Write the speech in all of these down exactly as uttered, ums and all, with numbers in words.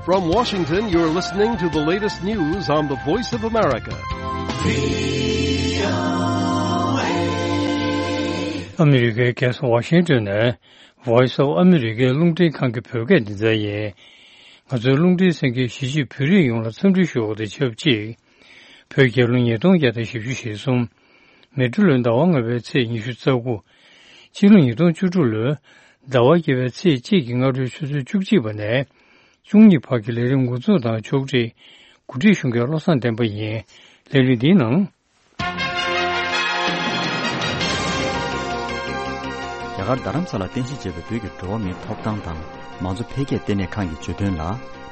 From Washington, you're listening to the latest news on the Voice of America. ཨ་མི་རི་ཀའི་རྒྱལ་ས་ཝ་ཤིང་ཏོན་ནས་Voice of America རླུང་འཕྲིན་ཁང་གི་བོད་སྐད་སྡེ་ཚན་ཡིན། ང་ཚོའི་རླུང་འཕྲིན་གསན་མཁན་གཞིས་བྱེས་བོད་རིགས་ཡོངས་ལ་འཚམས་འདྲི་ཞུ་བ་དང་ཆབས་ཅིག་བོད་རྒྱལ་ལོ་ཉིས་སྟོང་བརྒྱ་དང་བཞི་བཅུ་ཞེ་གསུམ། མེ་སྤྲེལ་ལོའི་ཟླ་བ་ལྔ་པའི་ཚེས་ཉི་ཤུ་རྩ་དགུ། སྤྱི་ལོ་ཉིས་སྟོང་བཅུ་དྲུག་ལོའི་ཟླ་བ་བརྒྱད་པའི་ཚེས་གཅིག་གི་སྔ་དྲོའི་ཆུ་ཚོད་བཅུ་གཅིག་པ་ནས་བཅུ་གཉིས་བར་གྱི་ལས་རིམ་འགོ་འཛུགས་དང་ཕྱོགས་སྒྲིག་གོ་སྒྲིག་ཞུ་མཁན་བློ་བཟང་བསྟན་པ་ཡིན། ལས་རིམ་འདིའི་ནང་། རྒྱ་གར་རྡ་རམ་ས་ལར་རྟེན་གཞི་བྱས་པའི་བོད་ཀྱི་འགྲོ་བ་མིའི་ཐོབ་ཐང་དང་མང་གཙོ་འཕེལ་རྒྱས་ལྟེ་གནས་ཁང་གིས་བརྗོད་དོན་ལ།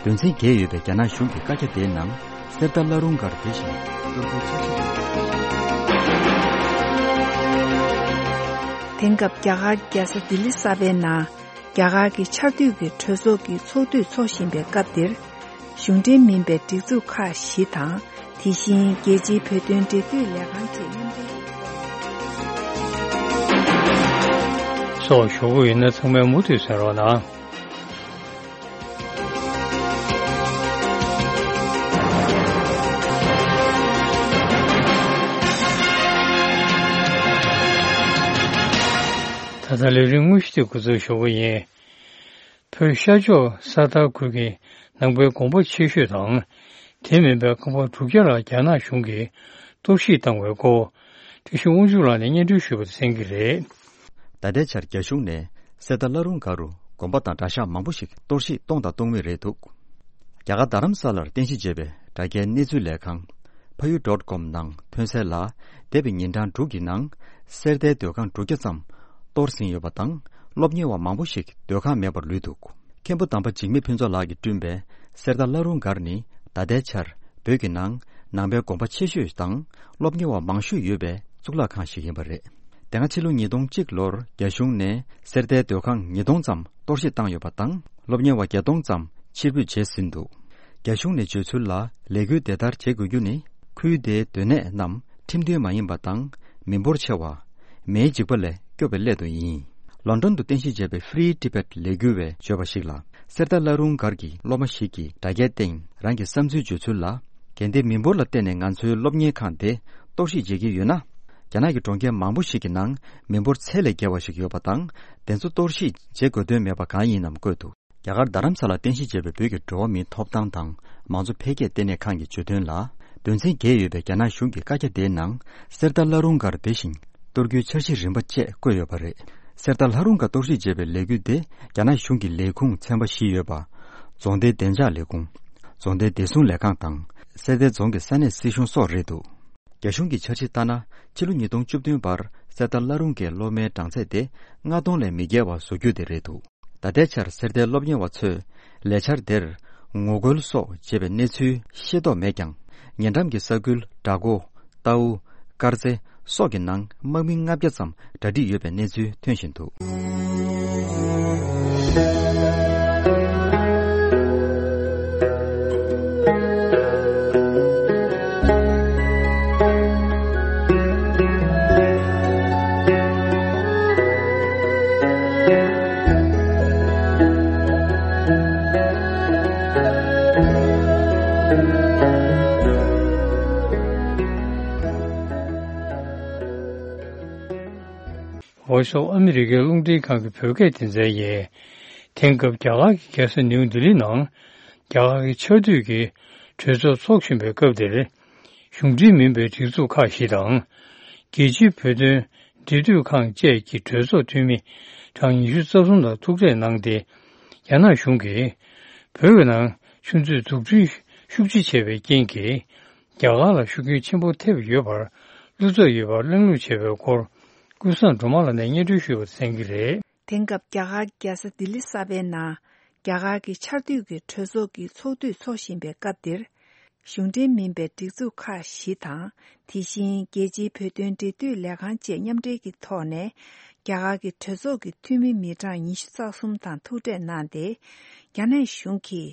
དོན་ཚན་བརྒྱད་ཡོད་པའི་རྒྱ་ནག་གཞུང་གི་བཀའ་རྒྱ་དེའི་ནང་གསེར་རྟ་བླ་རུང་སྒར་དེ་བཞིན་གཏོར་རྒྱུའི་འཆར་གཞི། དེང་སྐབས་རྒྱ་གར་རྒྱལ་ས་ལྡི་ལི་གསར་པའི་ནང་རྒྱ་གར་གྱི་ཆར་དུས་ཀྱི་གྲོས་ཚོགས་ཀྱི་ཚོགས་དུས་འཚོགས་བཞིན་པའི་སྐབས་འདིར། གཞུང་འབྲེལ་མིན་པའི་སྒྲིག་འཛུགས་ཁག་བཞི་དང་། དེ་བཞིན་རྒྱལ་སྤྱིའི་བོད་དོན་འབྲེལ་མཐུད་ལས་ཁང་བཅས་མཉམ་འབྲེལ་གྱིས། སོགས་ཞུ་གི་ཡོད་ན་ཚང་མས་མུ་མཐུད་གསན་རོགས་གནང་། ད་ལྟ་ལས་རིམ་དངོས་གཞི་དེ་འགོ་འཛུགས་ཞུ་གི་ཡིན། བོད་ཤར་ཕྱོགས་ས་མཐར་ཁུལ་གྱི་ནང་པའི་དགོན་པ་ཆེ་ཤོས་དང་། དེ་མིན་པའི་ཁང་པ་དྲུག་བརྒྱ་ལ་རྒྱ་ནག་གཞུང་གིས་གཏོར་བཤིག་བཏང་བའི་སྐོར། བཀྲ་ཤིས་དབང་ཕྱུག་ལགས་ནས་སྙན་སྒྲོན་ཞུས་པ་དེ་གསན་གྱི་རེད། ད་ལྟའི་ཆར་རྒྱ་གཞུང་ནས་གསེར་རྟ་བླ་རུང་སྒར་རུ་དགོན་པ་དང་གྲྭ་ཤག་མང་པོ་ཞིག་གཏོར་བཤིག་གཏོང་དང་གཏོང་མུས་རེད་འདུག་རྒྱ་གར་རྡ་རམ་ས་ལར་རྟེན་གཞི་བྱས་པའི་དྲ་རྒྱའི་གནས་ཚུལ་ལས་ཁང་། ཕ་ཡུལ་ཌོཊ་ཀོམ་ནང་ཐོན་གསལ་ལ། འདས་པའི་ཉིན་གྲངས་དྲུག་གི་ནང་། གསེར་རྟའི་སྡོད་ཁང་དྲུག་བརྒྱ་ཙམ་གཏོར་ཟིན་ཡོད་པ་དང་། སློབ་གཉེར་བ་མང་པོ་ཞིག་སྡོད་ཁང་མེད་པར་ལུས་འདུག་མཁན་པོ་དམ་པ་འཇིགས་མེད་ཕུན་ཚོགས་ལགས་ཀྱིས་བསྐྲུན་པའི་གསེར་རྟ་བླ་རུང་སྒར་ནི། ད་ལྟའི་ཆར་བོད་ཀྱི་ནང་ནང་པའི་དགོན་པ་ཆེ་ཤོས་དང་སློབ་གཉེར་བ་མང་ཤོས་ཡོད་པའི་གཙུག་ལག་ཁང་ཞིག་ཡིན་པ་རེད། དེ་སྔ་ཕྱི་ལོ་ཉིས་སྟོང་གཅིག་ལོར་རྒྱ་གཞུང་ནས་གསེར་རྟའི་སྡོད་ཁང་ཉིས་སྟོང་ཙམ་གཏོར་བཤིག་བཏང་ཡོད་པ་དང་། སློབ་གཉེར་བ་བརྒྱད་སྟོང་ཙམ་ཕྱིར་འབུད་བྱས་ཟིན་འདུག་རྒྱ་གཞུང་ནས་བརྗོད་ཚུལ་ལ། ལས་འགུལ་དེ་ལྟར་བྱེད་དགོས་རྒྱུ་ནི། ཁུལ་དེའི་སྡོད་གནས་རྣམས་ཁྲིམས་མཐུན་མ་ཡིན་པ་དང་། མི་འབོར་ཆེ་བ། མེའི་འཇིགས་པ་ལས་སྐྱོབ་པའི་སླད་དུ་ཡིན། ལོན་ཌོན་དུ་རྟེན་གཞི་བྱས་པའི་Free Tibet ལས་འགུལ་བས་བརྗོད་པ་ཞིག་ལ། གསེར་རྟ་བླ་རུང་སྒར་གྱི་སློབ་མ་ཞིག་གིས་དྲ་རྒྱའི་སྟེང་རང་གི་བསམ་ཚུལ་བརྗོད་ཚུལ་ལ། གལ་ཏེ་མི་འབོར་ལ་བརྟེན་ནས་ང་ཚོའི་སློབ་གཉེར་ཁང་དེ་གཏོར་བཤིག་བྱེད་ཀྱི་ཡོད་ན། རྒྱ་ནག་གི་གྲོང་ཁྱེར་མང་པོ་ཞིག་གི་ནང་མི་འབོར་ཚད་ལས་བརྒལ་བ་ཞིག་ཡོད་པ་དང་། དེ་ཚོ་གཏོར་བཤིག་བྱེད་དགོས་དོན་མེད་པ་གང་ཡིན་ནམ་བཀོད་འདུག་རྒྱ་གར་རྡ་རམ་ས་ལར་རྟེན་གཞི་བྱས་པའི་བོད་ཀྱི་འགྲོ་བ་མིའི་ཐོབ་ཐང་དང་མང་གཙོ་འཕེལ་རྒྱས་ལྟེ་གནས་ཁང་གིས་བརྗོད་དོན་ལ། དོན་ཚན་བརྒྱད་ཡོད་པའི་རྒྱ་ནག་གཞུང་གི་བཀའ་རྒྱ་དེའི་ནང་། གསེར་རྟ་བླ་རུང་སྒར་དེ་བཞིན་གཏོར་རྒྱུའི་འཆར་གཞི་རིམ་པ་བཅས་བཀོད་ཡོད་པ་རེད། གསེར་རྟ་བླ་རུང་སྒར་གཏོར་བཤིག་བྱས་པའི་ལས་འགུལ་དེ་རྒྱ་ནག་གཞུང་གི་ལས་ཁུངས་ཚན་པ་བཞི་ཡོད་པ། རྫོང་སྡེ་བདེ་འཇགས་ལས་ཁུངས། རྫོང་སྡེ་བདེ་སྲུང་ལས་ཁང་དང་། གསེར་རྟའི་རྫོང་གི་ས་གནས་སྲིད་གཞུང་སོགས་རེད་འདུག་རྒྱ་གཞུང་གི་འཆར་གཞི་ལྟར་ན། ཕྱི་ལོ་ཉིས་སྟོང་བཅུ་བདུན་བར་གསེར་རྟ་བླ་རུང་གི་སློབ་མའི་གྲངས་ཚད་དེ་ལྔ་སྟོང་ལས་མི་བརྒལ་བ་བཟོ་རྒྱུ་དེ་རེད་འདུག་ད་ལྟའི་ཆར་གསེར་རྟའི་སློབ་གཉེར་བ་ཚོས་ལས་འཆར་དེར་ངོ་རྒོལ་སོགས་བྱས་པའི་གནས་ཚུལ་ཤེས་རྟོགས་མེད་ཀྱང་། ཉེ་འགྲམ་གྱི་ས་ཁུལ་བྲག་འགོ། རྟའུ། དཀར་རྩེ་སོགས་ཀྱི་ནང་དམག་མི་ལྔ་བརྒྱ་ཙམ་གྲ་སྒྲིག་ཡོད་པའི་གནས་ཚུལ་ཐོན་བཞིན་འདུག Voice of America རླུང་འཕྲིན་ཁང་གི་བོད་སྐད་སྡེ་ཚན་ཡིན། དེང་སྐབས་རྒྱ་གར་གྱི་རྒྱལ་ས་ནིའུ་ལྡི་ལི་ནང་རྒྱ་གར་གྱི་ཆར་དུས་ཀྱི་གྲོས་ཚོགས་འཚོགས་བཞིན་པའི་སྐབས་འདིར། གཞུང་འབྲེལ་མིན་པའི་སྒྲིག་འཛུགས་ཁག་ཞིག་དང་། རྒྱལ་སྤྱིའི་བོད་དོན་འབྲེལ་མཐུད་ཁང་བཅས་ཀྱི་གྲོས་ཚོགས་འཐུས་མི་གྲངས་ཉི་ཤུ་རྩ་གསུམ་ལ་ཐུག་འཕྲད་གནང་སྟེ། རྒྱ་ནག་གཞུང་གིས་བོད་ཀྱི་ནང་ཆུ་མཛོད་འཛུགས་སྐྲུན་ཤུགས་ཆེ་བྱས་པའི་རྐྱེན་གྱིས། རྒྱ་གར་ལ་ཤུགས་རྐྱེན་ཆེན་པོ་ཐེབས་ཡོད་པར་བློ་འཚབ་ཡོད་པར་གླེང་ལུགས་བྱས་པའི་སྐོར། ཀུན་བཟང་སྒྲོལ་མ་ལགས་ནས་སྙན་སྒྲོན་ཞུས་པ་གསན་གྱི་རེད། དེང་སྐབས་རྒྱ་གར་རྒྱལ་ས་ལྡི་ལི་གསར་པའི་ནང་རྒྱ་གར་གྱི་ཆར་དུས་ཀྱི་གྲོས་ཚོགས་ཀྱི་ཚོགས་དུས་འཚོགས་བཞིན་པའི་སྐབས་འདིར། གཞུང་འབྲེལ་མིན་པའི་སྒྲིག་འཛུགས་ཁག་བཞི་དང་། དེ་བཞིན་རྒྱལ་སྤྱིའི་བོད་དོན་འབྲེལ་མཐུད་ལས་ཁང་བཅས་མཉམ་འབྲེལ་གྱི་ཐོག་ནས། རྒྱ་གར་གྱི་གྲོས་ཚོགས་ཀྱི་འཐུས་མི་མི་གྲངས་ཉི་ཤུ་རྩ་གསུམ་དང་ཐུག་འཕྲད་གནང་སྟེ། རྒྱ་ནག་གཞུང་གིས་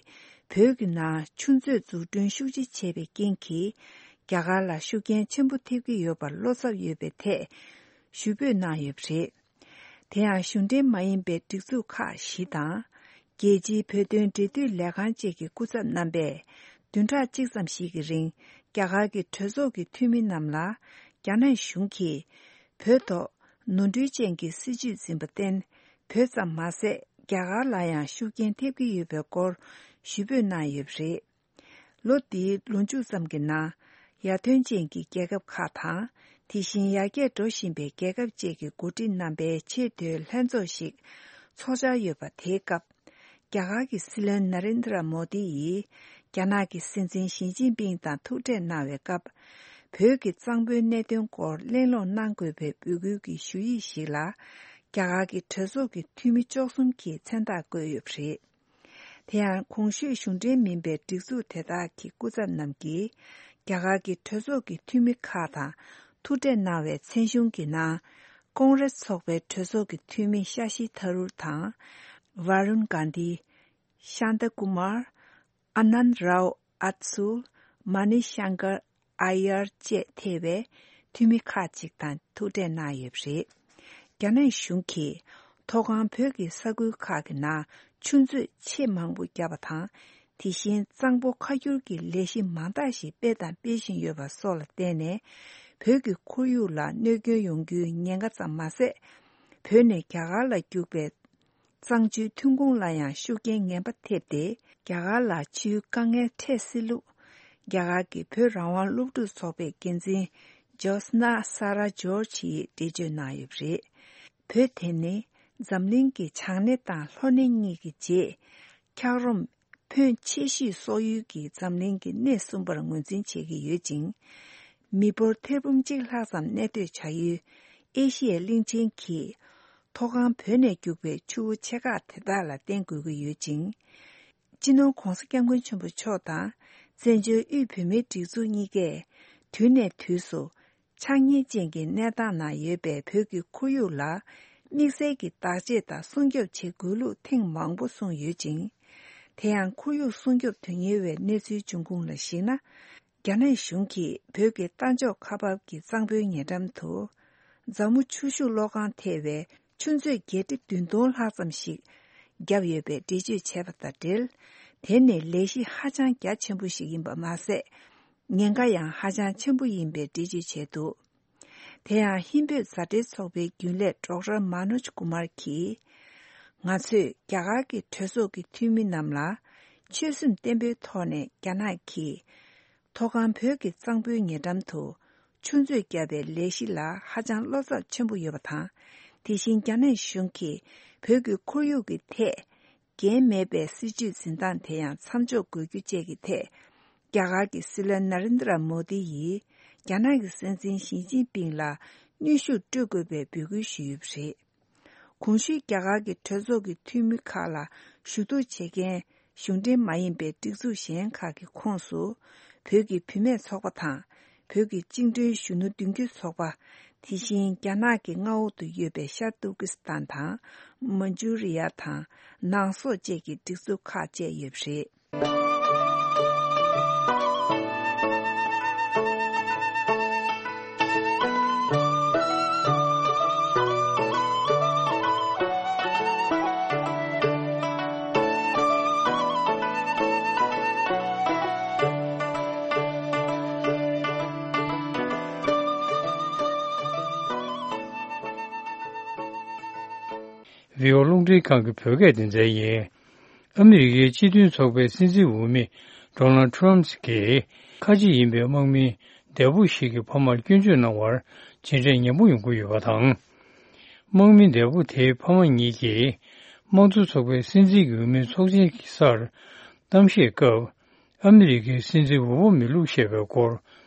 བོད་ཀྱི་ནང་ཆུ་མཛོད་འཛུགས་སྐྲུན་ཤུགས་ཆེ་བྱས་པའི་རྐྱེན་གྱིས། རྒྱ་གར་ལ་ཤུགས་རྐྱེན་ཆེན་པོ་ཐེབས་ཀྱི་ཡོད་པར་བློ་འཚབ་ཡོད་པའི་ཐད་ཞུ་འབོད་གནང་ཡོད་པ་རེད། དེ་ཡང་གཞུང་འབྲེལ་མ་ཡིན་པའི་སྒྲིག་འཛུགས་ཁག་བཞི་དང་། རྒྱལ་སྤྱིའི་བོད་དོན་འབྲེལ་མཐུད་ལས་ཁང་བཅས་ཀྱི་སྐུ་ཚབ་རྣམ་པས་བདུན་ཕྲག་གཅིག་ཙམ་ཞིག་གི་རིང་རྒྱ་གར་གྱི་གྲོས་ཚོགས་ཀྱི་འཐུས་མི་རྣམས་ལ་རྒྱ་ནག་གཞུང་གིས་བོད་ཐོག་ནོར་འཁྲུལ་ཅན་གྱི་སྲིད་བྱུས་འཛིན་པར་བརྟེན། བོད་ཙམ་མ་ཟད་རྒྱ་གར་ལ་ཡང་ཤུགས་རྐྱེན་ཐེབས་ཀྱི་ཡོད་པའི་སྐོར་ཞུ་འབོད་གནང་ཡོད་པ་རེད། ལོ་འདིའི་ལོ་མཇུག་ཙམ་གྱི་ནང་ཡར་ཐོན་ཅན་གྱི་རྒྱལ་ཁབ་ཁག་དང་། དེ་བཞིན་ཡར་རྒྱས་འགྲོ་བཞིན་པའི་རྒྱལ་ཁབ་བཅས་ཀྱི་འགོ་ཁྲིད་རྣམ་པའི་ཆེས་མཐོའི་ལྷན་ཚོགས་ཤིག་འཚོགས་འཆར་ཡོད་པ། དེའི་སྐབས་རྒྱ་གར་གྱི་སྲིད་བློན་ན་རེན་དྲ་མོ་དི་ཡིས་རྒྱ་ནག་གི་སྲིད་འཛིན་ཞི་ཅིན་ཕིང་དང་ཐུག་འཕྲད་གནང་བའི་སྐབས། བོད་ཀྱི་གཙང་པོའི་གནད་དོན་སྐོར་གླེང་སློང་གནང་དགོས་པའི་འབོད་སྐུལ་གྱི་ཞུ་ཡིག་ཞིག་ལ། རྒྱ་གར་གྱི་གྲོས་ཚོགས་ཀྱི་འཐུས་མི་བཅུ་གསུམ་གྱིས་མཚན་རྟགས་བཀོད་ཡོད་པ་རེད། དེ་ཡང་གོང་ཞུས་གཞུང་འབྲེལ་མིན་པའི་སྒྲིག་འཛུགས་དེ་དག་གི་སྐུ་ཚབ་རྣམས་ཀྱིས་རྒྱ་གར་གྱི་གྲོས་ཚོགས་ཀྱི་འཐུས་མི་ཁག་དང་ཐུག་འཕྲད་གནང་བའི་མཚན་གཞུང་གི་ནང་། ཀོང་རེས་ཚོགས་པའི་གྲོས་ཚོགས་ཀྱི་འཐུས་མི་ཤ་ཤི་ཐ་རུར་དང་། ཝ་རུན་གྷན་དྷི། ཤཱན་ཏ་ཀུ་མར། ཨ་ནན་རའོ་ཨ་ཚུལ། མ་ནི་ཤང་ཀར་ཨ་ཡར་བཅས་ཐེ་བའི་འཐུས་མི་ཁག་ཅིག་དང་ཐུག་འཕྲད་གནང་ཡོད་པ་རེད། རྒྱ་ནག་གཞུང་གིས་མཐོ་སྒང་བོད་ཀྱི་ས་ཁུལ་ཁག་གི་ནང་ཆུ་མཛོད་ཆེས་མང་པོ་བརྒྱབ་པ་དང་། དེ་བཞིན་གཙང་པོ་ཁ་སྒྱུར་གྱི་ལས་གཞི་མང་དག་ཞིག་སྤེལ་དང་སྤེལ་བཞིན་ཡོད་པ་སོགས་ལ་བརྟེན་ནས། བོད་ཀྱི་ཁོར་ཡུག་ལ་གནོད་སྐྱོན་ཡོང་རྒྱུའི་ཉེན་ཁ་ཙམ་མ་ཟད། བོད་ནས་རྒྱ་གར་ལ་རྒྱུག་པའི་གཙང་ཆུའི་ཐོན་ཁུངས་ལ་ཡང་ཤུགས་རྐྱེན་ངན་པ་ཐེབས་ཏེ། རྒྱ་གར་ལ་ཆུའི་དཀའ་ངལ་འཕྲད་སྲིད་ལུགས། རྒྱ་གར་གྱི་བོད་རང་དབང་སློབ་ཕྲུག་ཚོགས་པའི་འགན་འཛིན་ཇོ་སྣ་ས་ར་ཇོར་ཇི་ཡིས་འགྲེལ་བརྗོད་གནང་ཡོད་པ་རེད། བོད་དེ་ནི་འཛམ་གླིང་གི་བྱང་སྣེ་དང་ལྷོ་སྣེ་གཉིས་ཀྱི་རྗེས། འཁྱགས་རོམ་ཕོན་ཆེ་ཤོས་གསོག་ཡུལ་གྱི་འཛམ་གླིང་གི་སྣེ་གསུམ་པར་ངོས་འཛིན་བྱེད་ཀྱི་ཡོད་ཅིང་། མི་འབོར་ཐེར་འབུམ་གཅིག་ལྷག་ཙམ་གནས་སྡོད་བྱ་ཡུལ་ཨེ་ཤི་ཡའི་གླིང་ཆེན་གྱིས། མཐོ་སྒང་བོད་ནས་རྒྱུག་པའི་ཆུ་བོ་ཆེ་ཁག་དེ་དག་ལ་བརྟེན་དགོས་ཀྱི་ཡོད་ཅིང་། སྤྱི་ནོར་༧གོང་ས་༧སྐྱབས་མགོན་ཆེན་པོ་མཆོག་དང་། བཙན་བྱོལ་དབུས་བོད་མིའི་སྒྲིག་འཛུགས་གཉིས་ཀས་དུས་ནས་དུས་སུ། ཆག་ཉེས་ཅན་གྱི་གནས་སྟངས་ནང་ཡོད་པའི་བོད་ཀྱི་ཁོར་ཡུག་ལ། དམིགས་བསལ་གྱི་བདག་གཅེས་དང་སྲུང་སྐྱོབ་བྱེད་དགོས་ལུགས་ཐེངས་མང་པོ་གསུངས་ཡོད་ཅིང་། དེ་ཡང་ཁོར་ཡུག་སྲུང་སྐྱོབ་དོན་གཉེར་བའི་གནས་ཚུལ་འབྱུང་ཁུངས་ལ་གཞིགས་ན། རྒྱ་ནག་གཞུང་གིས་བོད་ཀྱི་རྟ་མཆོག་ཁ་འབབ་ཀྱི་གཙང་པོའི་ཉེ་འགྲམ་དུ། རྫ་མོ་ཆུ་ཤུགས་གློག་ཁང་ཐེ་བའི་ཆུ་མཛོད་བརྒྱད་ཁྲི་བདུན་སྟོང་ལྷག་ཙམ་ཞིག་བརྒྱབ་ཡོད་པའི་འགྲེལ་བརྗོད་བྱས་པ་དང་འབྲེལ། དེ་ནི་ལས་གཞི་ཧ་ཅང་རྒྱ་ཆེན་པོ་ཞིག་ཡིན་པ་མ་ཟད། ཉེན་ཁ་ཡང་ཧ་ཅང་ཆེན་པོ་ཡིན་པའི་འགྲེལ་བརྗོད་བྱས་འདུག་དེ་ཡང་ཧིན་བོད་མཛའ་འབྲེལ་ཚོགས་པའི་རྒྱུན་ལས་ཌོག་ཊར་མ་ནོཇ་ཀུ་མར་གྱིས། ང་ཚོས་རྒྱ་གར་གྱི་གྲོས་ཚོགས་ཀྱི་འཐུས་མི་རྣམས་ལ་ཆོད་སེམས་བརྟན་པོའི་ཐོག་ནས་རྒྱ་ནག་གིས་མཐོ་སྒང་བོད་ཀྱི་གཙང་པོའི་ཉེ་འགྲམ་དུ་ཆུ་མཛོད་བརྒྱབ་པའི་ལས་གཞི་ལ་ཧ་ཅང་བློ་འཚབ་ཆེན་པོ་ཡོད་པ་དང་། དེ་བཞིན་རྒྱ་ནག་གཞུང་གིས་བོད་ཀྱི་ཁོར་ཡུག་གི་ཐད། འགན་མེད་པའི་སྲིད་བྱུས་འཛིན་སྟངས་དེ་ཡང་མཚམས་འཇོག་དགོས་རྒྱུ་བཅས་ཀྱི་ཐད། རྒྱ་གར་གྱི་སྲིད་བློན་ན་རེན་དྲ་མོ་དི་ཡིས་རྒྱ་ནག་གི་སྲིད་འཛིན་ཞི་ཅིན་ཕིང་ལ་གནོན་ཤུགས་སྤྲོད་དགོས་པའི་འབོད་སྐུལ་ཞུས་ཡོད་པ་རེད། གོང་ཞུས་རྒྱ་གར་གྱི་གྲོས་ཚོགས་ཀྱི་འཐུས་མི་ཁག་ལ་ཞུ་གཏུག་བྱེད་མཁན་གཞུང་འབྲེལ་མ་ཡིན་པའི་སྒྲིག་འཛུགས་གཞན་ཁག་གི་ཁོངས་སུ། བོད་ཀྱི་བུད་མེད་ཚོགས་པ་དང་། བོད་ཀྱི་བཅིངས་འགྲོལ་གཞོན་ནུ་མདུན་སྐྱོད་ཚོགས་པ། དེ་བཞིན་རྒྱ་ནག་གི་མངའ་འོག་ཏུ་ཡོད་པའི་ཤར་ཏུར་ཀི་སི་ཐན་དང་། མན་ཇུ་རི་ཡ་དང་། ནང་སོག་བཅས་ཀྱི་སྒྲིག་འཛུགས་ཁག་བཅས་ཡོད་པ་རེད། བྷི་ཨོ་རླུང་འཕྲིན་ཁང་གི་བོད་སྐད་སྡེ་ཚན་ཡིན། ཨ་མི་རི་ཀའི་སྤྱི་མཐུན་ཚོགས་པའི་སྲིད་འཛིན་འོས་མི་ཌོ་ནལ་ཊམ་གྱིས་ཁ་ཆེ་ཡིན་པའི་དམག་མི་འདས་པོ་ཞིག་གི་ཕ་མར་སྐྱོན་བརྗོད་གནང་བར་མཇལ་འཕྲད་ཉམས་པོ་ཡོང་གི་ཡོད་པ་དང་། དམག་མི་འདས་པོ་དེའི་ཕ་མ་གཉིས་ཀྱིས་དམངས་གཙོ་ཚོགས་པའི་སྲིད་འཛིན་གྱི་འོས་མིའི་ཚོགས་ཆེན་གྱི་སར་གཏམ་བཤད་སྐབས། ཨ་མི་རི་ཀའི་སྲིད་འཛིན་འོས་མི་བླུགས་བཞག་པའི་སྐོར།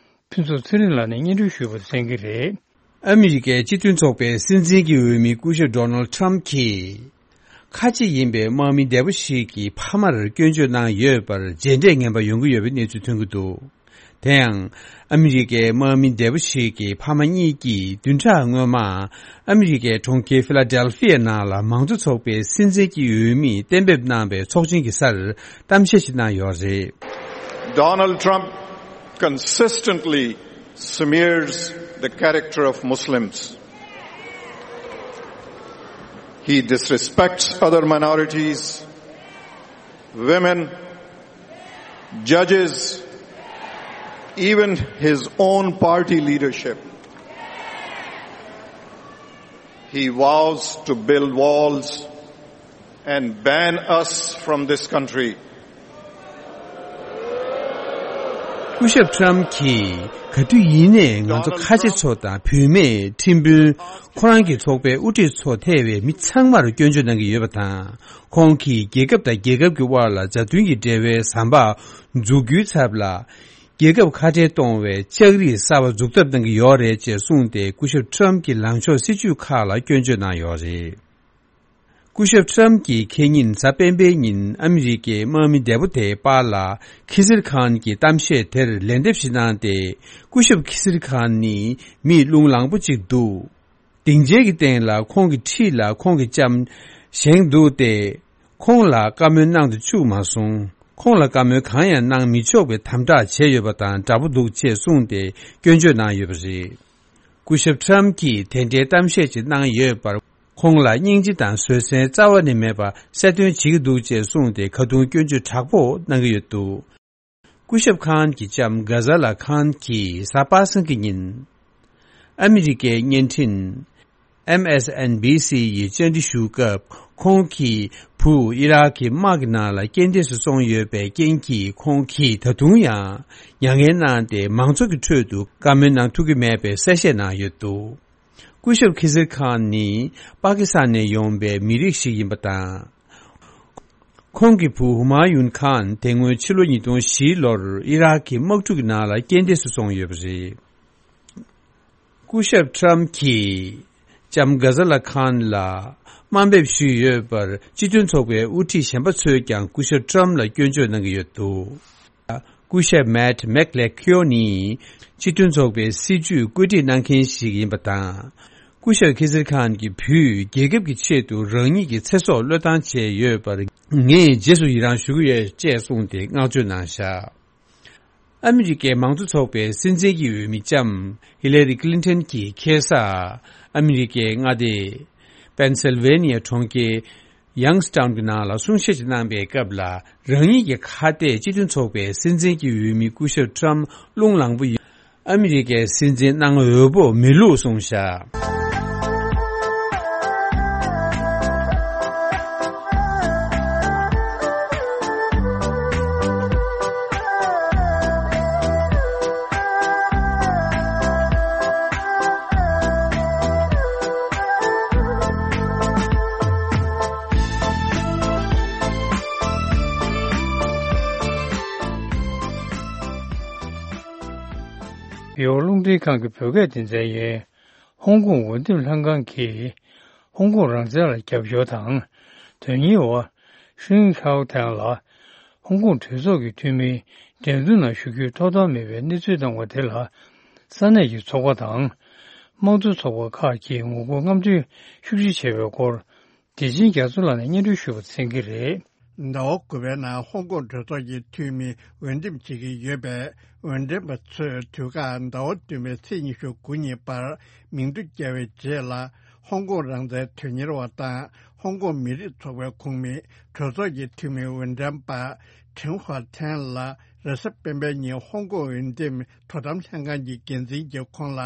ཕུན་ཚོགས་ཚེ་རིང་ལགས་ནས་སྙན་སྒྲོན་ཞུས་པ་གསན་གྱི་རེད། ཨ་མི་རི་ཀའི་སྤྱི་མཐུན་ཚོགས་པའི་སྲིད་འཛིན་གྱི་འོས་མི་སྐུ་ཞབས་ཌོ་ནལ་ཊམ་གྱིས། ཁ་ཆེ་ཡིན་པའི་དམག་མི་འདས་པོ་ཞིག་གི་ཕ་མར་སྐྱོན་བརྗོད་གནང་ཡོད་པར་རྗེས་འབྲས་ངན་པ་ཡོང་གི་ཡོད་པའི་གནས་ཚུལ་ཐོན་གྱི་འདུག་དེ་ཡང་། ཨ་མི་རི་ཀའི་དམག་མི་འདས་པོ་ཞིག་གི་ཕ་མ་གཉིས་ཀྱིས་བདུན་ཕྲག་སྔོན་མ། ཨ་མི་རི་ཀའི་གྲོང་ཁྱེར་ཕི་ལ་ཌེལ་ཕི་ཡའི་ནང་ལ་མང་གཙོ་ཚོགས་པའི་སྲིད་འཛིན་གྱི་འོས་མི་གཏན་འབེབས་གནང་བའི་ཚོགས་ཆེན་གྱི་སར་གཏམ་བཤད་ཞིག་གནང་ཡོད་རེད། Donald Trump consistently smears the character of Muslims. He disrespects other minorities. Women, judges, even his own party leadership. He vows to build walls and ban us from this country. སྐུ་ཞབས་ཊམ་གྱིས་ག་དུས་ཡིན་ནའི་ང་ཚོ་ཁ་ཆེ་ཚོ་དང་བུད་མེད་ཁྲིམས་དཔོན། ཁོ་རང་གི་ཚོགས་པའི་དབུ་ཁྲིད་ཚོ་ཐེ་བའི་མི་ཚང་མར་སྐྱོན་བརྗོད་གནང་གི་ཡོད་པ་དང་། ཁོང་གིས་རྒྱལ་ཁབ་དང་རྒྱལ་ཁབ་ཀྱི་དབར་ལ་མཛའ་མཐུན་གྱི་འབྲེལ་བའི་ཟམ་པ་འཛུགས་རྒྱུའི་ཚབ་ལ། རྒྱལ་ཁབ་ཁ་བྲལ་གཏོང་བའི་ལྕགས་རིགས་གསར་བ་འཛུགས་ཐབས་གནང་གི་ཡོད་རེད་ཅེས་གསུངས་ཏེ། སྐུ་ཞབས་ཊམ་གྱི་ལངས་ཕྱོགས་སྲིད་ཇུས་ཁག་ལ་སྐྱོན་བརྗོད་གནང་ཡོད་རེད། སྐུ་ཞབས་ཊམ་གྱིས་ཁེ་ཉིན་གཟའ་སྤེན་པའི་ཉིན་ཨ་མི་རི་ཀའི་དམག་མི་འདས་པོ་དེའི་པར་ལ་ཁི་སིར་ཁཱན་གྱི་གཏམ་བཤད་དེར་ལན་འདེབས་ཤིག་གནང་སྟེ། སྐུ་ཞབས་ཁི་སིར་ཁཱན་ནི་མི་རླུང་ལངས་པོ་ཅིག་འདུག་སྡིངས་ཆའི་གི་སྟེང་ལ་ཁོང་གི་འཁྲིས་ལ་ཁོང་གི་ལྕམ་བཞེངས་འདུག་སྟེ། ཁོང་ལ་བཀའ་མོལ་གནང་དུ་བཅུག་མ་སོང་། ཁོང་ལ་བཀའ་མོལ་གང་ཡང་གནང་མི་ཆོག་པའི་དམ་དྲག་བྱས་ཡོད་པ་དང་འདྲ་པོ་འདུག་ཅེས་གསུངས་ཏེ་སྐྱོན་བརྗོད་གནང་ཡོད་པ་རེད། སྐུ་ཞབས་ཊམ་གྱིས་དེ་འདྲའི་གཏམ་བཤད་ཅིག་གནང་ཡོད་པར། ཁོང་ལ་སྙིང་རྗེ་དང་བཟོད་བསྲན་རྩ་བ་ནས་མེད་པ་གསལ་སྟོན་བྱེད་ཀྱི་འདུག་ཅེས་གསུངས་ཏེ། ཁ་རྡུང་སྐྱོན་བརྗོད་དྲག་པོ་གནང་གི་ཡོད་འདུག་སྐུ་ཞབས་ཁཱན་གྱི་ལྕམ་གྷ་ཟ་ལ་ཁཱན་གྱིས་གཟའ་པ་སངས་ཀྱི་ཉིན་ཨ་མི་རི་ཀའི་བརྙན་འཕྲིན་ཨེམ་ཨེས་ཨེན་བི་སི་ཡི་བཅར་འདྲི་ཞུ་སྐབས། ཁོང་གི་བུ་ཨི་རག་གི་དམག་གི་ནང་ལ་རྐྱེན་འདས་སུ་སོང་ཡོད་པའི་རྐྱེན་གྱིས། ཁོང་གིས་ད་དུང་ཡང་མྱ་ངན་གནང་སྟེ་མང་ཚོགས་ཀྱི་ཁྲོད་དུ་བཀའ་མོལ་གནང་ཐུབ་ཀྱི་མེད་པའི་གསལ་བཤད་གནང་ཡོད་འདུག་སྐུ་ཞབས་ཁི་སིར་ཁཱན་ནི་པ་ཀི་སི་ཐན་ནས་ཡོང་པའི་མི་རིགས་ཤིག་ཡིན་པ་དང་། ཁོང་གི་བུ་ཧུ་མ་ཡུན་ཁཱན་དེ་སྔོན་ཕྱི་ལོ་ཉིས་སྟོང་བཞི་ལོར་ཨི་རག་གི་དམག་འཁྲུག་གི་ནང་ལ་རྐྱེན་འདས་སུ་སོང་ཡོད་པ་རེད། སྐུ་ཞབས་ཊམ་གྱིས་ལྕམ་གྷ་ཟ་ལ་ཁཱན་ལ་དམའ་འབེབས་ཞུས་ཡོད་པར། སྤྱི་མཐུན་ཚོགས་པའི་དབུ་ཁྲིད་གཞན་པ་ཚོས་ཀྱང་སྐུ་ཞབས་ཊམ་ལ་སྐྱོན་བརྗོད་གནང་གི་ཡོད་འདུག་སྐུ་ཞབས་མེཊ་མེག་ལེ་ཁིའོ་ནི་སྤྱི་མཐུན་ཚོགས་པའི་སྲིད་ཇུས་བཀོད་སྒྲིག་གནང་མཁན་ཞིག་ཡིན་པ་དང་། སྐུ་ཞབས་ཁི་སིར་ཁཱན་གྱི་བུས་རྒྱལ་ཁབ་ཀྱི་ཆེད་དུ་རང་ཉིད་ཀྱི་ཚེ་སྲོག་བློས་བཏང་བྱས་ཡོད་པར། ངས་རྗེས་སུ་ཡི་རང་ཞུ་གི་ཡོད་ཅེས་གསུངས་ཏེ་བསྔགས་བརྗོད་གནང་བཞག་ཨ་མི་རི་ཀའི་མང་གཙོ་ཚོགས་པའི་སྲིད་འཛིན་གྱི་འོས་མི་ལྕམ་ཧི་ལ་རི་ཀི་ལིན་ཊོན་གྱིས་ཁ་སང་ཨ་མི་རི་ཀའི་མངའ་སྡེ་པེན་སིལ་ཝེ་ནི་ཡ་གྲོང་ཁྱེར་ཡང་སི་ཊའུན་གྱི་ནང་ལ་གསུང་བཤད་ཅིག་གནང་པའི་སྐབས་ལ། རང་ཉིད་ཀྱི་ཁ་གཏད་སྤྱི་མཐུན་ཚོགས་པའི་སྲིད་འཛིན་གྱི་འོས་མི་སྐུ་ཞབས་ཊམ་རླུང་ལངས་པོ་ཡིན། ཨ་མི་རི་ཀའི་སྲིད་འཛིན་གནང་འོས་པོ་མི་བླུགས་གསུངས་བཞག་བོད་རླུང་འཕྲིན་ཁང་གི་བོད་སྐད་སྡེ་ཚན་ཡིན། ཧོང་ཀོང་འོས་འདེམས་ལྷན་ཁང་གིས་ཧོང་ཀོང་རང་བཙན་ལ་རྒྱབ་སྐྱོར་དང་དོན་གཉེར་བ་ཧྲིན་ཧའོ་ཐན་ལ་ཧོང་ཀོང་གྲོས་ཚོགས་ཀྱི་འཐུས་མིའི་འགྲན་བསྡུར་ནང་ཞུགས་རྒྱུའི་ཐོབ་ཐང་མེད་པའི་གནས་ཚུལ་བཏང་བ་དེ་ལ། ས་གནས་ཀྱི་ཚོགས་པ་དང་དམངས་གཙོ་ཚོགས་པ་ཁག་གིས་ངོ་རྒོལ་རྔམ་སྟོན་ཤུགས་ཆེ་བྱས་པའི་སྐོར། བདེ་ཆེན་རྒྱ་མཚོ་ལགས་ནས་སྙན་སྒྲོན་ཞུ་བར་འཚམས་ཀྱི་རེད། ཟླ་བ་དགུ་པའི་ནང་ཧོང་ཀོང་གྲོས་ཚོགས་ཀྱི་འཐུས་མི་འོས་འདེམས་བྱེད་ཀྱི་ཡོད་པས། འོས་འདེམས་པ་ཚོས་དུས་བཀག་ཟླ་བ་བདུན་པའི་ཚེས་ཉི་ཤུ་དགུ་ཉིན་བར་མིང་ཐོ་བསྐྱལ་བའི་རྗེས་ལ། ཧོང་ཀོང་རང་བཙན་དོན་གཉེར་བ་དང་ཧོང་ཀོང་མི་རིགས་ཚོགས་པའི་ཁོངས་མི་གྲོས་ཚོགས་ཀྱི་འཐུས་མི་འོས་འདེམས་པ་ཁྲིན་ཧྭ་ཐན་ལ། རེས་གཟའ་སྤེན་པའི་ཉིན་ཧོང་ཀོང་འོས་འདེམས་དོ་དམ་ལྷན་ཁང་གི་འགན་འཛིན་གྱིས་ཁོང་ལ་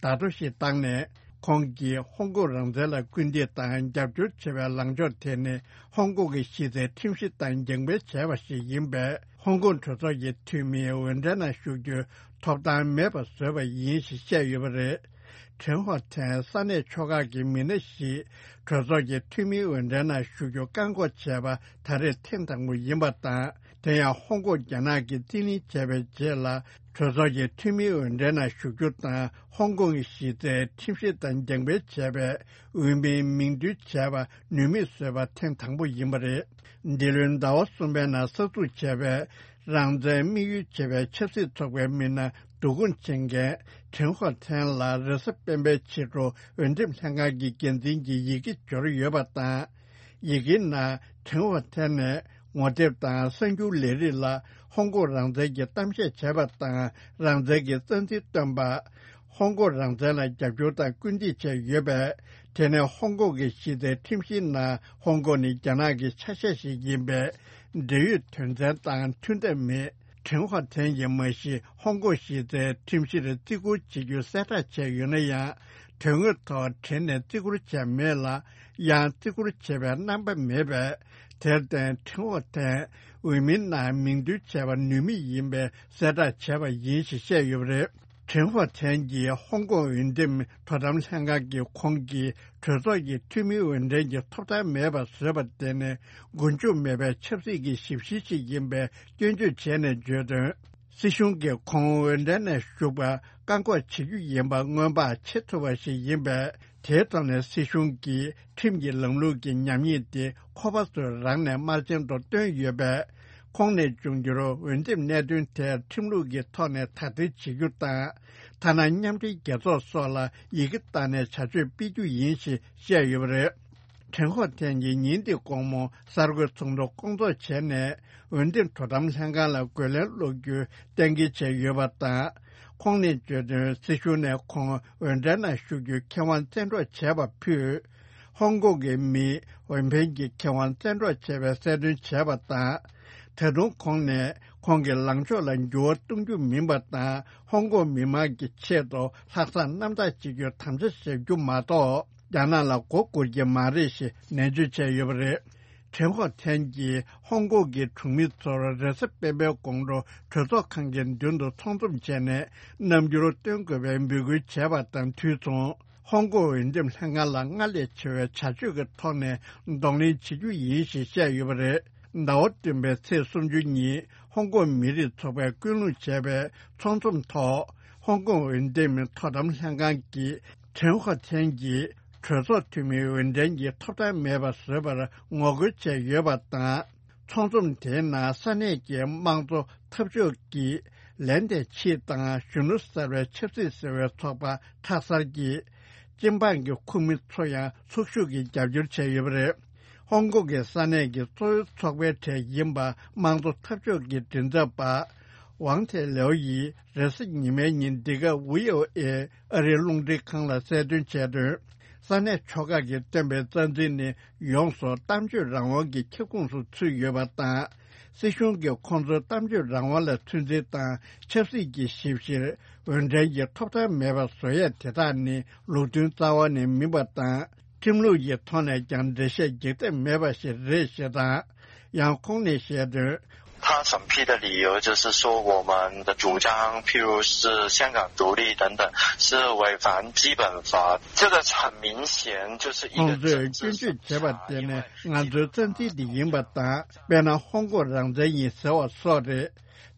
བརྡ་ཐོ་ཞིག་བཏང་ནས། ཁོང་གིས་ཧོང་ཀོང་རང་བཙན་ལ་སྐུལ་འདེད་དང་རྒྱབ་སྐྱོར་བྱེད་པའི་ལངས་ཕྱོགས་དེ་ནི་ཧོང་ཀོང་གི་གཞི་རྩའི་ཁྲིམས་གཞི་ལྟར་འགྱངས་སྤེལ་བྱས་པ་ཞིག་ཡིན་པས། ཧོང་ཀོང་གྲོས་ཚོགས་ཀྱི་འཐུས་མིའི་འོས་འགྲན་ནང་ཞུགས་རྒྱུའི་ཐོབ་ཐང་མེད་པ་བཟོས་པ་ཡིན་ཞེས་བཤད་ཡོད་པ་རེད། ཁྲིན་ཧྭ་ཐན་ས་གནས་ཕྱོགས་ཁག་གི་མི་སྣ་ཞིག་གྲོས་ཚོགས་ཀྱི་འཐུས་མིའི་འོས་འགྲན་ནང་ཞུགས་རྒྱུ་བཀག་འགོག་བྱས་པ་ད་རེས་ཐེངས་དང་པོ་ཡིན་པ་དང་། དེ་ཡང་ཧོང་ཀོང་རྒྱ་ནག་གིས་རྩིས་ལེན་བྱས་པའི་རྗེས་ལ། གྲོས་ཚོགས་ཀྱི་འཐུས་མིའི་འོས་འགྲན་ནང་ཞུགས་རྒྱུ་དང་ཧོང་ཀོང་གི་གཞི་རྩའི་ཁྲིམས་གཞི་དང་འགྱངས་སྤེལ་བྱས་པའི་འོས་མིའི་མིང་བསྡུ་བྱས་པ་ནུས་མེད་བཟོས་པ་ཐེངས་དང་པོ་ཡིན་པ་རེད། འདི་ལོའི་ཟླ་བ་གསུམ་པའི་ནང་གསར་འཛུགས་བྱས་པའི་རང་བཙན་དམིགས་ཡུལ་བྱེད་པའི་ཆབ་སྲིད་ཚོགས་པའི་མི་སྣ་བསྡུ་སྐོང་བྱེད་མཁན་ཁྲིན་ཧྭ་ཐན་ལ་རེས་གཟའ་སྤེན་པའི་ཕྱི་དྲོ་འོས་འདེམས་ལྷན་ཁང་གི་འགན་འཛིན་གྱིས་ཡི་གེ་འབྱོར་ཡོད་པ་དང་། ཡི་གེའི་ནང་ཁྲིན་ཧྭ་ཐན་ནས་ངོ་དེབ་དང་གསར་འགྱུར་ལས་རིགས་ལ་ཧོང་ཀོང་རང་བཙན་གྱི་གཏམ་བཤད་བྱས་པ་དང་། རང་བཙན་གྱི་རྩ་འཛིན་བཏོན་པ། ཧོང་ཀོང་རང་བཙན་ལ་རྒྱབ་སྐྱོར་དང་སྐུལ་འདེད་བྱས་ཡོད་པས། དེ་ནས་ཧོང་ཀོང་གི་གཞི་རྩའི་ཁྲིམས་གཞིའི་ནང་ཧོང་ཀོང་ནི་རྒྱ་ནག་གི་ཆ་ཤས་ཤིག་ཡིན་པས། འབྲེལ་ཡོད་དོན་ཚན་དང་མཐུན་ཐབས་མེད། ཁྲེན་ཧོ་ཐན་གྱིས་མ་གཞི་ཧོང་ཀོང་གཞི་རྩའི་ཁྲིམས་གཞིར་བརྩི་བཀུར་བྱེད་རྒྱུ་གསལ་བསྒྲགས་བྱས་ཡོད་ན་ཡང་། དོན་དངོས་ཐོག་བྲེལ་ནས་བརྩི་བཀུར་བྱས་མེད་ལ། ཡང་བརྩི་བཀུར་བྱེད་པའི་རྣམ་པ་མེད་པས། དེར་བརྟེན་ཁྲེན་ཧོ་ཐན་འོས་མིའི་ནང་མིང་འདོན་བྱས་པ་ནུས་མེད་ཡིན་པའི་གསལ་བསྒྲགས་བྱས་པ་ཡིན་ཞེས་བཤད་ཡོད་པ་རེད། ཁྲེན་ཧོ་ཐན་གྱིས་ཧོང་ཀོང་འོས་འདེམས་དོ་དམ་ལྷན་ཁང་གིས་ཁོང་གིས་གྲོས་ཚོགས་ཀྱི་འཐུས་མིའི་འོས་འགྲན་གྱི་ཐོབ་ཐང་མེད་པར་བཟོས་པ་དེ་ནི་མགོ་མཇུག་མེད་པའི་ཆབ་སྲིད་ཀྱི་ཞིབ་བཤེར་ཞིག་ཡིན་པའི་སྐྱོན་བརྗོད་བྱས་ནས་བརྗོད་དོན། སྲིད་གཞུང་གིས་ཁོང་འོས་འགྲན་ནས་ཞུགས་པར་བཀག་འགོག་བྱེད་རྒྱུ་ཡིན་པ་སྔོན་དཔག་བྱེད་ཐུབ་པ་ཞིག་ཡིན་པས། དེའི་ཐོག་ནས་སྲིད་གཞུང་གིས་ཁྲིམས་ཀྱི་ལམ་ལུགས་ཀྱི་ཉམས་ཉེས་དེ་ཁོ་པ་ཚོས་རང་ནས་དམར་རྗེན་དུ་བཏོན་ཡོད་པས། ཁོང་ནས་འབྱུང་འགྱུར་འོས་འདེམས་གནད་དོན་དེར་ཁྲིམས་ལུགས་ཀྱི་ཐོག་ནས་དག་ཐེར་བྱེད་རྒྱུ་དང་། ཐ་ན་མཉམ་འབྲེལ་རྒྱལ་ཚོགས་སོགས་ལ་ཡི་གེ་བཏང་ནས་བྱ་སྤྱོད་སྤེལ་རྒྱུ་ཡིན་ཞེས་བཤད་ཡོད་པ་རེད། ཁྲེན་ཧོ་ཐན་གྱིས་ཉིན་འདི་དགོང་མོ་གསར་འགོད་ཚོགས་འདུ་སྐོང་ཚོགས་བྱས་ནས། འོས་འདེམས་དོ་དམ་ལྷན་ཁང་ལ་རྒོལ་ལན་སློག་རྒྱུའི་གཏན་འཁེལ་བྱས་ཡོད་པ་དང་། ཁོང་ནས་བརྗོད་དོན། སྲིད་གཞུང་ནས་ཁོང་འོས་འགྲན་ནང་ཞུགས་རྒྱུའི་ཁེ་དབང་བཙན་འཕྲོག་བྱས་པ་ཕུད། ཧོང་ཀོང་གི་མིའི་འོས་འཕེན་གྱི་ཁེ་དབང་བཙན་འཕྲོག་བྱས་པའི་གསལ་སྟོན་བྱས་པ་དང་། ད་དུང་ཁོང་ནས་ཁོང་གི་ལངས་ཕྱོགས་ལ་འགྱུར་བ་གཏོང་རྒྱུ་མིན་པ་དང་། ཧོང་ཀོང་མི་མང་གི་ཆེད་དུ་ལྷག་བསམ་རྣམ་དག་བྱེད་རྒྱུའི་དམ་བཅའ་བཞག་རྒྱུ་མ་གཏོགས། རྒྱ་ནག་ལ་མགོ་སྒུར་གྱི་མ་རེད་ཞེས་ནན་བརྗོད་བྱས་ཡོད་པ་རེད། ཁྲེན་ཧོ་ཐན་གྱིས་ཧོང་ཀོང་གི་གྲོང་མི་ཚོར་རེས་གཟའ་སྤེན་པའི་དགོང་དྲོ་གྲོས་ཚོགས་ཁང་གི་མདུན་དུ་ཚོགས་འཛོམས་བྱས་ནས་རྣམ་འགྱུར་སྟོན་དགོས་པའི་འབོད་སྐུལ་བྱས་པ་དང་དུས་མཚུངས། ཧོང་ཀོང་འོས་འདེམས་ལྷན་ཁང་ལ་སྔར་ལས་ཆེ་བའི་བྱ་སྤྱོད་ཀྱི་ཐོག་ནས་གདོང་ལེན་བྱེད་རྒྱུ་ཡིན་ཞེས་བཤད་ཡོད་པ་རེད། ཟླ་བ་བདུན་པའི་ཚེས་སུམ་ཅུ་ཉིན་ཧོང་ཀོང་མི་རིགས་ཚོགས་པས་སྐུལ་སློང་བྱས་པའི་ཚོགས་འཛོམས་ཐོག་ཧོང་ཀོང་འོས་འདེམས་དོ་དམ་ལྷན་ཁང་གིས་ཁྲེན་ཧོ་ཐན་གྱིས་གྲོས་ཚོགས་འཐུས་མིའི་འོས་འགྲན་གྱི་ཐོབ་ཐང་མེད་པ་བཟོས་པར་ངོ་རྒོལ་བྱས་ཡོད་པ་དང་། ཚོགས་འཛོམས་དེའི་ནང་ས་གནས་ཀྱི་དམངས་གཙོ་འཐབ་ཕྱོགས་ཀྱི་ལན་དེ་ཆིས་དང་གཞོན་ནུ་གསར་པའི་ཆབ་སྲིད་ཟེར་བའི་ཚོགས་པ་ཁྲག་གསར་གྱིས། སྤྱི་འབངས་ཀྱི་ཁོངས་མི་ཚོ་ཡང་ཚོགས་ཞུགས་ཀྱིས་རྒྱབ་སྐྱོར་བྱས་ཡོད་པ་རེད། ཧོང་ཀོང་གི་ས་གནས་ཀྱི་གཙོ་བོའི་ཚོགས་པའི་གྲས་ཡིན་པ་དམངས་གཙོ་འཐབ་ཕྱོགས་ཀྱི་མགྲིན་ཚབ་པ། ཝང་ཐེ་ལེའོ་ཡིས་རེས་གཟའ་ཉི་མའི་ཉིན་འདི་ག་ཝི་ཨོ་ཨེ་ཨ་རིའི་རླུང་འཕྲིན་ཁང་ལ་གསལ་སྟོན་བྱས་དོན། ས་གནས་ཕྱོགས་ཁག་གིས་བཏོན་པའི་རྩ་འཛིན་ནི་ཡོངས་སུ་གཏམ་བརྗོད་རང་དབང་གི་ཁྱབ་ཁོངས་སུ་ཚུད་ཡོད་པ་དང་། སྲིད་གཞུང་གིས་ཁོང་ཚོའི་གཏམ་བརྗོད་རང་དབང་ལ་ཚོད་འཛིན་དང་ཆབ་སྲིད་ཀྱི་ཞིབ་བཤེར་འོས་འགྲན་གྱི་ཐོབ་ཐང་མེད་པ་བཟོ་ཡས་དེ་དག་ནི་ལུགས་མཐུན་རྩ་བ་ནས་མིན་པ་དང་། ཁྲིམས་ལུགས་ཀྱི་ཐོག་ནས་ཀྱང་འགྲེལ་བཤད་རྒྱག་ཐབས་མེད་པ་ཞིག་རེད་ཞེས་དང་། ཡང་ཁོང་ནས་བཤད་དོན། 他审批的理由就是说，我们的主张，譬如是香港独立等等，是违反基本法。这个很明显就是一个 ཁོང་ཚོས་སྐྱོན་བརྗོད་བྱས་པ་དེ་ནི་ང་ཚོའི་རྩ་འཛིན་དེ་ཡིན་པ་དང་། དཔེར་ན་ཧོང་ཀོང་རང་བཙན་ཡིན་ཟེར་བ་སོགས་རེད།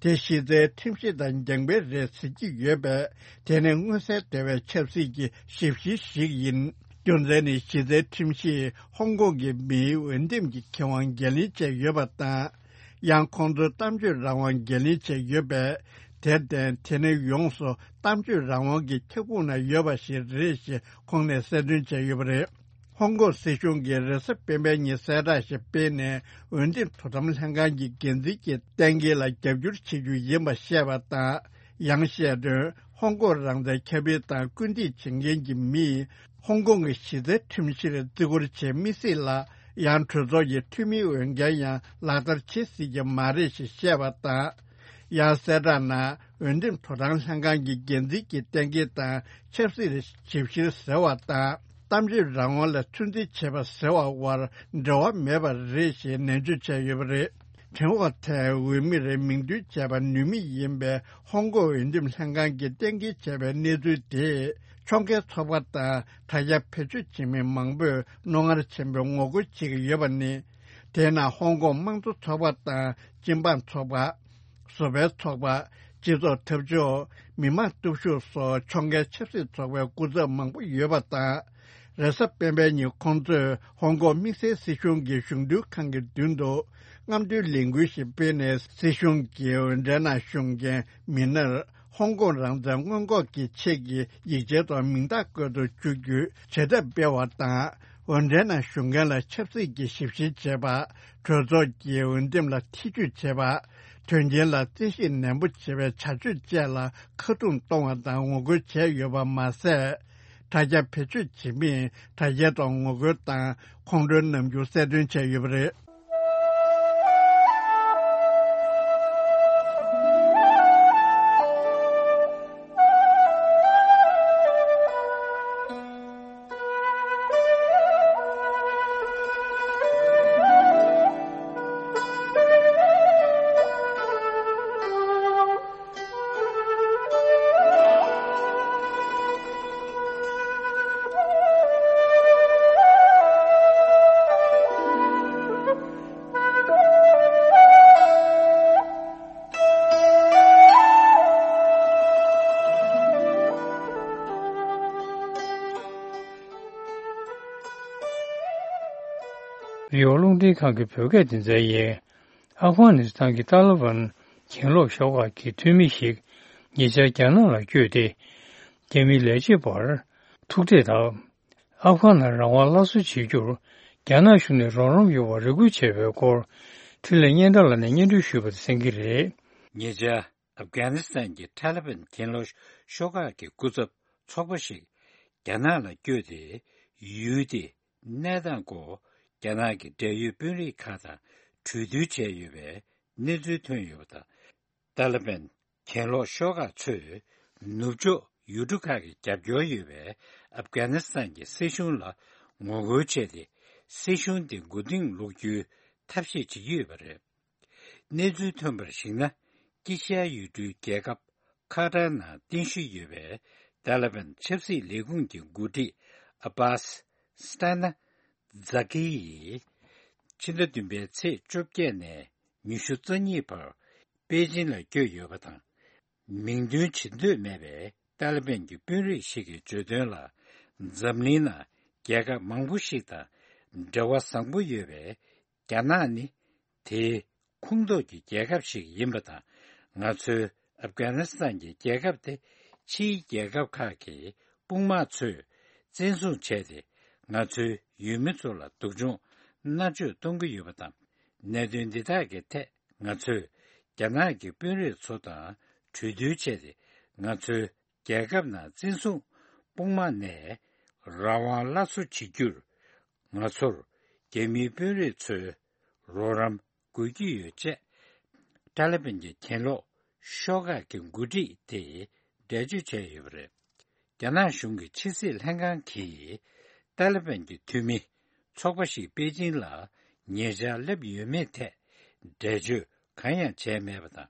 དེ་གཞི་རྩའི་ཁྲིམས་གཞི་དང་འགལ་བ་རེད་ཟེར་གྱི་ཡོད་པས། དེ་ནི་མངོན་གསལ་དོད་པའི་ཆབ་སྲིད་ཀྱི་ཞིབ་བཤེར་ཞིག་ཡིན། རྒྱུ་མཚན་ནི་གཞི་རྩའི་ཁྲིམས་གཞིས་ཧོང་ཀོང་གི་མིའི་འོས་འདེམས་ཀྱི་ཁེ་དབང་འགན་ལེན་བྱས་ཡོད་པ་དང་། ཡང་ཁོང་ཚོའི་གཏམ་བརྗོད་རང་དབང་འགན་ལེན་བྱས་ཡོད་པས། དེར་བརྟེན་དེ་ནི་ཡོངས་སུ་གཏམ་བརྗོད་རང་དབང་གི་ཁྱབ་ཁོངས་ན་ཡོད་པ་ཞིག་རེད་ཞེས་ཁོང་ནས་གསལ་སྟོན་བྱས་ཡོད་པ་རེད། ཧོང་ཀོང་སྲིད་གཞུང་གིས་རེས་གཟའ་སྤེན་པའི་ཉིན་གསལ་བསྒྲགས་ཤིག་སྤེལ་ནས། འོས་འདེམས་དོ་དམ་ལྷན་ཁང་གི་འགན་འཛིན་གྱི་གཏན་འཁེལ་ལ་རྒྱབ་སྐྱོར་བྱེད་རྒྱུ་ཡིན་པ་བཤད་པ་དང་། ཡང་བཤད་དོན། ཧོང་ཀོང་རང་བཙན་ཁྱབ་སྤེལ་དང་སྐུལ་འདེད་བྱེད་མཁན་གྱི་མིས། ཧོང་ཀོང་གི་གཞི་རྩའི་ཁྲིམས་གཞིར་བརྩི་བཀུར་བྱེད་མི་སྲིད་ལ། ཡང་གྲོས་ཚོགས་ཀྱི་འཐུས་མིའི་འོས་འགན་ཡང་ལག་བསྟར་བྱེད་སྲིད་ཀྱི་མ་རེད་ཞེས་བཤད་པ་དང་། ཡང་གསལ་བསྒྲགས་ནང་། འོས་འདེམས་དོ་དམ་ལྷན་ཁང་གི་འགན་འཛིན་གྱི་གཏན་འཁེལ་དང་ཆབ་སྲིད་ཞིབ་བཤེར་ཟེར་བ་དང་། གཏམ་བརྗོད་རང་དབང་ལ་ཚོད་འཛིན་བྱེད་པ་ཟེར་བ་བར་འབྲེལ་བ་མེད་པ་རེད་ཞེས་ནན་བརྗོད་བྱས་ཡོད་པ་རེད། ཁྲེན་ཧོ་ཐན་འོས་མིར་མིང་འདོན་བྱས་པ་ནུས་མེད་ཡིན་པའི་ཧོང་ཀོང་འོས་འདེམས་ལྷན་ཁང་གིས་གཏན་འཁེལ་བྱས་པའི་གནས་ཚུལ་དེས། ཕྱོགས་འགལ་ཚོགས་པ་དང་དྲ་རྒྱ་བེད་སྤྱོད་བྱེད་མི་མང་པོས་རྣོ་ངར་ཆེན་པོས་ངོ་རྒོལ་བྱེད་ཀྱི་ཡོད་པ་ནི། དེས་ན་ཧོང་ཀོང་དམངས་གཙོ་ཚོགས་པ་དང་སྤྱི་འབངས་ཚོགས་པ། བཟོ་པའི་ཚོགས་པ། སྤྱི་ཚོགས་འཐབ་ཕྱོགས། མི་དམངས་སྟོབས་ཤུགས་སོགས་ཕྱོགས་འགལ་ཆབ་སྲིད་ཚོགས་པའི་སྐུ་ཚབ་མང་པོ་ཡོད་པ་དང་། རེས་གཟའ་སྤེན་པའི་ཉིན་ཁོང་ཚོས་ཧོང་ཀོང་དམིགས་བསལ་སྲིད་གཞུང་གི་གཞུང་འབྲེལ་ཁང་གི་མདུན་དུ་རྔམ་སྟོན་ལས་འགུལ་ཞིག་སྤེལ་ནས། སྲིད་གཞུང་གི་འོས་འགྲན་ནང་ཞུགས་མཁན་མི་སྣར་ཧོང་ཀོང་རང་བཙན་སྔོན་འགོག་གི་ཆེད་ཀྱི་ཡིག་ཆའི་ཐོག་མིང་རྟགས་བཀོད་དུ་བཅུག་རྒྱུའི་བྱེད་ཐབས་སྤེལ་བ་དང་། འོས་འགྲན་ནང་ཞུགས་མཁན་ལ་ཆབ་སྲིད་ཀྱི་ཞིབ་བཤེར་བྱེད་པ། གྲོས་ཚོགས་ཀྱི་འོས་འདེམས་ལ་ཐེ་ཇུས་བྱེད་པ། དོན་རྐྱེན་ལ་རྩད་ཞིབ་ནན་པོ་བྱེད་པའི་བྱ་སྤྱོད་བཅས་ལ་ཁ་རྡུང་གཏོང་བ་དང་ངོ་རྒོལ་བྱས་ཡོད་པ་མ་ཟད། དྲ་རྒྱ་བེད་སྤྱོད་བྱེད་མིས་དྲ་རྒྱའི་ཐོག་ངོ་རྒོལ་དང་ཁོང་ཁྲོའི་རྣམ་འགྱུར་གསལ་སྟོན་བྱས་ཡོད་པ་རེད། རེ་ཝ་རླུང་འཕྲིན་ཁང་གི་བོད་སྐད་སྡེ་ཚན་ཡིན། ཨབ་གྷ་ནི་སི་ཐན་གྱི་ཏཱ་ལི་བན་གྱེན་ལོག་ཤོག་ཁག་གི་འཐུས་མི་ཞིག་ཉེ་ཆར་རྒྱ་ནག་ལ་བསྐྱོད་དེ། རྒྱ་མིའི་ལས་བྱེད་པར་ཐུག་འཕྲད་དང་། ཨབ་གྷ་ནང་རང་དབང་སླར་གསོ་བྱེད་རྒྱུར་རྒྱ་ནག་གཞུང་ནས་རོགས་རམ་ཡོང་བར་རེ་སྐུལ་བྱས་པའི་སྐོར། འཕྲིན་ལས་སྙན་གྲགས་ལགས་ནས་སྙན་སྒྲོན་ཞུས་པ་དེ་གསན་གྱི་རེད། ཉེ་ཆར། ཨབ་གྷ་ནི་སི་ཐན་གྱི་ཐ་ལི་བན་གྱེན་ལོག་ཤོག་ཁག་གི་སྐུ་ཚབ་ཚོགས་པ་ཞིག་རྒྱ་ནག་ལ་བསྐྱོད་དེ། ཡུལ་དེའི་གནས་སྟངས་སྐོར་རྒྱ་ནག་གི་འབྲེལ་ཡོད་དཔོན་རིགས་ཁག་དང་གྲོས་བསྡུར་བྱས་ཡོད་པའི་གནས་ཚུལ་ཐོན་ཡོད་པ་དང་། ཏཱ་ལི་བན་གྱེན་ལོག་ཤོག་ཁག་ཚོས་ནུབ་ཕྱོགས་ཡུལ་གྲུ་ཁག་གི་རྒྱབ་སྐྱོར་ཡོད་པའི་ཨབ་གྷ་ནི་སི་ཐན་གྱི་སྲིད་གཞུང་ལ་ངོ་རྒོལ་བྱས་ཏེ། སྲིད་གཞུང་དེ་མགོ་རྟིང་སློག་རྒྱུའི་ཐབས་ཤེས་བྱེད་ཀྱི་ཡོད་པ་རེད། གནས་ཚུལ་ཐོན་པར་གཞིགས་ན། དཀྱིལ་ཤར་ཡུལ་གྲུའི་རྒྱལ་ཁབ་ཁ་ཏར་ནང་རྟེན་གཞི་ཡོད་པའི་ཏཱ་ལི་བན་ཆབ་སྲིད་ལས་ཁུངས་ཀྱི་འགོ་ཁྲིད་ཨ་བྷཱས་སི་ཏཱ་ན་ཛ་ཀི་ཡིས། ཕྱི་ཟླ་བདུན་པའི་ཚེས་བཅོ་བརྒྱད་ནས་ཉི་ཤུ་རྩ་གཉིས་བར་པེ་ཅིན་ལ་བསྐྱོད་ཡོད་པ་དང་། མིང་འདོན་བྱེད་འདོད་མེད་པའི་ཏཱ་ལི་བན་གྱི་དཔོན་རིགས་ཤིག་གིས་བརྗོད་དོན་ལ། འཛམ་གླིང་ནང་རྒྱལ་ཁབ་མང་པོ་ཞིག་དང་འབྲེལ་བ་བཟང་པོ་ཡོད་པའི་རྒྱ་ནག་ནི་དེའི་ཁོངས་གཏོགས་ཀྱི་རྒྱལ་ཁབ་ཞིག་ཡིན་པ་དང་། ང་ཚོའི་ཨབ་གྷ་ནི་སི་ཐན་གྱི་རྒྱལ་ཁབ་དེ་ཕྱིའི་རྒྱལ་ཁབ་ཁག་གི་དཔུང་དམག་ཚོས་བཙན་བཟུང་བྱས་ཏེ། ང་ཚོའི་ཡུལ་མི་ཚོ་ལ་སྡུག་སྦྱོང་མནར་གཅོད་གཏོང་གི་ཡོད་པ་དང་། གནད་དོན་འདི་དག་གི་ཐད་ང་ཚོས་རྒྱ་ནག་གི་དཔོན་རིགས་ཚོ་དང་གྲོས་བསྡུར་བྱས་ཏེ། ང་ཚོའི་རྒྱལ་ཁབ་ནང་བཙན་བཟུང་དཔུང་དམག་ནས་རང་དབང་སླར་གསོ་བྱེད་རྒྱུར། ང་ཚོར་རྒྱ་མིའི་དཔོན་རིགས་ཚོའི་རོགས་རམ་དགོས་ཀྱི་ཡོད་ཅེས། ཏཱ་ལི་བན་གྱི་གྱེན་ལོག་ཤོག་ཁག་གི་འགོ་ཁྲིད་དེས་འགྲེལ་བརྗོད་བྱས་ཡོད་པ་རེད། རྒྱ་ནག་གཞུང་གི་ཕྱི་སྲིད་ལྷན་ཁང་གིས་ཏཱ་ལི་བན་གྱི་འཐུས་མི་ཚོགས་པ་ཞིག་པེ་ཅིན་ལ་ཉེ་ཆར་སླེབས་ཡོད་མེད་ཐད་འགྲེལ་བརྗོད་གང་ཡང་བྱས་མེད་པ་དང་།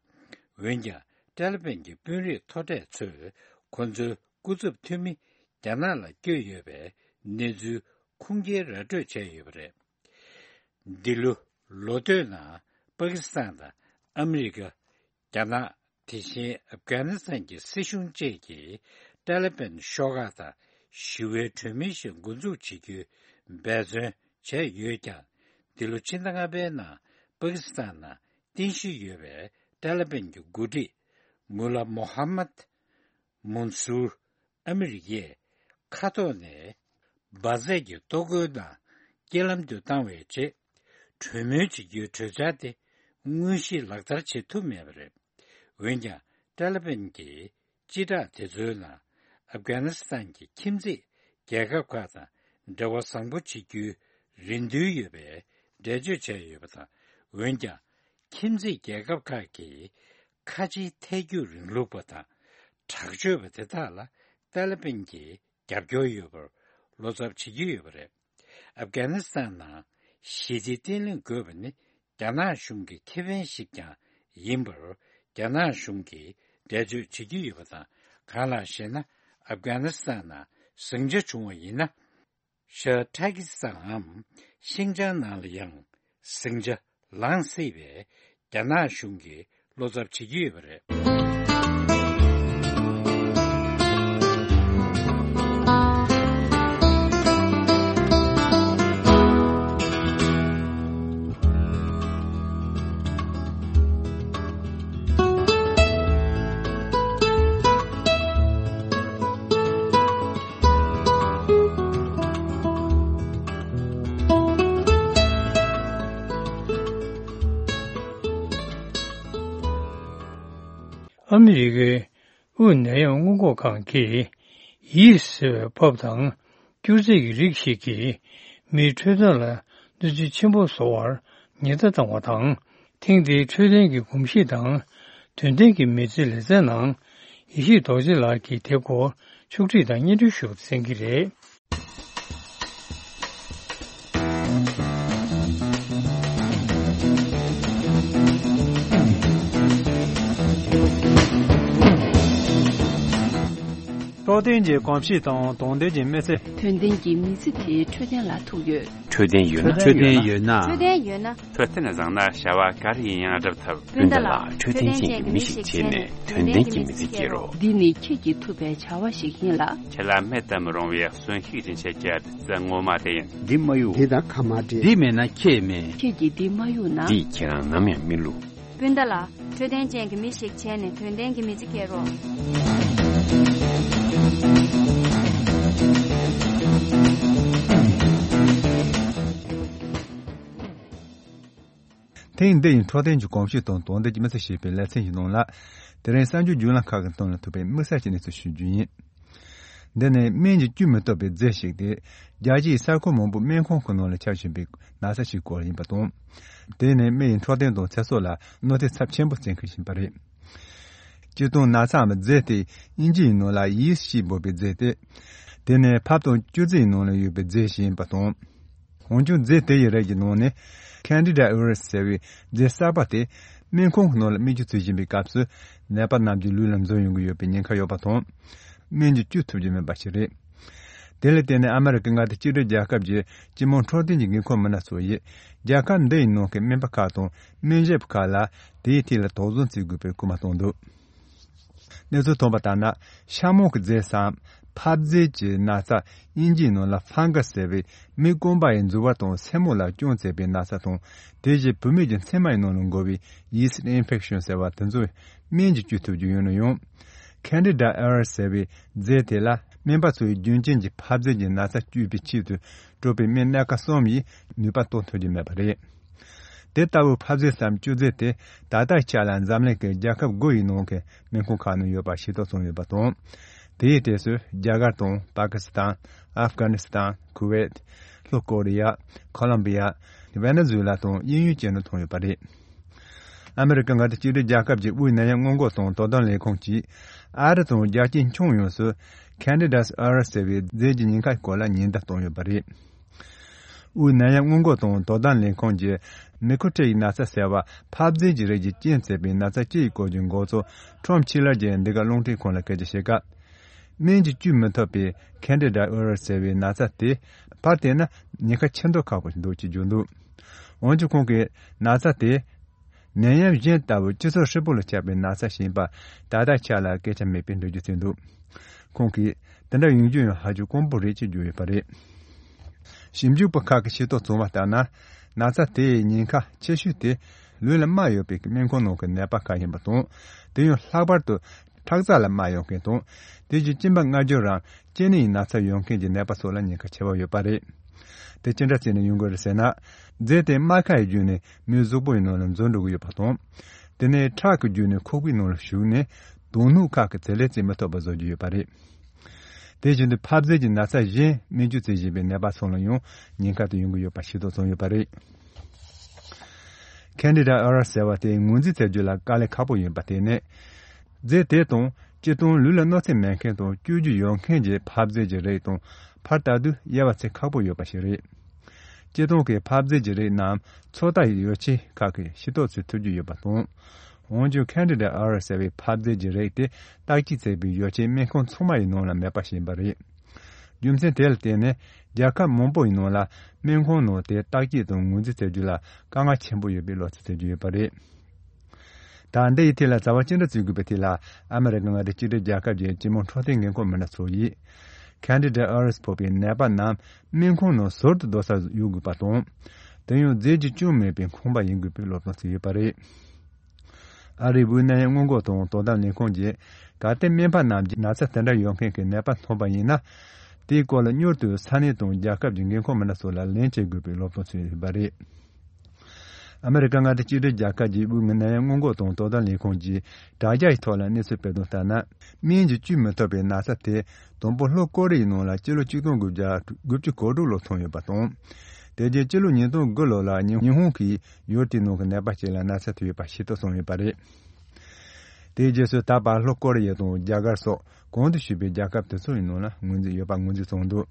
འོན་ཀྱང་ཏཱ་ལི་བན་གྱི་དཔོན་རིགས་མཐོ་གྲས་ཚོས་ཁོ་ཚོའི་སྐུ་ཚབ་འཐུས་མི་རྒྱ་ནག་ལ་བསྐྱོད་ཡོད་པའི་གནས་ཚུལ་ཁུངས་སྐྱེལ་ར་སྤྲོད་བྱས་ཡོད་པ་རེད། འདི་ལོ་ལོ་སྟོད་ནང་པ་ཀི་སི་ཐན་དང་ཨ་མི་རི་ཀ། རྒྱ་ནག་དེ་བཞིན་ཨབ་གྷ་ནི་སི་ཐན་གྱི་སྲིད་གཞུང་བཅས་ཀྱིས་ཏཱ་ལི་བན་ཤོག་ཁག་དང་ཞི་བའི་གྲོས་མོལ་ཞིག་འགོ་འཛུགས་བྱེད་རྒྱུའི་འབད་བརྩོན་བྱས་ཡོད་ཀྱང་། འདི་ལོ་ཕྱི་ཟླ་ལྔ་པའི་ནང་པ་ཀི་སི་ཐན་ནང་རྟེན་གཞི་ཡོད་པའི་ཏཱ་ལི་བན་གྱི་འགོ་ཁྲིད་མུ་ལ་མོ་ཧམ་མད་མུན་སུར་ཨ་མི་རི་ཀས་མཁའ་ཐོག་ནས་འབར་རྫས་ཀྱི་ལྟོ་གོས་ནང་རྐྱེན་ལམ་དུ་བཏང་བའི་རྗེས། གྲོས་མོལ་བྱེད་རྒྱུའི་གྲོས་འཆར་དེ་དངོས་གཞི་ལག་བསྟར་བྱེད་ཐུབ་མེད་པ་རེད། འོན་ཀྱང་ཏཱ་ལི་བན་གྱིས་སྤྱི་བསྒྲགས་དེ་ཚོའི་ནང་ཨབ་གྷ་ནི་སི་ཐན་གྱི་ཁྱིམ་མཚེས་རྒྱལ་ཁབ་ཁག་དང་འབྲེལ་བ་བཟང་པོ་བྱེད་རྒྱུའི་རེ་འདུན་ཡོད་པའི་འགྲེལ་བརྗོད་བྱས་ཡོད་པ་དང་། འོན་ཀྱང་། ཁྱིམ་མཚེས་རྒྱལ་ཁབ་ཁག་གིས་ཁ་ཆེའི་ཐལ་འགྱུར་རིང་ལུགས་པ་དང་དྲག་སྤྱོད་པ་དེ་དག་ལ་ཏཱ་ལི་བན་གྱིས་རྒྱབ་སྐྱོར་ཡོད་པར་བློ་འཚབ་བྱེད་ཀྱི་ཡོད་པ་རེད། ཨབ་གྷ་ནི་སི་ཐན་ནང་ཞི་བདེ་བརྟན་ལྷིང་དགོས་པ་ནི་རྒྱ་ནག་གཞུང་གི་ཁེ་ཕན་ཞིག་ཀྱང་ཡིན་པར་རྒྱ་ནག་གཞུང་གིས་འགྲེལ་བརྗོད་བྱེད་ཀྱི་ཡོད་པ་དང་། གང་ལགས་ཤེ་ན། ཨབ་གྷ་ནི་སི་ཐན་ནང་ཟིང་ཆ་བྱུང་བ་ཡིན་ན། ཤར་ཏཱ་ཀི་སི་ཐན་ནམ་ཤིང་ཅང་ནང་ལ་ཡང་ཟིང་ཆ་ལངས་སྲིད་པའི་རྒྱ་ནག་གཞུང་གིས་བློ་འཚབ་བྱེད་ཀྱི་ཡོད་པ་རེད། ཨ་མི་རི་ཀའི་དབུས་ནད་ཡམས་སྔོན་འགོག་ཁང་གིས་ ཡིས་ཟེར་བའི་ཕབ་དང་། སྐྱུར་རྫས་ཀྱི་རིགས་ཤིག་གིས་མིའི་འཕྲོད་བསྟེན་ལ་གནོད་འཚེ་ཆེན་པོ་བཟོ་བར་ཉེན་བརྡ་བཏང་བ་དང་། ཐེངས་འདིའི་འཕྲོད་བསྟེན་གྱི་གོམས་གཤིས་དང་། དོན་ལྡན་གྱི་མི་ཚེ་ལེ་ཚན་ནང་། ཡེ་ཤེས་རྡོ་རྗེ་ལགས་ཀྱིས་དེ་སྐོར་ཕྱོགས་བསྒྲིགས་དང་སྙན་སྒྲོན་ཞུ་བར་གསན་གྱི་རེད། འཕྲོད་བསྟེན་གྱི་གོམས་གཤིས་དང་དོན་ལྡན་གྱི་མི་ཚེ། དོན་ལྡན་གྱི་མི་ཚེ་དེའི་འཕྲོད་བསྟེན་ལ་ཐུག་ཡོད། འཕྲོད་བསྟེན་ཡོད་ན། འཕྲོད་བསྟེན་ཡོད་ན། འཕྲོད་བསྟེན་ཡོད་ན། འཕྲོད་བསྟེན་བཟང་ན་བྱ་བ་ག་རེ་ཡིན་ཡང་སྒྲུབ་ཐུབ། སྤུན་ཟླ་ལགས། འཕྲོད་བསྟེན་ཅན་གྱི་མི་ཞིག་བྱས་ནས་དོན་ལྡན་གྱི་མི་ཚེ་སྐྱེལ་རོགས། འདི་ནི་ཁྱེད་ཀྱིས་ཐུབ་པའི་བྱ་བ་ཞིག་ཡིན་ལ། ཁྱེད་ལ་མེད་དུ་མི་རུང་བའི་གསོན་ཤུགས་སྦྱིན་བྱེད་ཀྱི་བདུད་རྩི་ངོ་མ་དེ་ཡིན། འདི་མ་གཡུག་དེ་དང་ཁ་མ་འབྲལ། འདི་མེད་ན་ཁྱེད་མེད། ཁྱེད་ཀྱིས་འདི་མ་གཡུག་ན། འདིས་ཁྱེད་རང་ནམ་ཡང་མི་བསླུ། སྤུན་ཟླ་ལགས། འཕྲོད་བསྟེན་ཅན་གྱི་མི་ཞིག་བྱས་ནས་དོན་ལྡན་གྱི་མི་ཚེ་སྐྱེལ་རོགས། ཐེངས་འདི་ཡི་འཕྲོད་བསྟེན་གྱི་གོམས་གཤིས་དང་དོན་ལྡན་གྱི་མི་ཚེ་ཞེས་པའི་ལེ་ཚན་གྱི་ནང་ལ། དེ་རིང་གསར་འགྱུར་བརྒྱུད་ལམ་ཁག་གི་སྟེང་ལ་ཐུག་པའི་དམིགས་བསལ་གྱི་གནས་ཚུལ་ཞུ་རྒྱུ་ཡིན། འདི་ནི་སྨན་གྱིས་བཅོས་མི་ཐུབ་པའི་རྫས་ཤིག་སྟེ། རྒྱལ་སྤྱིའི་ས་ཁུལ་མང་པོའི་སྨན་ཁང་གི་ནང་ལ་ཁྱབ་བཞིན་པའི་ན་ཚ་ཞིག་སྐོར་ཡིན་པ་དང་། དེ་ནི་མི་ཡི་འཕྲོད་བསྟེན་དང་ཚེ་སྲོག་ལ་གནོད་འཚེ་ཚབས་ཆེན་པོ་བསྐྲུན་མཁན་ཞིག་ཡིན་པ་རེད། སྤྱིར་བཏང་ན་ཚའམ་རྫས་དེ་དབྱིན་ཇིའི་ནང་ལ་ཡིས་ཞེས་འབོད་པའི་རྫས་ཏེ། དེ་ནི་ཕབ་དང་སྐྱུར་རྫས་ནང་ལ་ཡོད་པའི་རྫས་ཤིག་ཡིན་པ་དང་། འོན་ཀྱང་རྫས་དེ་ཡི་རིགས་ཀྱི་ནང་ནས་Candida auris ཟེར་བའི་རྫས་གསར་པ་དེ་སྨན་ཁང་གི་ནང་ལ་སྨན་བཅོས་བྱེད་བཞིན་པའི་སྐབས་སུ་ནད་པ་རྣམས་ཀྱི་ལུས་ལ་འཛུལ་ཡོང་གི་ཡོད་པའི་ཉེན་ཁ་ཡོད་པ་དང་། སྨན་གྱིས་བཅོས་ཐུབ་ཀྱི་མེད་པ་ཞིག་རེད། དེ་ལ་བརྟེན་ནས་ཨ་མེ་རི་ཀའི་མངའ་སྡེ་གཅིག་སྒྲིལ་རྒྱལ་ཁབ་ཀྱི་སྤྱི་དམངས་འཕྲོད་བསྟེན་གྱི་འགན་ཁུར་མི་སྣ་ཚོ་ཡིས་རྒྱལ་ཁབ་འདི་ཡི་ནང་གི་སྨན་པ་ཁག་དང་སྨན་ཞབས་ཁག་ལ་དེའི་ཐད་ལ་དོགས་ཟོན་བྱེད་དགོས་པའི་སྐུལ་མ་བཏང་འདུག་གནས་ཚུལ་ཐོན་པ་ལྟར་ན། ཤ་མོང་གི་རྫས་སམ་ཕབ་རྫས་ཀྱི་ན་ཚ། དབྱིན་ཇིའི་ནང་ལ་ཕང་ག་སི་ཟེར་བའི་མི་རྐང་པ་ཡི་མཛུབ་བར་དང་སེན་མོ་ལ་སྐྱོན་བྱེད་པའི་ན་ཚ་དང་། དེ་བཞིན་བུད་མེད་ཀྱི་མཚན་མ་ཡི་ནང་ལ་འགོ་བའི་yeast infection ཟེར་བ་དེ་ཚོ་སྨན་གྱིས་བཅོས་ཐུབ་རྒྱུ་ཡོད་ན་ཡང་། Candida auris ཟེར་བའི་རྫས་དེ་ལ་སྨན་པ་ཚོས་རྒྱུན་རྐྱེན་གྱི་ཕབ་རྫས་ཀྱི་ན་ཚ་བཅོས་པའི་ཆེད་དུ་སྤྲོད་པའི་སྨན་སྣ་ཁ་གསུམ་ཡིས་ནུས་པ་གཏོང་ཐུབ་ཀྱི་མེད་པ་རེད། དེ་ལྟ་བུའི་ཕབ་རྫས་སམ་བཅོས་རྫས་དེ་ད་ལྟའི་ཆ་ལ་འཛམ་གླིང་གི་རྒྱལ་ཁབ་དགུ་ཡི་ནང་གི་སྨན་ཁང་ཁག་ནང་ཡོད་པ་ཤེས་རྟོགས་བྱུང་ཡོད་པ་དང་། དེའི་གྲས་སུ་རྒྱ་གར་དང་པ་ཀི་སི་ཐན། ཨབ་གྷ་ནི་སི་ཐན། ཁུ་ཝེད། ལྷོ་ཀོ་རི་ཡ། ཁོ་ལོམ་བི་ཡ། ཝེ་ནེ་ཛུ་ཝེ་ལ་དང་དབྱིན་ཡུལ་བཅས་ནས་མཐོང་ཡོད་པ་རེད། ཨ་མེ་རི་ཀ་མངའ་སྡེ་གཅིག་སྒྲིལ་རྒྱལ་ཁབ་ཀྱི་དབུས་ནད་ཡམས་སྔོན་འགོག་དང་དོ་དམ་ལས་ཁུངས་ཀྱིས་ཨ་རི་དང་རྒྱལ་སྤྱིའི་ཁྱོན་ཡོངས་སུ་Candida auris ཟེར་བའི་རྫས་ཀྱི་ཉེན་ཁའི་སྐོར་ལ་ཉེན་བརྡ་བཏང་ཡོད་པ་རེད། དབུས་ནད་ཡམས་སྔོན་འགོག་དང་དོ་དམ་ལས་ཁུངས་ཀྱིས་ནི་ཁོ་ཊིན་ན་ཚ་ཟེར་བ་ཕབ་རྫས་ཀྱི་རིགས་ཀྱི་རྐྱེན་བྱས་པའི་ན་ཚ་སྤྱི་ཡི་སྐོར་གྱི་འགོ་གཙོ་ཁྲོམ་ཆི་ལར་གྱིས་འདི་ག་རླུང་འཕྲིན་ཁང་ལ་སྐད་ཆ་བཤད་སྐབས། སྨན་གྱིས་བཅོས་མི་ཐུབ་པའི་Candida auris ཟེར་བའི་ན་ཚ་དེ་ཕར་བལྟས་ན་ཉེན་ཁ་ཆེ་མདོག་ཁ་པོ་ཞིག་འདུག་ཅེས་བརྗོད་འདུག་འོན་ཀྱང་ཁོང་གིས་ན་ཚ་དེ་ནད་ཡམས་གཞན་ལྟ་བུ་སྤྱི་ཚོགས་ཧྲིལ་པོ་ལ་ཁྱབ་པའི་ན་ཚ་ཞིག་ཡིན་པ་ད་ལྟའི་ཆ་ལ་སྐད་ཆ་མེད་པའི་འགྲེལ་བརྗོད་བྱས་འདུག་ཁོང་གིས་དེ་འདྲ་ཡོང་རྒྱུ་ཡང་ཧ་ཅང་དཀོན་པོ་རེད་ཅེས་བརྗོད་ཡོད་པ་རེད། ཞིབ་འཇུག་པ་ཁག་གིས་ཤེས་རྟོགས་བྱུང་བ་ལྟར་ན། ན་ཚ་དེའི་ཉེན་ཁ་ཆེ་ཤོས་དེ་ལུས་ལ་རྨ་ཡོད་པའི་སྨན་ཁང་ནང་གི་ནད་པ་ཁག་ཡིན་པ་དང་། དེ་ཡང་ལྷག་པར་དུ་ཁྲག་རྩ་ལ་རྨ་ཡོད་མཁན་དང་། དེ་བཞིན་གཅིན་པ་མངར་སྦྱོར་རམ་གཅིན་སྙི་ཡི་ན་ཚ་ཡོད་མཁན་གྱི་ནད་པ་སོགས་ལ་ཉེན་ཁ་ཆེ་བ་ཡོད་པ་རེད། དེ་ཅི་འདྲ་བྱས་ནས་ཡོང་གི་རེད་ཟེར་ན། རྫས་དེ་རྨ་ཁ་ཡི་བརྒྱུད་ནས་མིའི་གཟུགས་པོ་ཡི་ནང་ལ་འཛུལ་འགྲོ་གི་ཡོད་པ་དང་། དེ་ནས་ཁྲག་གི་བརྒྱུད་ནས་ཁོག་པའི་ནང་ལ་ཞུགས་ནས་དོན་སྣོད་ཁག་གི་བྱེད་ལས་བྱེད་མི་ཐུབ་པ་བཟོ་རྒྱུ་ཡོད་པ་རེད། དེ་བཞིན་དུ་ཕབ་རྫས་ཀྱི་ན་ཚ་གཞན་སྨན་བཅོས་བྱེད་བཞིན་པའི་ནད་པ་ཚོ་ལ་ཡང་ཉེན་ཁ་དེ་ཡོང་གི་ཡོད་པ་ཤེས་རྟོགས་བྱུང་ཡོད་པ་རེད། Candida auris ཟེར་བ་དེ་ངོས་འཛིན་བྱ་རྒྱུ་ལ་དཀའ་ལས་ཁག་པོ་ཡིན་པ་དེ་ནི། རྫས་དེ་དང་སྤྱིར་བཏང་ལུས་ལ་གནོད་འཚེ་མེད་མཁན་དང་བཅོས་རྒྱུ་ཡོད་མཁན་གྱི་ཕབ་རྫས་ཀྱི་རིགས་དང་ཕར་ལྟ་དུས་དབྱེ་བ་ཕྱེ་ཁག་པོ་ཡོད་པ་ཞིག་རེད། སྤྱིར་བཏང་གི་ཕབ་རྫས་ཀྱི་རིགས་རྣམས་ཚོད་ལྟ་ཡི་ཡོ་བྱད་ཁག་གིས་ཤེས་རྟོགས་བྱེད་ཐུབ་རྒྱུ་ཡོད་པ་དང་། འོན་ཀྱང་Candida auris ཟེར་བའི་ཕབ་རྫས་ཀྱི་རིགས་དེ་བརྟག་དཔྱད་བྱེད་པའི་ཡོ་བྱད་སྨན་ཁང་ཚང་མ་ཡི་ནང་ལ་མེད་པ་ཞིག་ཡིན་པ་རེད། རྒྱུ་མཚན་དེ་ལ་བརྟེན་ནས་རྒྱལ་ཁབ་མང་པོ་ཡི་ནང་ལ་སྨན་ཁང་ནང་དེ་བརྟག་དཔྱད་དང་ངོས་འཛིན་བྱ་རྒྱུ་ལ་དཀའ་ངལ་ཆེན་པོ་ཡོད་པའི་བློ་འཚབ་བྱེད་ཀྱི་ཡོད་པ་རེད། ད་འདི་ཡི་ཐད་ལ་བྱ་བ་ཅི་འདྲ་བྱེད་དགོས་པའི་ཐད་ལ་ཨ་མེ་རི་ཀ་མངའ་སྡེ་གཅིག་སྒྲིལ་རྒྱལ་ཁབ་ཀྱི་སྤྱི་དམངས་འཕྲོད་བསྟེན་འགན་ཁུར་མི་སྣ་ཚོ་ཡིས་Candida auris ཕོག་པའི་ནད་པ་རྣམས་སྨན་ཁང་ནང་ཟུར་དུ་སྡོད་སར་གཡུག་དགོས་པ་དང་། དེ་ཡང་རྫས་ཀྱི་སྐྱོན་མེད་པའི་ཁང་པ་ཡིན་དགོས་པའི་སློབ་སྟོན་བྱས་ཡོད་པ་རེད། ཨ་རིའི་དབུས་ནད་ཡམས་སྔོན་འགོག་དང་དོ་དམ་ལས་ཁུངས་ཀྱིས་གལ་ཏེ་སྨན་པ་རྣམས་ཀྱིས་ན་ཚ་དེ་འདྲ་ཡོད་མཁན་གྱི་ནད་པ་མཐོང་པ་ཡིན་ན། དེའི་སྐོར་ལ་མྱུར་དུ་ས་གནས་དང་རྒྱལ་ཁབ་ཀྱི་འགན་ཁུར་མི་སྣ་ཚོ་ལ་ལན་བྱེད་དགོས་པའི་སློབ་སྟོན་བྱས་ཡོད་པ་རེད། ཨ་མེ་རི་ཀ་མངའ་སྡེ་གཅིག་སྒྲིལ་རྒྱལ་ཁབ་ཀྱི་དབུས་ནད་ཡམས་སྔོན་འགོག་དང་དོ་དམ་ལས་ཁུངས་ཀྱིས་དྲ་རྒྱ་ཡི་ཐོག་ལ་གནས་ཚུལ་སྤེལ་དོན་ལྟར་ན། སྨན་གྱིས་བཅོས་མི་ཐུབ་པའི་ན་ཚ་དེ་དང་པོ་ལྷོ་ཀོ་རི་ཡའི་ནང་ལ་སྤྱི་ལོ་ཆིག་སྟོང་དགུ་བརྒྱ་དགུ་བཅུ་གོ་དྲུག་ལོར་ཐོན་ཡོད་པ་དང་། དེ་རྗེས་སྤྱི་ལོ་ཉིས་སྟོང་དགུ་ལོ་ལ་ཉི་ཉི་ཧོང་གི་ཡུལ་དེའི་ནང་གི་ནད་པ་ཞིག་ལ་ན་ཚ་ཐེབས་ཡོད་པ་ཤེས་རྟོགས་སོང་ཡོད་པ་རེད། དེའི་རྗེས་སུ་ད་བར་ལྷོ་ཀོ་རི་ཡ་དང་རྒྱ་གར་སོགས་གོང་དུ་ཞུས་པའི་རྒྱལ་ཁབ་དེ་ཚོ་ཡི་ནང་ལ་ངོས་འཛིན་ཡོད་པ་ངོས་འཛིན་བྱུང་འདུག་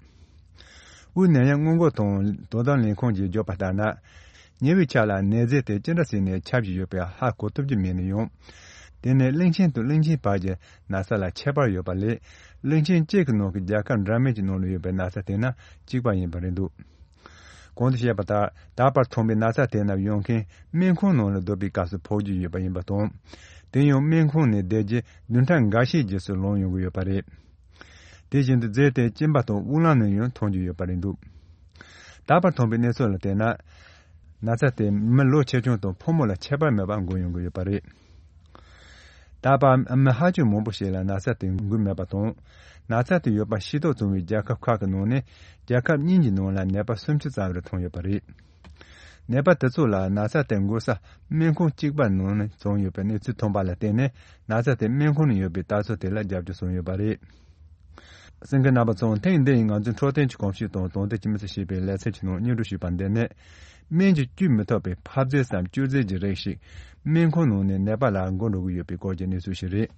དབུས་ནད་ཡམས་སྔོན་འགོག་དང་དོ་དམ་ལས་ཁུངས་ཀྱིས་བརྗོད་པ་ལྟར་ན། ཉེ་བའི་ཆར་ལ་ནད་རྫས་དེ་ཅི་འདྲ་ཟེར་ནས་ཁྱབ་བཞིན་ཡོད་པའི་ཧ་གོ་ཐུབ་ཀྱི་མེད་ན་ཡང་། དེ་ནི་གླིང་ཆེན་དང་གླིང་ཆེན་བར་གྱི་ན་ཚ་ལ་ཁྱད་པར་ཡོད་པ་ལས། གླིང་ཆེན་གཅིག་གི་ནང་གི་རྒྱལ་ཁབ་འདྲ་མིན་གྱི་ནང་ལ་ཡོད་པའི་ན་ཚ་དེ་ན་གཅིག་པ་ཡིན་པ་རེད་འདུག་གོང་དུ་བཤད་པ་ལྟར་ད་བར་ཐོན་པའི་ན་ཚ་དེ་རྣམས་ཡོང་མཁན་སྨན་ཁང་ནང་ལ་སྡོད་པའི་སྐབས་སུ་ཕོག་རྒྱུ་ཡོད་པ་ཡིན་པ་དང་། དེ་ཡང་སྨན་ཁང་ནས་བསྡད་རྗེས་བདུན་ཕྲག་འགའ་ཤས་རྗེས་སུ་ལངས་ཡོང་གི་ཡོད་པ་རེད། དེ་བཞིན་དུ་རྫས་དེ་གཅིན་པ་དང་དབུགས་ལམ་ནས་ཡང་ཐོན་རྒྱུ་ཡོད་པ་རེད་འདུག་ད་བར་ཐོན་པའི་གནས་ཚུལ་ལ་བལྟས་ན། ན་ཚ་དེ་མི་ལོ་ཆེ་ཆུང་དང་ཕོ་མོ་ལ་ཁྱད་པར་མེད་པར་འགོས་ཡོང་གི་ཡོད་པ་རེད། ད་བར་མི་ཧ་ཅང་མང་པོ་ཞིག་ལ་ན་ཚ་དེ་འགོས་མེད་པ་དང་། ན་ཚ་དེ་ཡོད་པ་ཤེས་རྟོགས་བྱུང་བའི་རྒྱལ་ཁབ་ཁག་གི་ནང་ནས་རྒྱལ་ཁབ་གཉིས་ཀྱི་ནང་ལ་ནད་པ་སུམ་ཅུ་ཙམ་རེ་ཐོན་ཡོད་པ་རེད། ནད་པ་དེ་ཚོ་ལ་ན་ཚ་དེ་འགོས་ས་སྨན་ཁང་གཅིག་པ་ནང་ནས་བྱུང་ཡོད་པའི་གནས་ཚུལ་ཐོན་པ་ལ་བརྟེན་ནས། ན་ཚ་དེ་སྨན་ཁང་ནང་ཡོད་པའི་ལྟ་ཚུལ་དེ་ལ་རྒྱབ་སྐྱོར་བྱུང་ཡོད་པ་རེད། གསན་མཁན་རྣམ་པ་ཚོ། ཐེངས་འདི་ཡི་ང་ཚོའི་འཕྲོད་བསྟེན་གྱི་གོམས་གཤིས་དང་དོན་དེ་ཅི་མི་ཚེ་ཞེས་པའི་ལེ་ཚན་གྱི་ནང་སྙན་སྒྲོན་ཞུས་པ་འདི་ནི། སྨན་གྱིས་བཅོས་མི་ཐུབ་པའི་ཕབ་རྫས་སམ་བཅོས་རྫས་ཀྱི་རིགས་ཤིག་སྨན་ཁང་ནང་ནས་ནད་པ་ལ་འགོ་འགྲོ་གི་ཡོད་པའི་སྐོར་གྱི་གནས་ཚུལ་ཞིག་རེད།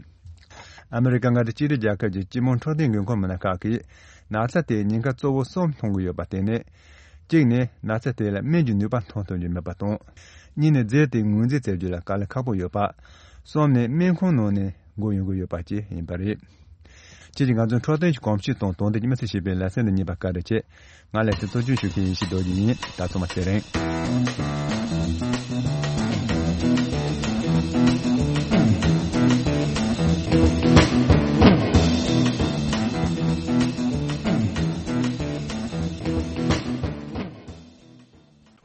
ཨ་མེ་རི་ཀ་མངའ་སྡེ་གཅིག་སྒྲིལ་རྒྱལ་ཁབ་ཀྱི་སྤྱི་དམངས་འཕྲོད་བསྟེན་འགན་ཁུར་མི་སྣ་ཁག་གིས། ན་ཚ་དེའི་ཉེན་ཁ་གཙོ་བོ་གསུམ་མཐོང་གི་ཡོད་པ་དེ་ནི། གཅིག་ནི། ན་ཚ་དེ་ལ་སྨན་གྱི་ནུས་པ་མཐོང་ཐུབ་རྒྱུ་མེད་པ་དང་། གཉིས་ནི། རྫས་དེ་ངོས་འཛིན་བྱེད་རྒྱུ་ལ་དཀའ་ལས་ཁག་པོ་ཡོད་པ། གསུམ་ནི། སྨན་ཁང་ནང་ནས་འགོ་ཡོང་གི་ཡོད་པ་བཅས་ཡིན་པ་རེད། ཁྱེད་ཀྱིས་ང་ཚོའི་འཕྲོད་བསྟེན་གྱི་གོམས་གཤིས་དང་དོན་དུ་ཉི་མ་ཚེ་ཞེས་པའི་ལེ་ཚན་འདི་གཉིས་པ་བཀའ་དྲིན་ཆེ། ང་ལས་དེ་གཙོ་སྐྱོང་ཞུ་མཁན་ཡེ་ཤེས་རྡོ་རྗེ་ཡིན། ད་ཚང་མ་ཚེ་རིང་།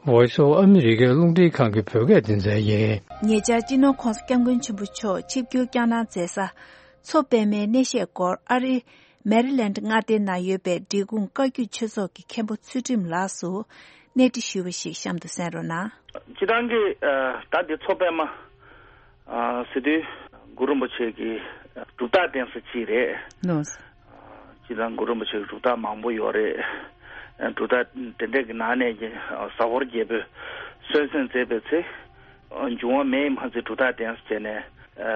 Voice of America རླུང་འཕྲིན་ཁང་གི་བོད་སྐད་སྡེ་ཚན་ཡིན། ཉེ་ཆར་སྤྱི་ནོར་༧གོང་ས་༧སྐྱབས་མགོན་ཆེན་པོ་མཆོག་ཆིབས་བསྒྱུར་བསྐྱངས་གནང་མཛད་ས། མཚོ་པདྨའི་གནས་བཤད་སྐོར་ཨ་རིའི་མེ་རི་ལེནཌ་མངའ་སྡེའི་ནང་ཡོད་པའི་འབྲས་སྤུངས་བཀའ་བརྒྱུད་ཆོས་ཚོགས་ཀྱི་མཁན་པོ་ཚུལ་ཁྲིམས་ལགས་སུ་གནས་འདྲི་ཞུས་པ་ཞིག་གཤམ་དུ་གསན་རོགས་གནང་། སྤྱིར་བཏང་གི་ཨ་ད་འདི་མཚོ་པདྨ་ཨ་ཟེར་དུས་གུ་རུ་རིན་པོ་ཆེ་གི་གྲུབ་རྟགས་བསྟན་ས་གཅིག་རེད། ལགས། སྤྱིར་བཏང་གུ་རུ་རིན་པོ་ཆེ་གི་གྲུབ་རྟགས་མང་པོ་ཡོད་རེད། གྲུབ་རྟགས་དེ་འདྲས་ཀྱི་ནང་ནས་ཀྱི་ཟ་ཧོར་རྒྱལ་པོས་གསོལ་གསེང་མཛད་པའི་ཚེ། འབྱུང་བ་མེ་ཡིས་མ་གཅིག་གྲུབ་རྟགས་བསྟན་ཟེར་ནས།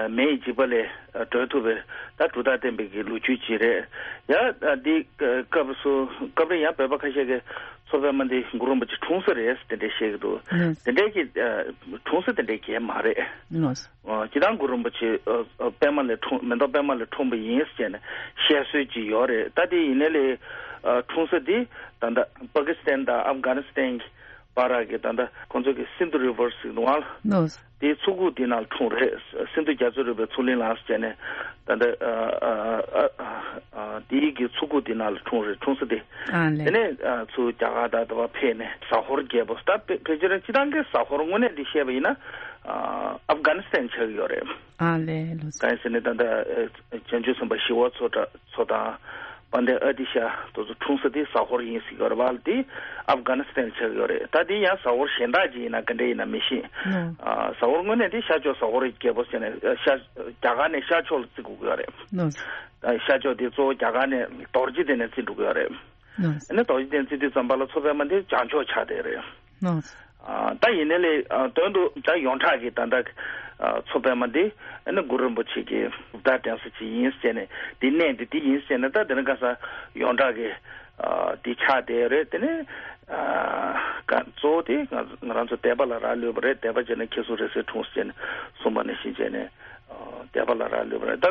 མེ་ཡི་འཇིགས་པ་ལས་སྒྲོལ་ཐུབ་པའི་ད་གྲུབ་རྟགས་བསྟན་པའི་གི་ལོ་རྒྱུས་ཅིག་རེད། ཡང་འདི་སྐབས་སུ་སྐབས་རེ་ཡང་བོད་པ་ཁ་ཤས་ཀྱིས་མཚོ་པདྨ་འདི་གུ་རུ་རིན་པོ་ཆེ་འཁྲུངས་ས་རེད་དེ་འདྲས་བཤད་ཀྱི་འདུག་ལགས། དེ་འདྲས་ཀྱི་འཁྲུངས་ས་དེ་འདྲས་ཀྱི་མ་རེད། ལགས། སྤྱིར་བཏང་གུ་རུ་རིན་པོ་ཆེ་པདྨ་ལས་འཁྲུངས་མེ་ཏོག་པདྨ་ལས་འཁྲུངས་པ་ཡིན་ཟེར་ནས་བཤད་སྲོལ་ཅིག་ཡོད་རེད། ད་དེ་ཡིན་ནའི་ལས་འཁྲུངས་ས་དེ་ད་ལྟ་པ་ཀི་སི་ཐན་དང་ཨབ་གྷ་ནི་སི་ཐན་གྱི་བར་གྱི་ད་ལྟ་ཁོང་ཚོ་གི་སིན་དྷུ་རི་ཝར་ཟེར་གྱི་འདུག་ཨང་། ལགས། དེའི་མཚོ་ཁུག་དེ་ནང་ལ་འཁྲུངས་རེད། སིན་དྷུ་རྒྱ་མཚོའི་རི་བོའི་མཚོ་གླིང་ལ་ཟེར་ནས་ད་ལྟ་དེའི་གི་མཚོ་ཁུག་དེ་ནང་ལ་འཁྲུངས་རེད། འཁྲུངས་ས་དེ། ཨ་ལས། དེ་ནས་ཚུར་རྒྱ་གར་དང་དེ་བ་ཕེབས་ནས་ཟ་ཧོར་རྒྱལ་པོ་ད་ཕལ་ཆེར་སྤྱིར་བཏང་གི་ཟ་ཧོར་དངོས་གནས་འདི་བཤད་པ་ཡིན་ན་ཨབ་གྷ་ནི་སི་ཐན་ཆགས་ཀྱི་ཡོད་རེད། ཨ་ལས། ལགས། གང་ཡིན་ཟེར་ན་ད་ལྟ་བྱང་ཆུབ་སེམས་དཔའ་ཞི་བ་འཚོ་འཚོ་དང་། དཔལ་ལྡན་ཨ་ཏི་ཤ་དེ་ཚོ་འཁྲུངས་ས་དེ་ཟ་ཧོར་ཡིན་ཟེར་གྱི་ཡོད་རེད་བ། དེ་ཨབ་གྷ་ནི་སི་ཐན་ཆགས་ཀྱི་ཡོད་རེད། ད་དེ་ཡང་ཟ་ཧོར་གཞན་དག་ཅིག་ཡིན་ན་ག་འདྲ་ཡིན་ན་མི་ཤེས། ཨ་ཟ་ཧོར་དངོས་གནས་དེ་ཤར་ཕྱོགས་ཟ་ཧོར་རྒྱལ་པོ་ཟེར་ནས་ཤར་རྒྱ་གར་ནས་ཤར་ཕྱོགས་ལ་བརྩི་དགོས་ཀྱི་ཡོད་རེད། ཨ་ཤར་ཕྱོགས་དེ་གཙོ་བོ་རྒྱ་གར་ནས་རྡོ་རྗེ་གདན་ནས་བརྩི་འགྲོ་གི་ཡོད་རེད། ཨ་ནི་རྡོ་རྗེ་གདན་བརྩི་དུས་ཙམ་པ་ལ་མཚོ་པདྨ་དེ་བྱང་ཕྱོགས་ཆགས་བསྡད་རེད། ཨ་ད་ཡིན་ནའི་ལས་དོན་དུ་ད་ཡོངས་གྲགས་ཀྱི་ད་ལྟ་མཚོ་པདྨ་འདི་ཨ་ནི་གུ་རུ་རིན་པོ་ཆེ་གི་གྲུབ་རྟགས་བསྟན་ས་ཅིག་ཡིན་ཟེར་ནས་འདི་གནས་འདི་འདི་ཡིན་ཟེར་ནས་ད་དེ་ནི་ཁ་སང་ཡོངས་གྲགས་ཀྱི་འདི་ཆགས་བསྡད་རེད། དེ་ནི་གཙོ་བོ་དེ་ང་ང་རང་ཚོ་དད་པ་ལ་རག་ལུས་པ་རེད། དད་པ་བྱས་ན་ཁྱེད་གསུང་རེ་ཟེར་འཁྲུངས་ཟེར་ནས་གསུངས་པ་ནང་བཞིན་བྱས་ནས་དད་པ་ལ་རག་ལུས་པ་རེད། ད་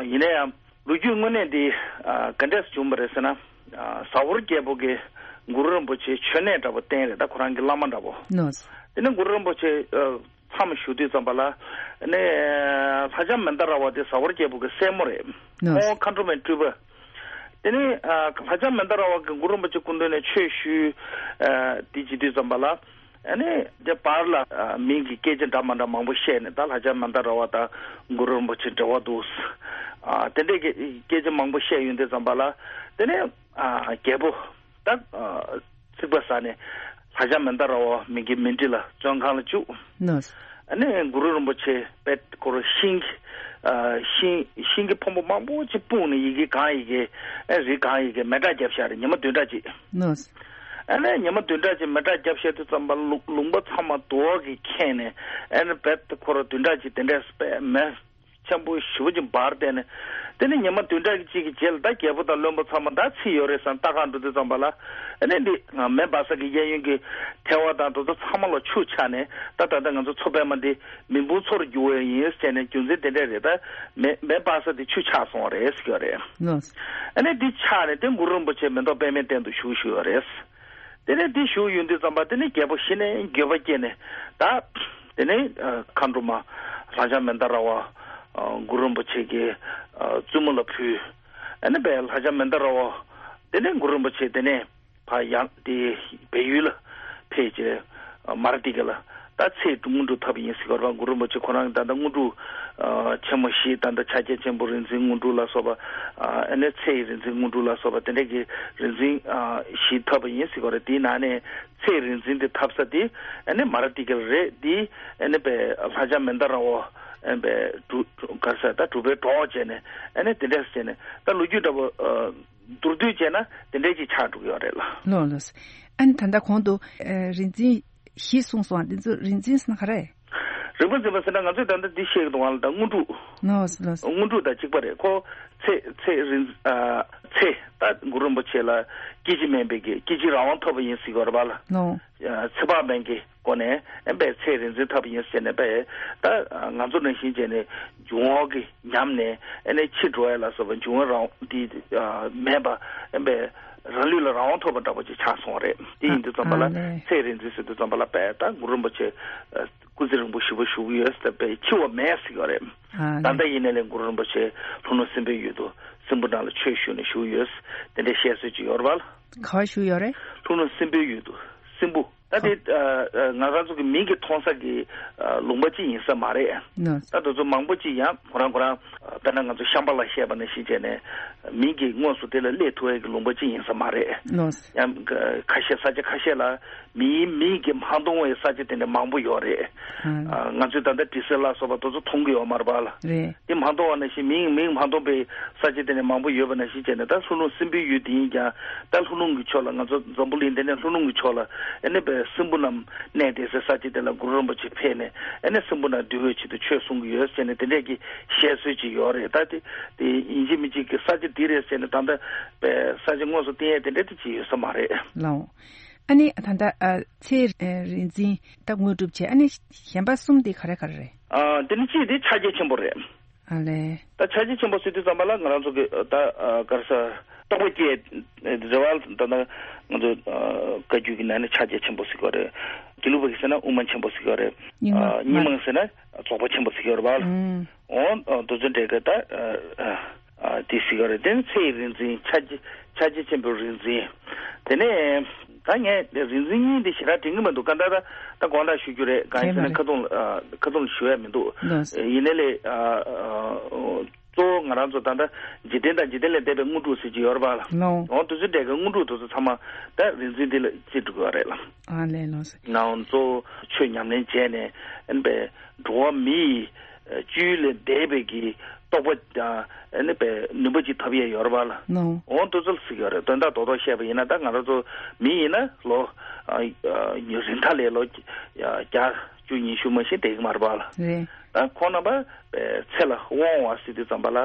ཡིན་ན་ཡང་། ལོ་རྒྱུས་དངོས་གནས་འདི་ག་འདྲས་བྱུང་བ་རེད་ཟེར་ན། ཟ་ཧོར་རྒྱལ་པོ་གིས་གུ་རུ་རིན་པོ་ཆེ་མཆོད་གནས་འདྲ་པོ་བསྟན་རེད། ད་ཁོ་རང་གི་བླ་མ་འདྲ་པོ། ལགས། དེ་ནས་གུ་རུ་རིན་པོ་ཆེ་མཚམས་བཞུགས་དུས་ཙམ་པ་ལ་ནས་ལྷ་ལྕམ་མནྡ་ར་བ་དེ་ཟ་ཧོར་རྒྱལ་པོ་གི་སྲས་མོ་རེད། ལགས། ཁོང་མཁའ་འགྲོ་མའི་སྤྲུལ་པ། དེ་ནས་ལྷ་ལྕམ་མནྡ་ར་བ་གིས་གུ་རུ་རིན་པོ་ཆེ་སྐུ་མདུན་ནས་ཆོས་ཞུས། དེ་བྱེད་དུས་ཙམ་པ་ལ། ཨ་ནི་དེ་བར་ལ་མིང་གི་སྐད་ཆ་འདྲ་མ་འདྲ་མང་པོ་བཤད་ནས་ད་ལྷ་ལྕམ་མནྡ་ར་བ་དང་གུ་རུ་རིན་པོ་ཆེ་འབྲེལ་བ་འདུག་ཨ་དེ་འདྲས་ཀྱི་སྐད་ཆ་མང་པོ་བཤད་ཡོང་དུས་ཙམ་པ་ལ་དེ་ནས་ཨ་རྒྱལ་པོ་ད་ཚིག་པ་ཟ་ནས་ ལྷ་ལྕམ་མན་དཱ་ར་བ་མི་གི་མཎྜལ་ལ་བཙོན་ཁང་ལ་བཅུག་ནོ། ཨ་ནི་གུ་རུ་རིན་པོ་ཆེ་པད་ཁོ་ར་ཤིང་གི་ཨ་ཤིང་ཤིང་གི་ཕོན་པོ་མང་པོ་ཅིག་སྤུངས་ནས་ཡི་གེ་གང་ཡི་གེ་ཨ་རིགས་གང་ཡི་གེ་མེ་སྲེག་བརྒྱབ་བཞག་རེད། ཉི་མ་བདུན་ཕྲག་ཅིག་ནོ། ཨ་ནི་ཉི་མ་བདུན་ཕྲག་ཅིག་མེ་སྲེག་བརྒྱབ་བཞག་དུས་ཙམ་པ་ལ་ལུང་ལུང་པ་ཚང་མ་རྡོ་གིས་ཁེངས་ནས་ཨ་ནི་པད་ཁོ་ར་བདུན་ཕྲག་ཅིག་དེ་འདྲས་པད་མེ་ཆེན་པོ་ཞེ་པོ་ཅིག་འབར་བསྡད་ནས། དེ་ནས་ཉི་མ་བདུན་ཕྲག་གཅིག་གི་རྗེས་ལ་ད་རྒྱལ་པོ་དང་བློན་པོ་ཚང་མ་ད་ཚིག་ཡོད་རེད་བསམ་ལྟ་ག་འགྲོ་དུས་ཙམ་པ་ལ། ཨ་ནི་འདི་ང་མེ་འབར་ས་གི་གཡས་གཡོན་གྱི་ཐལ་བ་དང་དེ་ཚོ་ཚང་མ་ལ་ཆུ་ཆགས་ནས། ད་ད་ལྟ་ང་ཚོ་མཚོ་པདྨ་འདི་མེ་ཕུང་མཚོ་རུ་འགྱུར་བ་ཡིན་ཟེར་ནས། རྒྱུ་མཚན་དེ་འདྲས་རེད། ད་མེ་མེ་འབར་ས་དེ་ཆུ་ཆགས་སོང་བ་རེད་ཟེར་གྱི་ཡོད་རེད། ལགས། ཨ་ནི་འདི་ཆགས་ནས་དེ་གུ་རུ་རིན་པོ་ཆེ་མེ་ཏོག་པདྨའི་སྟེང་དུ་བཞུགས་བཞུགས་ཡོད་རེད། དེ་ནས་འདི་བཞུགས་ཡོང་དུས་ཙམ་པ་དེ་ནས་རྒྱལ་པོ་གཞི་ནས་འགྱོད་པ་སྐྱེས་ནས། ད་དེ་ནས་ཨ་མཁའ་འགྲོ་མ་ལྷ་ལྕམ་མན་དཱ་ར་བ་ཨ་གུ་རུ་རིན་པོ་ཆེ་གི་ཨ་བཙུན་མོ་ལ་ཕུལ། ཨ་ནི་བས་ལྷ་ལྕམ་མན་དཱ་ར་བ་དེ་ནས་གུ་རུ་རིན་པོ་ཆེ་དེ་ནས་ཕར་ཡང་དེ་བལ་ཡུལ་ལ་ཕེབས་བྱས་ཨ་མ་ར་ཏི་ཀ་ལ་ད་ཚེ་དངོས་གྲུབ་ཐོབ་པ་ཡིན་ཟེར་གྱི་ཡོད་རེད་པ། གུ་རུ་རིན་པོ་ཆེ་ཁོ་རང་གི་ད་ལྟ་དངོས་གྲུབ་ཨ་ཆེན་མོ་བཞི། ད་ལྟ་ཕྱག་རྒྱ་ཆེན་པོ་རིག་འཛིན་དངོས་གྲུབ་ལ་སོགས་པ། ཨ་ནི་ཚེ་ཡི་རིག་འཛིན་དངོས་གྲུབ་ལ་སོགས་པ་དེ་འདྲ་གི་རིག་འཛིན་ཨ་བཞི་ཐོབ་པ་ཡིན་ཟེར་གྱི་ཡོད་རེད། དེའི་ནང་ནས་ཚེ་ཡི་རིག་འཛིན་དེ་ཐོབ་ས་དེ་ཨ་ནི་མ་ར་ཏི་ཀ་རེད། དེ་ཨ་ནི་པའི་ལྷ་ལྕམ་མན་དཱ་ར་བ་ཨ་ནི་པའི་གྲུ་ག་རེ་ཟེར་ད་གྲུ་པའི་གྲོགས་བྱས་ནས། ཨ་ནི་དེ་འདྲ་བྱས་ནས་ད་ལོ་རྒྱུས་འདྲ་པོ་ཨ་མདོར་བསྡུས་བྱས་ན་དེ་འདྲ་ཅིག་ཆགས་འགྲོ་གི་ཡོད་རེད་ལ། ལགས་ལགས། ཨ་ནི་ད་ལྟ་གོང་དུ་ཨ་རིག་འཛིན་བཞི་གསུངས་སོང་། འདི་ཚོ་རིག་འཛིན་ཟེར་ན་ག་རེ། རིག་པ་འཛིན་པ་ཟེར་ན་ང་ཚོས་ད་ལྟ་འདི་བཤད་ཀྱི་འདུག་ག་ལ། ད་དངོས་གྲུབ། ལགས་ལགས། དངོས་གྲུབ་དང་གཅིག་པ་རེད། ཁོ་ཚེ་ཚེ་རིག་ཨ་ཚེ་ད་གུ་རུ་རིན་པོ་ཆེ་ལ་སྐྱེ་འཆི་མེད་པའི་གི་སྐྱེ་འཆི་རང་དབང་ཐོབ་པ་ཡིན་ཟེར་གྱི་ཡོད་རེད་པ་ལ། ལགས། ཨ་ཚེ་དཔག་མེད་ཀྱི་སྒོ་ནས་ཨེ་པའི་ཚེ་རིག་འཛིན་ཐོབ་པ་ཡིན་ཟེར་ནས་པའི་ད་ང་ཚོ་ནང་བཞིན་བྱས་ནས་འབྱུང་བ་གི་ཉམས་ནས་ཨེ་ནས་འཆི་འགྲོ་ཡ་ལ་སོགས་པ་འབྱུང་བ་རང་དེ་ཨ་མེད་པ་ཨེ་པའི་རང་ལུས་ལ་རང་དབང་ཐོབ་པ་འདྲ་པོ་ཅིག་ཆགས་སོང་བ་རེད། དེ་ཡིན་དུས་ཙམ་པ་ལ། ཨ་ལས། ཚེ་རིག་འཛིན་ཟེར་དུས་ཙམ་པ་ལ་པའི་ད་གུ་རུ་རིན་པོ་ཆེ་ཨ་སྐུ་ཚེ་རིང་པོ་ཞེ་པོ་བཞུགས་ཡོད་ཟེར་པའི་འཆི་བ་མེད་ཟེར་གྱི་ཡོད་རེད། ཨ་ད་ལྟ་ལས། ཡིན་ནའི་ལས་གུ་རུ་རིན་པོ་ཆེ་ལྷོ་ནུབ་སྲིན་པོའི་ཡུལ་དུ་སྲིན་པོ་ནང་ལ་ཆོས་ཞུས་ནས་བཞུགས་ཡོད། དེ་འདྲའི་བཤད་སྲོལ་ཅིག་ཡོད་རེད་པ་ལ། ག་པར་བཞུགས་ཡོད་རེད། ལྷོ་ནུབ་སྲིན་པོའི་ཡུལ་དུ་སྲིན་པོ། ད་དེ་ཨ་ཨ་ང་རང་ཚོ་གི་མིང་གི་མཐོང་ས་གི་ཨ་ལུང་པ་ཅིག་ཡིན་ས་མ་རེད། ལགས། ད་དེ་ཚོ་མང་པོ་ཅིག་ཡང་ཁོ་རང་ཁོ་རང་ཨ་དཔེར་ན་ང་ཚོ་ཤམྦྷ་ལ་བཤད་པ་ནང་བཞིན་བྱས་ནས་མིང་གི་དངོས་སུ་དེ་ལ་སླེབས་ཐུབ་ཡ་གི་ལུང་པ་ཅིག་ཡིན་ས་མ་རེད། ལགས། ཡང་ཁ་ཤས་ས་ཆ་ཁ་ཤས་ལ་མིའི་མིང་གིས་མ་མཐོང་བའི་ས་ཆ་དེ་འདྲ་མང་པོ་ཡོད་རེད། ཨ། ཨ་ང་ཚོས་ད་ལྟ་དྲི་ཟ་ལ་སོགས་པ་དེ་ཚོ་མཐོང་གི་ཡོད་མ་རེད་པ་ལ། རེད། དེ་མ་མཐོང་བ་ནང་བཞིན་མིང་མིང་མ་མཐོང་པའི་ས་ཆ་དེ་ནས་མང་པོ་ཡོད་པ་ནང་བཞིན་བྱས་ནས། ད་ལྷོ་ནུབ་སྲིན་པོའི་ཡུལ་དེ་ཡིན་ཀྱང་། ད་ལྷོ་ལུང་གི་ཕྱོགས་ལ་ང་ཚོ་འཛམ་བུ་གླིང་འདི་ནས་ལྷོ་ལུང་གི་ཕྱོགས་ལ་ཨེ་ནས་པའི་སྲིན་པོ་རྣམས་གནས་བསྡད་སའི་ས་ཆ་དེ་ལ་གུ་རུ་རིན་པོ་ཆེ་ཕེབས་ནས་ཨེ་ནས་སྲིན་པོ་རྣམས་འདུལ་བའི་ཆེད་དུ་ཆོས་གསུང་གི་ཡོད་ཟེར་ནས་དེ་འདྲས་ཀྱི་བཤད་སྲོལ་ཅིག་ཡོད་རེད། ད་དེ་དེ་ཡིན་གཅིག་མིན་གཅིག་གི་ས་ཆ་འདི་རེད་ཟེར་ནས་ད་ལྟ་པའི་ས་ཆ་དངོས་སུ་བསྟན་ཡས་དེ་འདྲས་དེ་ཅིག་ཡོད་ས་མ་རེད། ལགས། ཨ་ནི་ད་ལྟ་ཨ་ཚེ་རིག་འཛིན་ད་དངོས་གྲུབ་བྱས། ཨ་ནི་གཞན་པ་གསུམ་དེ་ག་རེ་ག་རེ་རེད། ཨ་དེ་ནི་གཅིག་དེ་ཕྱག་རྒྱ་ཆེན་པོ་རེད། ཨ་ལས། ད་ཕྱག་རྒྱ་ཆེན་པོ་ཟེར་དུས་ཙམ་པ་ལ་ང་རང་ཚོ་གི་ད་ཨ་ག་རེ་ཟེར། རྟོགས་པ་སྐྱེས་རེད་བ། ད་ལྟ་ང་ཚོ་ཨ་བཀའ་བརྒྱུད་ཀྱི་ནང་ནས་ཕྱག་རྒྱ་ཆེན་པོ་ཟེར་གྱི་ཡོད་རེད། དགེ་ལུགས་པ་གིས་ཟེར་ན་དབུ་མ་ཆེན་པོ་ཟེར་གྱི་ཡོད་རེད། རྙིང་མ། ཨ་རྙིང་མ་ཟེར་ན་རྫོགས་པ་ཆེན་པོ་ཟེར་གྱི་ཡོད་རེད་བ། ཨུམ། འོ་ཨ་དེ་ཚོ་འདྲ་གི་ད་ཨ་ཨ་དེ་ཟེར་གྱི་ཡོད་རེད། དེ་ནི་ཚེ་ཡི་རིག་འཛིན། ཕྱག་རྒྱ་ཕྱག་རྒྱ་ཆེན་པོའི་རིག་འཛིན། དེ་ནས་ད་ངས་རིག་འཛིན་གཉིས་དེ་ཞེ་དྲག་དྲན་གྱི་མི་འདུག་ག་ད་ད་ད་དགོངས་དག་ཞུ་རྒྱུ་རེད། གང་ཡིན་ཟེར་ན་དྲན་པ་རེད། ཁ་ཐུང་ཨ་ཁ་ཐུང་ལ་ཞུ་ཡ་མི་འདུག་ལགས་སོ། ཡིན་ནའི་ལས་ཨ་ཨ་གཙོ་བོ་ང་རང་ཚོ་ད་ལྟ་འཇིག་རྟེན་དང་འཇིག་རྟེན་ལས་འདས་པའི་དངོས་གྲུབ་ཟེར་གྱི་ཡོད་རེད་པ་ལ། ལགས། འོ་དེ་ཚོ་འདྲ་གི་དངོས་གྲུབ་དེ་ཚོ་ཚང་མ་ད་རིག་འཛིན་འདི་ལ་བརྩི་འགྲོ་གི་ཡོད་རེད་ལ། ཨ་ལས། ལགས་སོ། ནའང་གཙོ་བོ་ཆོས་ཉམས་ལེན་བྱས་ནས་ཨེ་ནས་པའི་འགྲོ་བ་མི་ཡི་བཅུད་ལས་འདས་པའི་གི་རྟོགས་པ་དང་ཨེ་ནས་པའི་ནུས་པ་ཅིག་ཐོབ་ཡས་ཡོད་རེད་པ་ལ། ལགས། འོ་དེ་ཚོ་ལ་ཟེར་གྱི་ཡོད་རེད། དོན་དག་རྡོག་རྡོག་བཤད་པ་ཡིན་ན། ད་ང་རང་ཚོ་མི་ཡིན་ན་ལོ་ཨ་ཨ་རིང་ཐག་ལས་ལོ་བརྒྱ་བཅུ་ཉི་ཤུ་མ་ཤི་བསྡད་ཀྱི་མ་རེད་པ་ལ། རེད། ད་ཁོང་རྣམ་པ་ཚེ་ལ་དབང་བ་ཟེར་དུས་ཙམ་པ་ལ་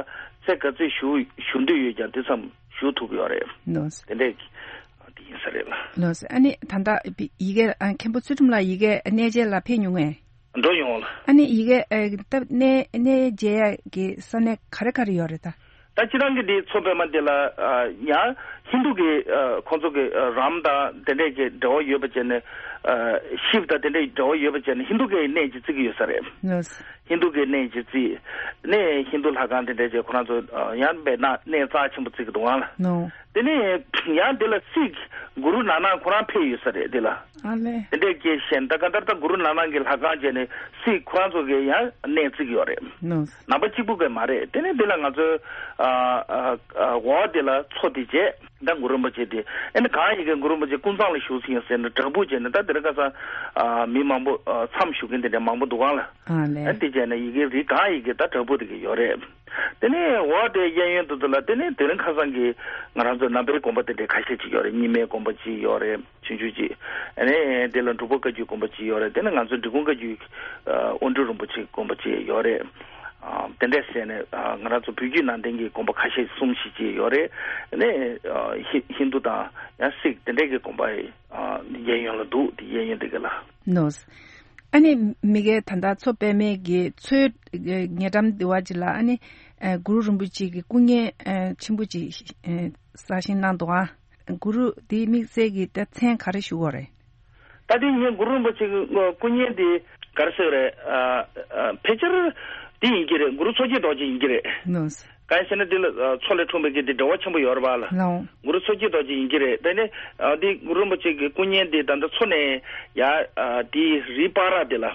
ཚེ་ག་ཚོད་བཞུགས་བཞུགས་འདོད་ཡོད་ཀྱང་དེ་ཙམ་བཞུགས་ཐུབ་ཀྱི་ཡོད་རེད། ལགས་སོ། དེ་འདྲས་ཀྱི་དེ་ཡིན་ས་རེད་ལ། ལགས་སོ། ཨ་ནི་ད་ལྟ་ཡི་གེ་ཨ་མཁན་པོ་ཚུལ་ཁྲིམས་ལགས་ཡི་གེ་གནས་མཇལ་ལ་ཕེབས་མྱོང་ངས། འགྲོ་ཡོང་ལ། ཨ་ནི་ཡི་གེ་ཨ་ད་གནས་གནས་མཇལ་ཡ་གི་ས་གནས་ག་རེ་ག་རེ་ཡོད་རེད་ད། ད་སྤྱིར་བཏང་གི་འདི་མཚོ་པདྨ་འདི་ལ་ཨ་ཡང་ཧིན་དུ་གི་ཨ་ཁོང་ཚོ་གི་ཨ་རམ་དང་དེ་འདྲས་ཀྱི་འབྲེལ་བ་ཡོད་པ་བྱས་ནས། ཨ་ཤིབ་དང་དེ་འདྲས་འབྲེལ་བ་ཡོད་པ་བྱས་ནས་ཧིན་དུ་གི་གནས་ཀྱི་བརྩི་གི་ཡོད་ས་རེད། ལགས་སོ། ཧིན་དུ་གི་གནས་ཀྱི་བརྩི་ནས་ཧིན་དུ་ལྷ་ཁང་དེ་འདྲས་ཀྱི་ཁོ་རང་ཚོ་ཨ་ཡང་དཔེར་ན་གནས་རྩ་ཆེན་པོ་བརྩི་གི་འདུག་ཨང་ལ། ནོ། དེ་ནས་ཡང་དེ་ལ་སིག་གུ་རུ་ནཱ་ནག་ཁོ་རང་ཕེབས་ཡོད་ས་རེད་དེ་ལ། ཨ་ལས། དེ་འདྲས་ཀྱི་གཞན་ད་ག་ད་ལྟ་གུ་རུ་ནཱ་ནག་གི་ལྷ་ཁང་བྱས་ནས་སིག་ཁོ་རང་ཚོ་གི་ཡང་གནས་བརྩི་གི་ཡོད་རེད། ནོ། ནང་པ་གཅིག་པུ་གི་མ་རེད། དེ་ནས་དེ་ལ་ང་ཚོའི་ཨ་ཨ་ཨ་འོ་དེ་ལ་མཚོ་དེ་བྱས། ད་གུ་རུ་རིན་པོ་ཆེ་དེ་ཨ་ནི་གང་ཡི་གེ་གུ་རུ་རིན་པོ་ཆེ་ཀུན་བཟང་ལ་བཞུགས་ཟིན་ཡང་ཟེར་ན་བྲག་ཕུག་བྱས་ནས། ད་དེ་རིང་ཁ་སང་ཨ་མི་མང་པོ་ཨ་མཚམས་བཞུགས་མཁན་དེ་འདྲ་མང་པོ་འདུག་ག་ལ། ཨ་ནི། ཨ་དེ་བྱས་ན་ཡི་གེ་རིགས་གང་ཡི་གེ་ད་བྲག་ཕུག་དེ་གི་ཡོད་རེད། དེ་ནས་འོ་དེ་གཡས་གཡོན་དུ་དུ་ལ་དེ་ནས་དེ་རིང་ཁ་སང་གི་ང་རང་ཚོ་ནང་པའི་དགོན་པ་དེ་འདྲའི་ཁ་ཤས་ཅིག་ཡོད་རེད། རྙིང་མའི་དགོན་པ་ཅིག་ཡོད་རེད། ཆུང་ཆུང་ཅིག་ཨ་ནི་དེ་ལ་འབྲུག་པ་བཀའ་བརྒྱུད་དགོན་པ་ཅིག་ཡོད་རེད། དེ་ནས་ང་ཚོ་འབྲི་གུང་བཀའ་བརྒྱུད་ཨ་དབོན་སྤྲུལ་རིན་པོ་ཆེ་དགོན་པ་ཅིག་ཡོད་རེད། ཨ་དེ་འདྲས་བྱས་ནས་ཨ་ང་རང་ཚོ་བོད་བརྒྱུད་ནང་བསྟན་གྱི་དགོན་པ་ཁ་ཤས་གསུམ་བཞི་ཅིག་ཡོད་རེད། ཨ་ནི་ཨ་ཧི་ཧིན་རྡུ་དང་ཡང་སིག་དེ་འདྲས་ཀྱི་དགོན་པ་ཨ་གཡས་གཡོན་ལ་འདུག་དེ་གཡས་གཡོན་དེ་ག་ལ། ནོ། ཨ་ནི་མི་གའི་ད་ལྟ་མཚོ་པདྨའི་གི་མཚོའི་ཉེ་འགྲམ་དེ་བ་ཅིག་ལ་ཨ་ནི་ཨ་གུ་རུ་རིན་པོ་ཆེ་གི་སྐུ་བརྙན་ཨ་ཆེན་པོ་ཅིག་ཨ་གསར་བཞེངས་གནང་འདུག་ཨ། གུ་རུ་དེའི་དམིགས་བསལ་གྱི་ད་མཚན་ག་རེ་ཞུ་དགོས་རེད། ད་དེ་ངས་གུ་རུ་རིན་པོ་ཆེ་གི་སྐུ་བརྙན་དེ་ག་རེ་ཟེར་རེད། ཨ་ཨ་ཕལ་ཆེར་དེ་ཡིན་གྱི་རེད། གུ་རུ་མཚོ་སྐྱེས་རྡོ་རྗེ་ཡིན་གྱི་རེད། ནོ། གང་ཡིན་ཟེར་ན་དེ་ལ་ཨ་མཚོ་ལས་འཁྲུངས་པའི་གི་དེ་འབྲེལ་བ་ཆེན་པོ་ཡོད་རེད་པ་ལ། ལའོ། གུ་རུ་མཚོ་སྐྱེས་རྡོ་རྗེ་ཡིན་གྱི་རེད། དེ་ནས་ཨ་དེ་གུ་རུ་རིན་པོ་ཆེ་གི་སྐུ་བརྙན་དེ་ད་ལྟ་མཚོ་ནས་ཡ་ཨ་དེའི་རིའི་བར་ར་དེ་ལ།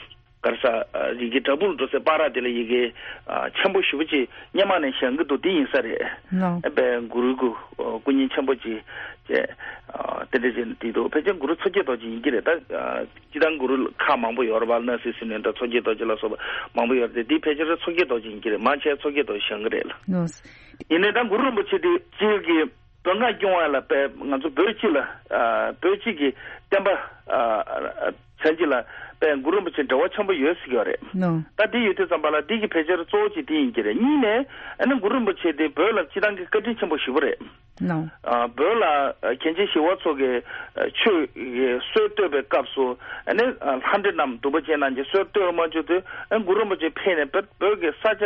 ག་རེ་ཟ། ཨ་རི་གི་བྲག་ཕུག་ལ་འགྲོ་སའི་བར་ར་དེ་ལ་ཡི་གེ་ཨ་ཆེན་པོ་ཞེ་པོ་ཅིག་སྔོན་མ་ནས་བཞེངས་ཀྱི་འདུག་དེ་ཡིན་ས་རེད། ལའོ། ཨ་དཔེ་གུ་རུའི་སྐུ་སྐུ་བརྙན་ཆེན་པོ་ཅིག་བྱས། ཨ་དེ་འདྲ་བྱས་ནས་དེ་འདུག་ཕལ་ཆེར་གུ་རུ་མཚོ་སྐྱེས་རྡོ་རྗེ་ཡིན་གྱི་རེད། ད་ཨ་སྤྱིར་བཏང་གུ་རུ་ཁག་མང་པོ་ཡོད་རེད་པ། སྣང་སྲིད་ཟེར་ནས་ད་མཚོ་སྐྱེས་རྡོ་རྗེ་ལ་སོགས་པ་མང་པོ་ཡོད་རེད་དེ། དེ་ཕལ་ཆེར་མཚོ་སྐྱེས་རྡོ་རྗེ་ཡིན་གྱི་རེད། མང་ཆེ་མཚོ་སྐྱེས་རྡོ་རྗེ་བཞེངས་ཀྱི་རེད་ལ། ལོས། ཡིན་ནའི་ད་གུ་རུ་རིན་པོ་ཆེ་དེ་སྤྱིར་གྱི་བོད་མངའ་སྐྱོང་བ་ལ་དཔེ་ང་ཚོ་བོད་སྤྱི་ལ་ཨ་བོད་སྤྱི་གི་བསྟན་པ་ཨ་ཆ་འཇིག་ལ་དཔེ་གུ་རུ་རིན་པོ་ཆེ་འབྲེལ་བ་ཆེན་པོ་ཡོད་ཟེར་གྱི་ཡོད་རེད། ལོ། ད་དེ་ཡོད་དུས་ཙམ་པ་ལ་དེ་གི་ཕལ་ཆེར་གཙོ་བོ་གཅིག་དེ་ཡིན་གྱི་རེད། གཉིས་ནས་ཨ་ནི་གུ་རུ་རིན་པོ་ཆེ་དེ་བོད་ལ་སྤྱིར་བཏང་གི་བཀའ་དྲིན་ཆེན་པོ་ཞེ་པོ་རེད། ལོ། ཨ་བོད་ལ་ཨ་མཁན་ཆེན་ཞི་བ་འཚོ་གིས་ཨ་ཆོས་ཀྱི་སྲོལ་གཏོད་པའི་སྐབས་སུ་ཨ་ནི་ཨ་ལྷ་འདྲེ་རྣམས་འདུལ་བ་ཅན་རྣམས་ཀྱི་སྲོལ་གཏོད་མ་བཅུག་དུས་ཨ་གུ་རུ་རིན་པོ་ཆེ་ཕེབས་ནས་བོད་བོད་ཀྱི་ས་ཆ་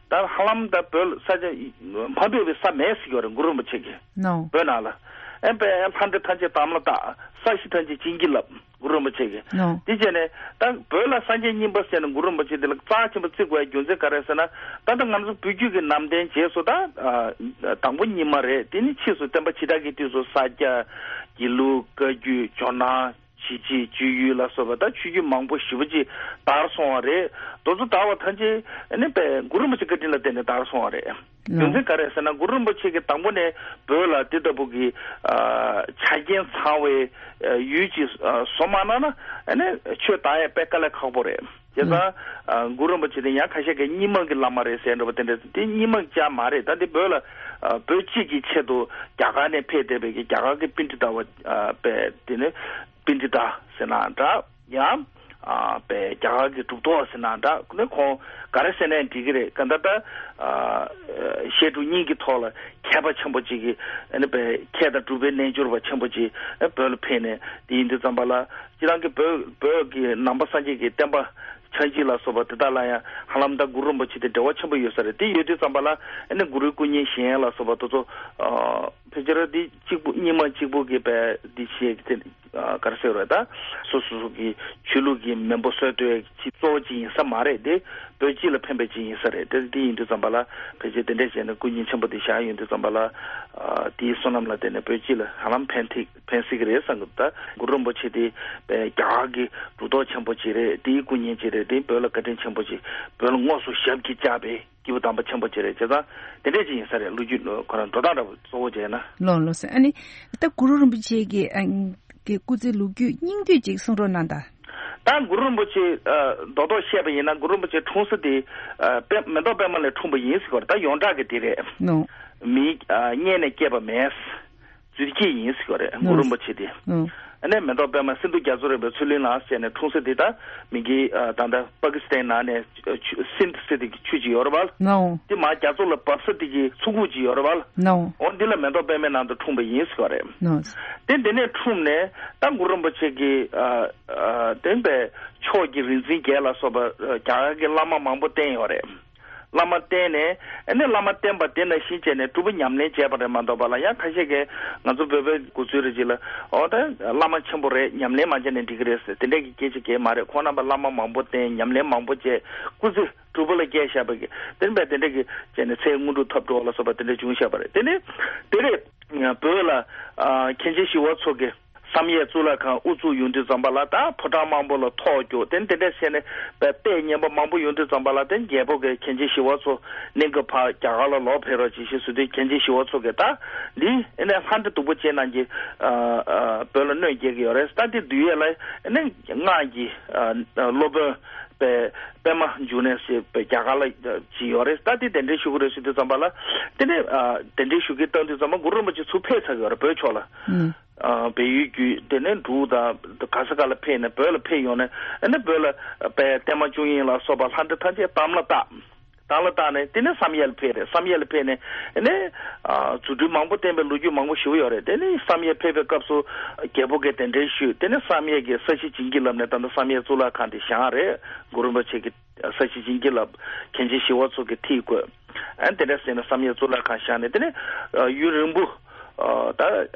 ད་ཧ་ལམ་ད་བོད་ས་ཆ་མ་ཕེབས་པའི་ས་མེད་ཟེར་གྱི་ཡོད་རེད། གུ་རུ་རིན་པོ་ཆེ་གིས་ལོ། བོད་ནང་ལ་ཨ་དཔེ་ལྷ་འདྲེ་ཐམས་ཅད་དམ་ལ་བཏགས། ས་གཞི་ཐམས་ཅད་བྱིན་གྱིས་བརླབས། གུ་རུ་རིན་པོ་ཆེ་གིས། ལོ། དེ་བྱས་ནས་ད་བོད་ལ་སངས་རྒྱས་གཉིས་པ་ཟེར་ནས་གུ་རུ་རིན་པོ་ཆེ་དེ་ལ་རྩ་ཆེན་པོ་བརྩི་དགོས་ཡ་རྒྱུ་མཚན་ག་རེ་ཟེར་ན། ད་ལྟ་ང་ཚོ་བོད་བརྒྱུད་ཀྱི་ནང་བསྟན་རྗེས་སུ་ད་ཨ་དང་པོ་རྙིང་མ་རེད། དེ་ནི་ཕྱིས་སུ་བསྟན་པ་ཇི་ལྟ་བའི་དུས་སུ་ས་སྐྱ། དགེ་ལུགས། བཀའ་བརྒྱུད། ཇོ་ནང་། གཞིས་བྱེས། གཅོད་ཡུལ་ལ་སོགས་པ་ད་ཆོས་བརྒྱུད་མང་པོ་ཞེ་པོ་ཅིག་དར་སོང་བ་རེད། དེ་ཚོ་དར་བ་ཐམས་ཅད་ནི་དཔེ་གུ་རུ་རིན་པོ་ཆེ་བཀའ་དྲིན་ལ་བརྟེན་ནས་དར་སོང་བ་རེད། རྒྱུ་མཚན་ག་རེ་ཟེར་ན་གུ་རུ་རིན་པོ་ཆེ་གིས་དང་པོ་ནས་བོད་ལ་དེ་ལྟ་བུ་གི་ཨ་ཆ་རྐྱེན་ཚང་བའི་ཨ་ཡུལ་ཅིག་ཨ་བཟོ་མ་གནང་ན་ཨ་ནི་ཆོས་དར་ཡ་དཔེ་དཀའ་ལས་ཁག་པོ་རེད། བྱས་ཙང་ཨ་གུ་རུ་རིན་པོ་ཆེ་དེ་ཡང་ཁ་ཤས་ཀྱིས་རྙིང་མ་གི་བླ་མ་རེད་ཟེར་འདྲ་པོ་དེ་འདྲ་དེ་རྙིང་མ་ཅང་མ་རེད། ད་དེ་བོད་ལ་ཨ་བོད་སྤྱི་གི་ཆེད་དུ་རྒྱ་གར་ནས་ཕེབས་བསྡད་པའི་གི་རྒྱ་གར་གི་པཎྜི་ཏ་བ་ཨ་དཔེ་དེ་ནི་པཎྜི་ཏ་ཟེར་ན་འདྲ། ཡང་ཨ་པའི་རྒྱ་གར་གྱི་གྲུབ་ཐོབ་ཟེར་ན་འདྲ་ནི་ཁོང་ག་རེ་ཟེར་ནའི་འགྲིག་གི་རེད། ག་ད་ལྟ་ཨ་བཤད་སྒྲུབ་གཉིས་ཀྱི་ཐོག་ལ་མཁས་པ་ཆེན་པོ་ཅིག་གི་ཨ་ནི་པའི་མཁས་དང་གྲུབ་པའི་རྣལ་འབྱོར་པ་ཆེན་པོ་ཅིག་ཨ་བོད་ལ་ཕེབས་ནས་དེ་ཡིན་དུས་ཙམ་པ་ལ་སྤྱིར་བཏང་གི་བོད་བོད་ཀྱི་ནང་པ་སངས་རྒྱས་ཀྱི་བསྟན་པ་ཕྱག་རྗེས་ལ་སོགས་པ་དེ་དག་ལ་ཡང་ཧ་ལམ་ད་གུ་རུ་རིན་པོ་ཆེ་དེ་འབྲེལ་བ་ཆེན་པོ་ཡོད་ས་རེད། དེ་ཡོད་དུས་ཙམ་པ་ལ་ཨ་ནི་གུ་རུའི་སྐུ་བརྙན་བཞེངས་ཡ་ལ་སོགས་པ་དེ་ཚོ་ཨ་ཕལ་ཆེར་འདི་གཅིག་པུ་རྙིང་མ་གཅིག་པུ་གི་པའི་འདི་བྱས་ཀྱི་དེ་ཨ་ག་རེ་ཟེར་བ་རེད། ད་སོ་སོ་སོ་གི་ཆོས་ལུགས་ཀྱི་མེས་པོ་སྲོལ་གཏོད་ཀྱི་གཙོ་བོ་ཅིག་ཡིན་ས་མ་རེད། དེ་བོད་སྤྱི་ལ་ཕན་པ་ཅིག་ཡིན་ས་རེད། དེ་འདི་ཡིན་དུས་ཙམ་པ་ལ་ཕལ་ཆེར་དེ་འདྲས་བྱས་ནས་སྐུ་བརྙན་ཆེན་པོ་དེ་བཞག་ཡོང་དུས་ཙམ་པ་ལ་ཨ་དེའི་བསོད་ནམས་ལ་བརྟེན་ནས་བོད་སྤྱི་ལ་ཧ་ལམ་ཕན་ཐེག་ཕན་སྲིད་ཀྱི་རེད་བསམ་གི་འདུག་ད་གུ་རུ་རིན་པོ་ཆེ་དེ་པའི་རྒྱ་གར་གྱི་གྲུབ་ཐོབ་ཆེན་པོ་ཅིག་རེད། དེའི་སྐུ་བརྙན་ཅིག་རེད། དེ་བོད་ལ་བཀའ་དྲིན་ཆེན་པོ་ཅིག་བོད་ལ་དངོས་སུ་ཞབས་ཀྱིས་བཅགས་པའི་སྐྱེས་བུ་དམ་པ་ཆེན་པོ་ཅིག་རེད། བྱས་ཙང་དེ་འདྲས་ཅིག་ཡིན་ས་རེད། ལོ་རྒྱུས་ཁོ་རང་འགྲོ་སྟངས་འདྲ་པོ་གཙོ་བོ་བྱས་ན། ལོ་ལོ་ཟེར། ཨ་ནི་ད་གུ་རུ་རིན་པོ་ཆེ་གི་ཨ་གི་སྐུ་ཚེ་ལོ་རྒྱུས་སྙིང་བསྡུས་ཅིག་གསུང་རོགས་གནང་དང་། ད་གུ་རུ་རིན་པོ་ཆེ་ཨ་རྡོག་རྡོག་བཤད་པ་ཡིན་ན་གུ་རུ་རིན་པོ་ཆེ་འཁྲུངས་ས་དེ་ཨ་པད་མེ་ཏོག་པད་མ་ལས་འཁྲུངས་པ་ཡིན་ཟེར་གི་རེད། ད་ཡོངས་གྲགས་ཀྱི་དེ་རེད། ནོ། མི་ཨ་རྙེད་ནས་སྐྱེས་པ་མེད། རྫུས་སྐྱེས་ཡིན་ཟེར་གི་རེད། ཨོ། གུ་རུ་རིན་པོ་ཆེ་དེ། ཨོ། ཨ་ནི་མེ་ཏོག་པད་མ་སིན་དྷུ་རྒྱ་མཚོ་རིམ་པའི་མཚོ་གླིང་ལ་བྱས་ནས་འཁྲུངས་ས་དེ། ད་མི་གི་ཨ་ད་ལྟ་པ་ཀི་སི་ཐན་ནང་ནས་ཆུ་སིནྡ་ཟེར་དེ་གི་ཆུ་ཅིག་ཡོད་རེད་པ། ནོ། དེ་མར་རྒྱ་མཚོ་ལ་བབས་ས་དེ་གི་མཚོ་ཁུག་ཅིག་ཡོད་རེད་པ། ནོ། འོ་འདི་ལ་མེ་ཏོག་པད་མའི་ནང་དུ་འཁྲུངས་པ་ཡིན་ཟེར་གི་རེད། ནོ། དེ་འདི་ནས་འཁྲུངས་ནས་ད་གུ་རུ་རིན་པོ་ཆེ་གི་ཨ་ཨ་བསྟན་པའི་ཕྱོགས་ཀྱི་རིག་འཛིན་བརྒྱད་ལ་སོགས་པ་རྒྱ་གར་གྱི་བླ་མ་མང་པོ་བསྟེན་ཡོད་རེད། བླ་མ་བསྟེན་ནས་ཨ་ནི་བླ་མ་བསྟེན་པ་དེ་ནང་བཞིན་བྱས་ནས་སྒྲུབ་པ་ཉམས་ལེན་བྱས་པ་རེད་མ་གཏོགས་པ་ལ། ཡང་ཁ་ཤས་ཀྱིས་ང་ཚོ་བོད་པའི་དགོས་ཚུལ་རེ་ཅིག་ལ་ཨོ་ད་བླ་མ་ཆེན་པོ་རེད། ཉམས་ལེན་མ་བྱས་ནས་འགྲིག་གི་རེད་ཟེར་དེ་འདྲས་ཀྱི་སྐད་ཆ་གང་ཡང་མ་རེད། ཁོང་རྣམ་པ་བླ་མ་མང་པོ་བསྟེན། ཉམས་ལེན་མང་པོ་བྱས། སྐུ་ཚེ་གྲུབ་པ་ལ་བསྐྱལ་བཞག་པ་གི་དེ་འདྲས་དེ་འདྲས་ཀྱི་བྱས་ནས་ཚེ་དངོས་གྲུབ་ཐོབ་འགྲོ་བ་ལ་སོགས་པ་དེ་འདྲས་བྱུང་བཞག་པ་རེད། དེ་ནས་དེ་རེད། བོད་ལ་ཨ་མཁན་ཆེན་ཞི་བ་འཚོ་གིས་ བསམ་ཡས་གཙུག་ལག་ཁང་དབུ་བཙུགས་ཡོང་དུས་ཙམ་པ་ལ་ད་ཕོ་བྲང་མང་པོ་ལ་ཐོག་རྒྱུག་དེ་དེ་འདྲ་བྱས་ནས་དཔེ་ལྟས་ངན་པ་མང་པོ་ཡོང་དུས་ཙམ་པ་ལ་དེ་རྒྱལ་པོ་གི་མཁན་ཆེན་ཞི་བ་འཚོ་གླིང་གི་ཕར་རྒྱ་གར་ལ་ལོག་ཕེབས་རོགས་ཅེས་ཞེས་ཟེར་དུས་མཁན་ཆེན་ཞི་བ་འཚོ་གིས་ད་འདི་ཨེ་ནས་ལྷ་འདྲེ་སྡུག་པོ་ཅན་རྣམས་ཀྱིས་ཨ་ཨ་བོད་ལ་གནོད་སྐྱེལ་གྱི་ཡོད་རེད། ད་འདི་འདུལ་ཡས་ལ་ཨེ་ནས་སྔགས་ཀྱི་ཨ་ཨ་སློབ་དཔོན་པའི་པད་མ་འབྱུང་གནས་ཞེས་པའི་རྒྱ་གར་ལ་ཅིག་ཡོད་རེད། ད་འདི་གདན་འདྲེན་ཞུ་གི་རེད་ཟེར་དུས་ཙམ་པ་ལ་དེ་ནས་ཨ་གདན་འདྲེན་ཞུ་གི་བཏང་དུས་ཙམ་པ་གུ་རུ་རིན་པོ་ཆེ་ཚུར་ཕེབས་ཚར་གི་ཡོད་རེད། བོད་ཕྱོགས་ལ། ཨ་བལ་ཡུལ་བརྒྱུད་དེ་ནས་འབྲུག་དང་ག་ས་ག་ལ་ཕེབས་ནས་བོད་ལ་ཕེབས་ཡོང་ནས་ཨ་ནི་བོད་ལ་དཔལ་བརྟན་མ་བཅུ་གཉིས་ལ་སོགས་པ་ལྷ་འདྲེ་ཐམས་ཅད་དམ་ལ་བཏགས། དམ་ལ་བཏགས་ནས་དེ་ནས་བསམ་ཡས་ལ་ཕེབས་རེད། བསམ་ཡས་ལ་ཕེབས་ནས་ཨ་ནི་ཨ་རྫུ་འཕྲུལ་མང་པོ་བསྟན་པའི་ལོ་རྒྱུས་མང་པོ་ཞེ་པོ་ཡོད་རེད། དེ་ནས་བསམ་ཡས་ཕེབས་པའི་སྐབས་སུ་རྒྱལ་པོ་གིས་གདན་འདྲེན་ཞུས། དེ་ནས་བསམ་ཡས་ཀྱིས་ས་གཞི་བྱིན་གྱིས་བརླབས་ནས་ད་ལྟ་བསམ་ཡས་གཙུག་ལག་ཁང་དེ་བཞེངས་རེད། གུ་རུ་རིན་པོ་ཆེ་གིས་ས་གཞི་བྱིན་གྱིས་བརླབས། མཁན་ཆེན་ཞི་བ་འཚོ་གིས་ཐིག་བཀོད། ཨ་དེ་འདྲ་ཟེར་ནས་བསམ་ཡས་གཙུག་ལག་ཁང་བཞེངས་ནས་དེ་ནས་ཡུན་རིང་པོ་ད་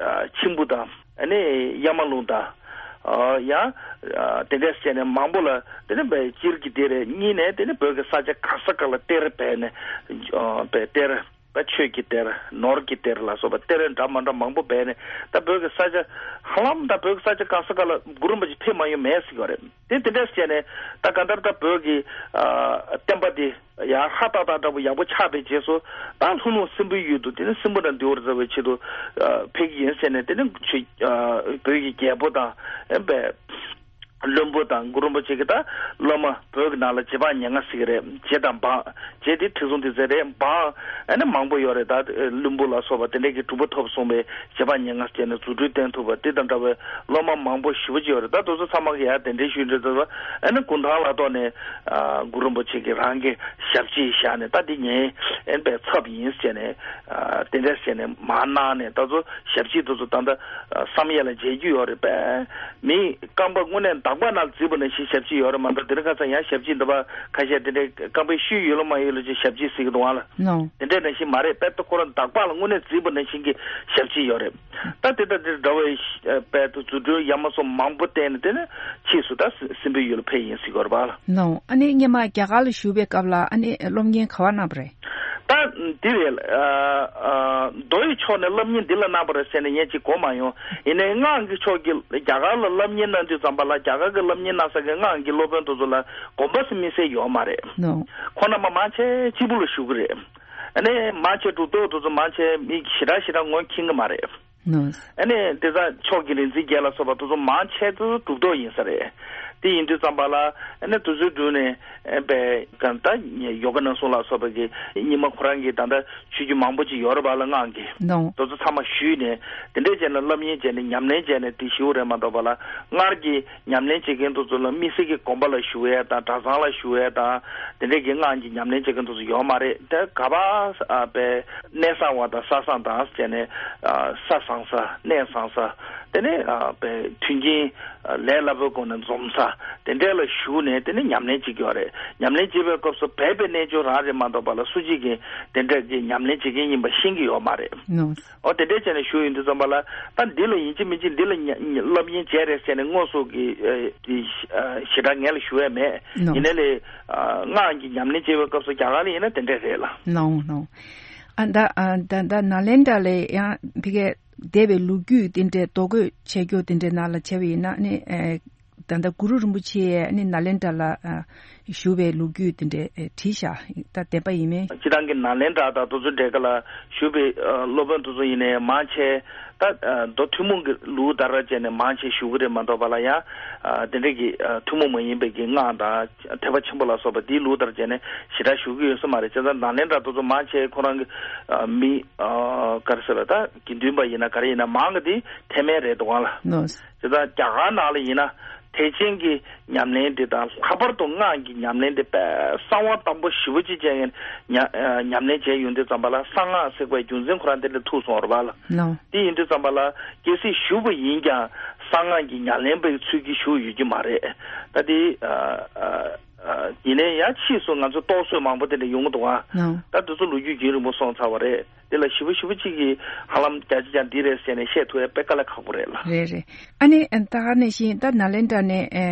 མཆིམས་ཕུ་དང་ཨ་ནི་གཡའ་མ་ལུང་དང་ཡང་དེ་འདྲ་བྱས་ནས་མང་པོ་ལ་དེ་ནས་སྤྱིར་གྱི་དེ་རེད། གཉིས་ནས་དེ་ནས་བོད་ཀྱི་ས་ཆ་ག་ས་ག་ལ་གཏེར་སྦས་ནས་སྦས་གཏེར། ད་ཆོས་ཀྱི་གཏེར་ནོར་གྱི་གཏེར་ལ་སོགས་པ་གཏེར་འདྲ་མ་འདྲ་མང་པོ་སྦས་ནས་ད་བོད་ཀྱི་ས་ཆ་ཧ་ལམ་ད་བོད་ཀྱི་ས་ཆ་གང་ས་ག་ལ་གུ་རུ་རིན་པོ་ཆེ་ཕེབས་མ་ཡོང་མེད་ཟེར་གྱི་ཡོད་རེད། དེ་དེ་འདྲ་བྱས་ནས་ད་གང་ལྟར་ད་བོད་ཀྱི་ཨ་བསྟན་པ་དེ་ཡར་ཧ་ཏག་ཏག་འདྲ་པོ་ཡག་པོ་ཆགས་པའི་རྗེས་སུ་ད་ལྷོ་ནུབ་སྲིན་པོའི་ཡུལ་དུ་དེ་ནི་སྲིན་པོ་དང་འདུལ་བར་མཛད་པའི་ཆེད་དུ་ཨ་ཕེབས་ཀྱི་ཡིན་ཟེར་ནས་དེ་ནི་ཆོས་ཨ་བོད་ཀྱི་རྒྱལ་པོ་དང་ཨ་བས། བློན་པོ་དང་གུ་རུ་རིན་པོ་ཆེ་གི་ད་སློབ་མ་བོད་ཀྱི་ནང་ལ་རྗེ་འབངས་ཉེར་ལྔ་ཟེར་གྱི་རེད། རྗེ་དང་འབངས། རྗེ་དེ་ཁྲི་སྲོང་ལྡེ་བཙན་རེད། འབངས་ཨ་ནི་མང་པོ་ཡོད་རེད། ད་བློན་པོ་ལ་སོགས་པ་དེ་འདྲས་ཀྱི་གྲུབ་པ་ཐོབ་སོང་བའི་རྗེ་འབངས་ཉེར་ལྔ་བྱས་ནས་རྫུ་འཕྲུལ་བསྟན་ཐུབ་པ་དེ་དང་འདྲ་བའི་སློབ་མ་མང་པོ་ཞེ་པོ་ཅིག་ཡོད་རེད། ད་དེ་ཚོ་ཚང་མ་གི་ཡར་གདན་འདྲེན་ཞུས་འདྲ་ཚོ་ཨ་ནི་གུང་ཐང་ལ་གཏོགས་ནས་ཨ་གུ་རུ་རིན་པོ་ཆེ་གི་རང་གི་ཞབས་ཕྱི་བཞག་ནས་ད་འདི་ངའི་ཨེ་བའི་ཚབ་ཡིན་ཟེར་ནས་ཨ་དེ་འདྲས་ཟེར་ནས་མར་གནང་ནས་ད་ཚོ་ཞབས་ཕྱི་དེ་ཚོ་ད་ལྟ་ཨ་བསམ་ཡས་ལ་མཇལ་རྒྱུ་ཡོད་རེད་པས། མི་རྐང་པ་དངོས་གནས་འདག་པ་ནང་བརྫིས་པ་ནང་བཞིན་ཞབས་ཕྱི་ཡོད་རེད་མ་གཏོགས་དེ་རིང་ཁ་སང་ཡང་ཞབས་ཕྱི་འདི་པ་ཁ་ཤས་དེ་འདྲའི་རྐང་པའི་ཤུལ་ཡོད་ལ་མ་ཡོད་ལ་ཅིག་ཞབས་ཕྱི་ཟེར་གི་འདུག་ཨང་ལ། ནོ། དེ་འདྲའི་ནང་བཞིན་མ་རེད་པས། ད་ཁོ་རང་འདག་པ་ལ་དངོས་གནས་བརྫིས་པ་ནང་བཞིན་གྱི་ཞབས་ཕྱི་ཡོད་རེད། ད་དེ་ལྟ་དེ་འདྲ་བའི་ཨ་དཔལ་དུ་རྫུ་འཕྲུལ་ཡ་མ་བཟོ་མང་པོ་བསྟན་ནས་དེ་ནས་ཕྱིས་སུ་ད་སྲིན་སྲིན་པོའི་ཡུལ་ལ་ཕེབས་ཡིན་ཟེར་གི་ཡོད་རེད་པ་ལ། ནོ། ཨ་ནི་སྔོན་མ་རྒྱ་གར་ལ་བཞུགས་པའི་སྐབས་ལ་ཨ་ནི་སློབ་གཉེར་ག་པར་གནང་བ་རེད། ད་འདི་རེད། ཨ་ཨ་མདོ་ཡི་ཕྱོགས་ནས་སློབ་གཉེར་འདི་ལ་གནང་བ་རེད་ཟེར་ནས་ངས་ཅིག་གོ་མ་ཡོང་། ཡིན་ནའི་སྔགས་ཀྱི་ཕྱོགས་ཀྱི་རྒྱ་གར་ལ་སློབ་གཉེར་གནང་དུས་ཙམ་པ་ལ་རྒྱ་གར་གྱི་སློབ་གཉེར་གནང་ས་གི་སྔགས་ཀྱི་སློབ་དཔོན་དེ་ཚོ་ལ་དགོངས་པ་སུ་དམིགས་བསལ་ཡོད་མ་རེད། ནོ། ཁོང་རྣམ་པ་མང་ཆེ་གཅིག་པུ་ལ་བཞུགས་ཀྱི་རེད། ཨ་ནི་མང་ཆེ་གྲུབ་ཐོབ་དེ་ཚོ་མང་ཆེ་མི་ཞེ་དྲག་ཞེ་དྲག་ངོ་མཁྱེན་གྱི་མ་རེད། ནོ། ཨ་ནི་དེ་ཚོ་ཕྱོགས་ཀྱི་རིག་འཛིན་བརྒྱད་ལ་སོགས་པ་དེ་ཚོ་མང་ཆེ་དེ་ཚོ་གྲུབ་ཐོབ་ཡིན་ས་རེད། དེ་ཡིན་དུས་ཙམ་པ་ལ་ཨ་ནི་དེ་ཚོའི་མདུན་ནས་ཨ་པའི་གང་ལྟར་ཡོ་ག་ནན་སུན་ལ་སོགས་པ་གི་རྙིང་མ་ཁོ་རང་གི་ད་ལྟ་ཆོས་བརྒྱུད་མང་པོ་ཅིག་ཡོད་རེད་པ་ལ་སྔགས་ཀྱི། ནོ། དེ་ཚོ་ཚང་མ་ཞུས་ནས་དེ་འདྲས་བྱས་ནས་སློབ་གཉེར་བྱས་ནས་ཉམས་ལེན་བྱས་ནས་དེ་ཞུ་རེད་མ་གཏོགས་པ་ལ་སྔར་གྱི་ཉམས་ལེན་བྱེད་མཁན་དེ་ཚོ་ལ་དམིགས་བསལ་གྱི་དགོན་པ་ལ་ཞུ་ཡས་དང་གྲྭ་ཚང་ལ་ཞུ་ཡས་དང་དེ་འདྲས་ཀྱི་སྔགས་ཀྱི་ཉམས་ལེན་བྱེད་མཁན་དེ་ཚོ་ཡོད་མ་རེད། དེ་ག་པར་ཨ་པའི་གནས་གསར་བ་དང་ས་བཟང་དང་བྱས་ནས་ཨ་ས་བཟང་ས་གནས་བཟང་ས་དེ་ནས་ཨ་པའི་མཐུན་རྐྱེན་ལས་སླ་པོའི་སྒོ་ནས་འཛོམས་ས་དེ་འདྲས་ལ་ཞུགས་ནས་དེ་ནས་ཉམས་ལེན་བྱེད་ཀྱི་ཡོད་རེད། ཉམས་ལེན་བྱེད་པའི་སྐབས་སུ་སྦས་པའི་རྣལ་འབྱོར་རང་རེད་མ་གཏོགས་པ་ལ་སུ་གཅིག་གིས་དེ་འདྲས་ཀྱི་ཉམས་ལེན་བྱེད་མཁན་ཡིན་པ་ཤེས་ཀྱི་ཡོད་མ་རེད། ནོ། ཨོ་དེ་འདྲས་བྱས་ནས་ཞུགས་ཡོང་དུས་ཙམ་པ་ལ་ད་འདི་ལ་ཡིན་གཅིག་མིན་གཅིག་འདི་ལ་ཉ་ཉ་སློབ་གཉེར་བྱས་རེད་ཟེར་ནས་དངོས་སུ་གི་ཨ་དེ་ཨ་ཞེ་དྲག་ངས་ལ་ཞུ་ཡས་མེད། ནོ། ཡིན་ནའི་ལས་ཨ་སྔགས་ཀྱི་ཉམས་ལེན་བྱེད་པའི་སྐབས་སུ་རྒྱ་གར་ལ་ཡིན་ན་དེ་འདྲས་རེད་ལ། ནོ་ནོ། ཨ་ད་ཨ་ད་ད་ནཱ་ལེནྡྲ་ལ་ཡང་ཕ་གིའི་འདས་པའི་ལོ་རྒྱུས་དེ་འདྲའི་རྡོ་བརྐོས་བྱས་རྒྱུ་དེ་འདྲའི་ནང་ལ་བྱས་པ་ཡིན་ན་ནི་ཨ་ད་ལྟ་གུ་རུ་རིན་པོ་ཆེ་ནི་ནཱ་ལེནྡྲ་ལ་ཨ་བཞུགས་པའི་ལོ་རྒྱུས་དེ་འདྲའི་ཨ་བྲིས་བཞག་ད་བདེན་པ་ཡིན་མེད། སྤྱིར་བཏང་གི་ནཱ་ལེནྡྲ་དང་དེ་ཚོ་འདྲ་ག་ལ་བཞུགས་པའི་ཨ་སློབ་དཔོན་དེ་ཚོ་ཡིན་ནའི་མང་ཆེ་ད་ཨ་མདོ་ཐུན་མོང་གི་ལུགས་ལྟར་བྱས་ནས་མང་ཆེ་བཞུགས་ཀྱི་རེད་མ་གཏོགས་པ་ལ་ཡང་ཨ་དེ་འདྲ་གི་ཨ་ཐུན་མོང་མ་ཡིན་པའི་གི་སྔགས་དང་ཐེག་པ་ཆེན་པོ་ལ་སོགས་པ་དེའི་ལུགས་ལྟར་བྱས་ནས་ཞེ་དྲག་བཞུགས་ཀྱི་ཡོད་ས་མ་རེད། བྱས་ཙང་ནཱ་ལེནྡྲ་དེ་ཚོ་མང་ཆེ་ཁོ་རང་གི་ཨ་མི་ཨ་ག་རེ་ཟེར་ལ་ད་དགེ་འདུན་པ་ཡིན་ན་ག་རེ་ཡིན་ན་མང་གི་དེ་ཐེག་དམན་རེད་འདུག་ག་ལ། ནོ། དེ་དག་རྒྱ་གར་ནང་ལ་ཡིན་ན་ཐེག་ཆེན་གྱི་ཉམས་ལེན་དེ་དང་ལྷག་པར་དུ་སྔགས་ཀྱི་ཉམས་ལེན་དེ་དཔེ་གསང་བ་དམ་པོ་ཞེ་པོ་ཅིག་བྱས་ཉ་ཉམས་ལེན་བྱས་ཡོང་དུས་ཙམ་པ་ལ་གསང་སྔགས་ཟེར་བའི་རྒྱུ་མཚན་ཁོ་རང་དེ་འདྲ་ཐུག་སོང་བ་རེད་པ་ལ། ནོ། དེ་ཡིན་དུས་ཙམ་པ་ལ་གལ་སྲིད་བཞུགས་པ་ཡིན་ཀྱང་གསང་སྔགས་ཀྱི་ཉམས་ལེན་པའི་ཚུལ་གྱིས་བཞུགས་ཡོད་ཀྱི་མ་རེད། ད་དེ་ཨ་ཨ་ཨ་ཡིན་ནའི་ཡང་ཕྱིས་སུ་ང་ཚོ་རྟོག་བཟོ་མང་པོ་དེ་འདྲ་ཡོང་གི་འདུག་ཨ། ནོ། ད་དེ་ཚོ་ལོ་རྒྱུས་རྒྱུན་རིང་པོ་སོང་ཚར་བ་རེད། དེ་ལ་ཞེ་པོ་ཞེ་པོ་གཅིག་གིས་ཧ་ལམ་བརྒྱ་ཆ་བརྒྱ་འདི་རེད་ཟེར་ནས་བཤད་ཐུབ་ཡ་དཔེ་དཀའ་ལས་ཁག་པོ་རེད་ལ། རེད་རེད། ཨ་ནི་ད་ག་ནང་བཞིན་ད་ནཱ་ལེནྡྲ་ནས་ཨ་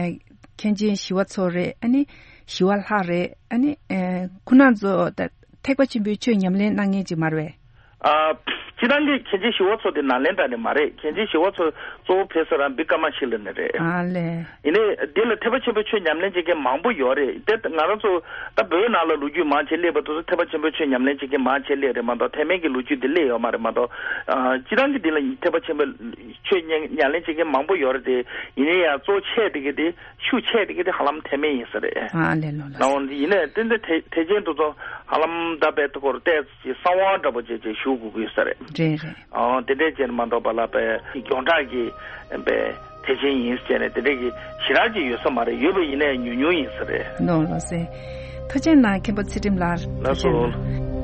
མཁན་ཆེན་ཞི་བ་འཚོ་རེད། ཨ་ནི་ཞི་བ་ལྷ་རེད། ཨ་ནི་ཨ་ཁོང་རྣམ་ཚོ་ད་ཐེག་པ་ཆེན་པོའི་ཆོས་ཉམས་ལེན་གནང་མཁན་ཅིག་མ་རེད་པས། ཨ། སྤྱིར་བཏང་གི་མཁན་ཆེན་ཞི་བ་འཚོ་དེ་ནཱ་ལེནྡྲ་ནས་མ་རེད། མཁན་ཆེན་ཞི་བ་འཚོ་གཙོ་བོ་ཕེབས་ས་ར་བི་ཀ་མ་ཤི་ལ་ནས་རེད། ཨ་ལས། ཡིན་ནའི་འདི་ལ་ཐེག་པ་ཆེན་པོའི་ཆོས་ཉམས་ལེན་བྱེད་མཁན་མང་པོ་ཡོད་རེད། དེ་ང་རང་ཚོ་ད་བོད་ནང་ལ་ལོ་རྒྱུས་མང་ཆེ་སླེབས་པ་དེ་ཚོ་ཐེག་པ་ཆེན་པོའི་ཆོས་ཉམས་ལེན་བྱེད་མཁན་མང་ཆེ་སླེབས་རེད་མ་གཏོགས་ཐེག་དམན་གྱི་ལོ་རྒྱུས་འདི་སླེབས་ཡོད་མ་རེད་མ་གཏོགས། ཨ། སྤྱིར་བཏང་གི་འདི་ལ་ཐེག་པ་ཆེན་པོའི་ཆོས་ཉམས་ཉམས་ལེན་བྱེད་མཁན་མང་པོ་ཡོད་རེད་དེ། ཡིན་ནའི་ཡང་གཙོ་ཆེ་དེ་གི་དེ། ཤུགས་ཆེ་དེ་གི་དེ་ཧ་ལམ་ཐེག་དམན་ཡིན་ས་རེད། ཨ་ལས་ལོ་ལ། ནའོ་ཡིན་ནའི་ཏན་ཏན་ཐེག་ཐེག་ཆེན་དེ་ཚོ་ཧ་ལམ་ད་བལ་ཐུ་སྐོར་ཏེ་གསང་བ་འདྲ་པོ་བྱས་བྱས་ཞུ་དགོས་ཀྱི་ཡོད་ས་རེད། རེད་རེད། ཨོ་དེ་འདྲས་བྱས་ནས་མ་གཏོགས་པ་ལ་བལ་ཡོངས་གྲགས་ཀྱི་བལ་ཐེག་ཆེན་ཡིན་ཟེར་ནས་དེ་འདྲས་ཀྱི་ཞེ་དྲག་ཅིག་ཡོད་ས་མ་རེད། ཡོད་པ་ཡིན་ནའི་ཉུང་ཉུང་ཡིན་ས་རེད། ལོ་ལོ་སེ། ཐུགས་རྗེ་གནང་མཁན་པོ་ཚེ་རིང་ལགས། ལགས་སོ། ཐུགས་རྗེ་གནང་།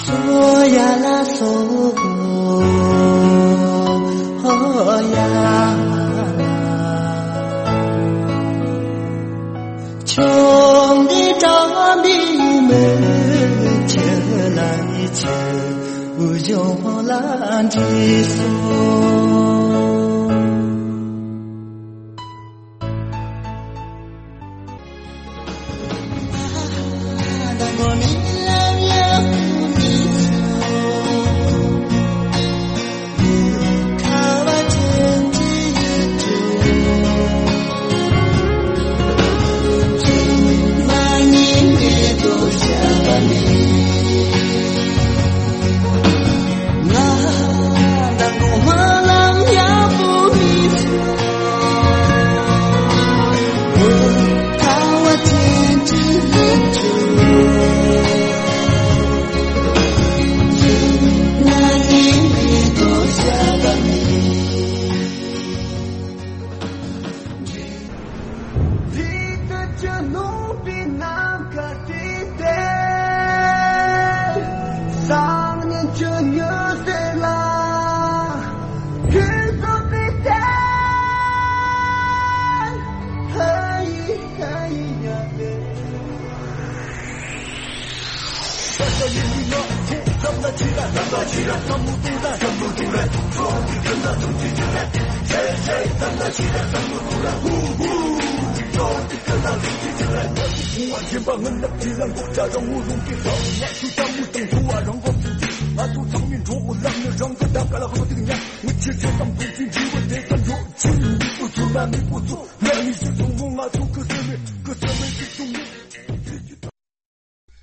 སོ་ཡ་ལ་སོ་ཧོ་ཡ་ལ། ཆོས་འདི་དྲང་པའི་མི་ཁྱེད་ལ་ཡི་ཆེ་འུ་ཇོ་ལ་འདྲི་སོ།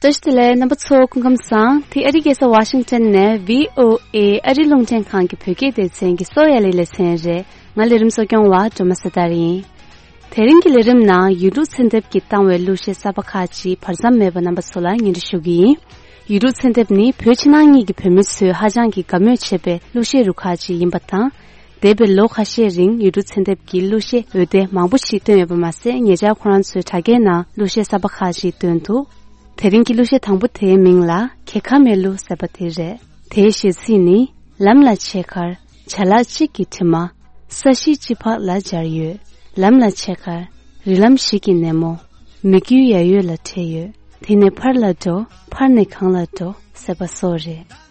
བཀྲ་ཤིས་བདེ་ལེགས། རྣམ་པ་ཚོ་སྐུ་ཁམས་བཟང་། དེ་ཨ་རིའི་རྒྱལ་ས་ཝ་ཤིང་ཊོན་ནས་བྷི་ཨོ་ཨེ་ཨ་རི་རླུང་འཕྲིན་ཁང་གི་བོད་སྐད་སྡེ་ཚན་གྱི་གསོ་བའི་ལས་ལས་ཚན་རེད། ང་ལས་རིམ་གསོ་སྐྱོང་བ་སྒྲོལ་མ་བཟའ་ཟླ་ཡིན། དེ་རིང་གི་ལས་རིམ་ནང་ཡུལ་གྲུ་ཚན་ཐེབས་ཀྱིས་བཏང་བའི་གླུ་གཞས་གསར་པ་ཁག་ཅིག་བར་མཚམས་མེད་པར་རྣམ་པ་ཚོ་ལ་སྙན་སྒྲོན་ཞུ་གི་ཡིན། ཡུལ་གྲུ་ཚན་ཐེབས་ནི་བོད་ཕྱི་ནང་གཉིས་ཀྱི་བོད་མི་ཚོས་ཧ་ཅང་གི་དགའ་མོས་བྱེད་པའི་གླུ་གཞས་རུ་ཁག་ཅིག་ཡིན་པ་དང་། འདས་པའི་ལོ་ཁ་ཤས་རིང་ཡུལ་གྲུ་ཚན་ཐེབས་ཀྱིས་གླུ་གཞས་འོད་སྡེར་མང་པོ་ཞིག་བཏོན་ཡོད་པ་མ་ཟད། ཉེ་ཆར་ཁོ་རང་ཚོའི་དྲ་རྒྱའི་ནང་གླུ་གཞས་གསར་པ་ཁག་ཅིག་བཏོན་འདུག་དེ་རིང་གི་གླུ་གཞས་དང་པོ་དེའི་མིང་ལ་གྱེས་ཁ་མེད་གླུ་ཟེར་བ་དེ་རེད། དེའི་གཞས་ཚིག་ནི། ལམ་ལ་ཆས་ཁར་བྱ་གླག་གཅིག་གི་དྲི་མ། ས་གཞི་གཅིག་བར་ལ་སྦྱར་ཡོད། ལམ་ལ་ཆས་ཁར་རི་ལམ་ཞིག་གི་སྣེ་མོ། མི་རྒྱུད་ཡ་ཡོད་ལ་འཕྲད་ཡོད། དེ་ནས་ཕར་ལ་འགྲོ། ཕར་ནས་གང་ལ་འགྲོ་ཟེར་བ་སོགས་རེད།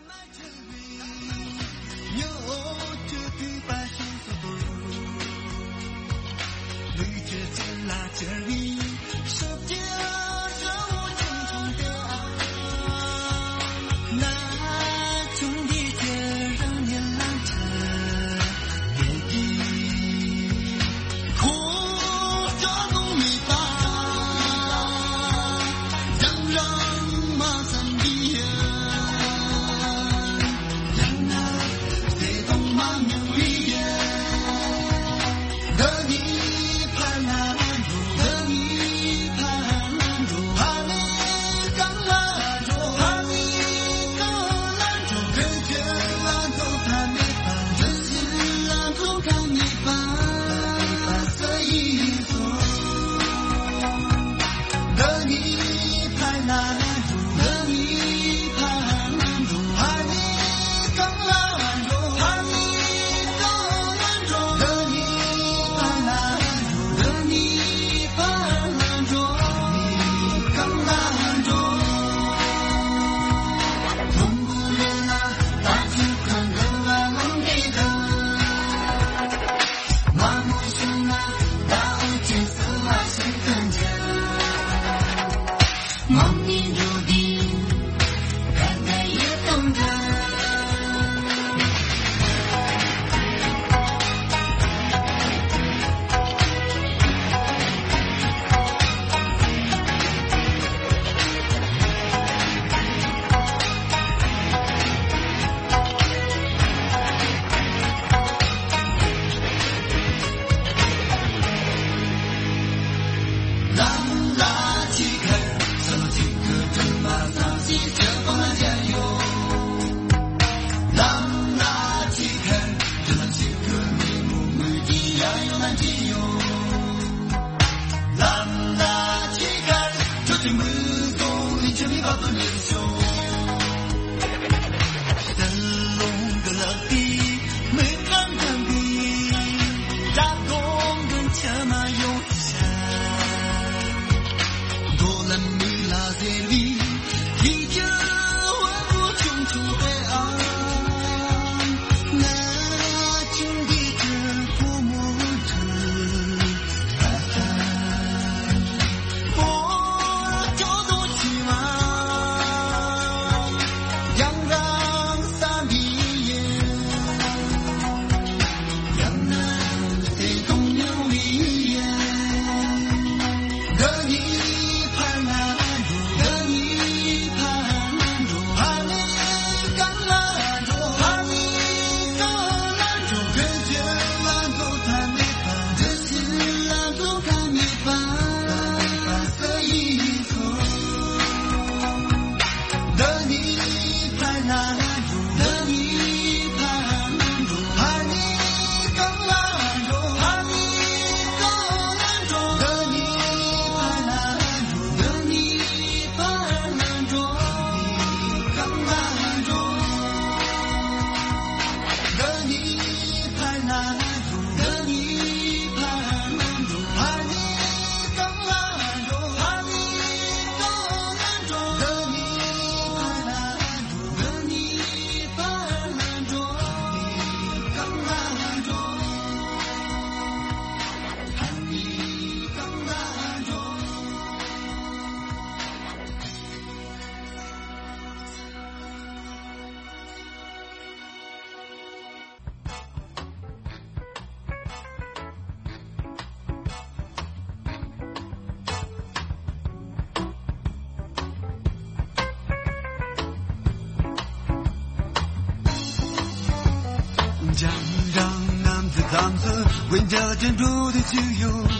འཇམ་འཇམ་གནམ་གྱི་ལམ་དུ་འོན་ཀྱང་དྲན་འགྲོ་དུ་ཅི་ཡོད།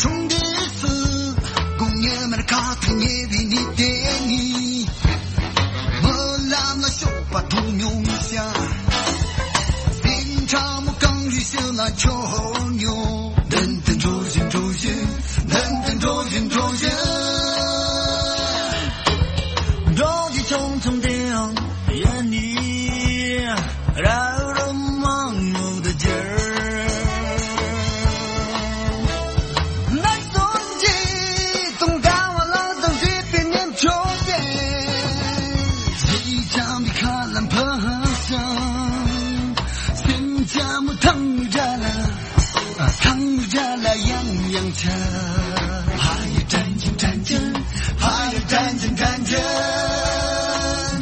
ཆུང་དུས་སུ་དགུང་ཉི་མར་ཁ་ཐུག་ཉེ་བའི་ཉི་ཟླ་ནི། མོ་ལམ་ལ་ཤོག་པ་མཐོང་མྱོང་ཤག་སེམས་ཁྲ་མོ་གངས་རི་ཞོལ་ལ་འཁྱོག་མྱོང་། མདུན་དུ་འགྲོ་བཞིན་འགྲོ་བཞིན། མདུན་དུ་འགྲོ་བཞིན་འགྲོ་བཞིན། འགྲོ་རྒྱུ་ཆུང་ཆུང་དེའང་ཡིན་ནི། ར་རུ་མང་མོ་དུ་གྱུར། ནགས་ཚལ་གྱི་དུང་ཟླ་བ་ལ་དང་བཞད་པའི་ཉིན་ཁྱོད་དེ། གཞིས་ཆགས་པའི་ཁ་ལ་འཕུར་ཞིང་། སེམས་ཅན་མོ་ཐང་རྒྱ་ལ། ཐང་རྒྱ་ལ་ཡང་ཡང་ཆ། ཕ་ཡི་དྲན་གྱིན་དྲན་གྱིན། ཕ་ཡི་དྲན་གྱིན་དྲན་གྱིན།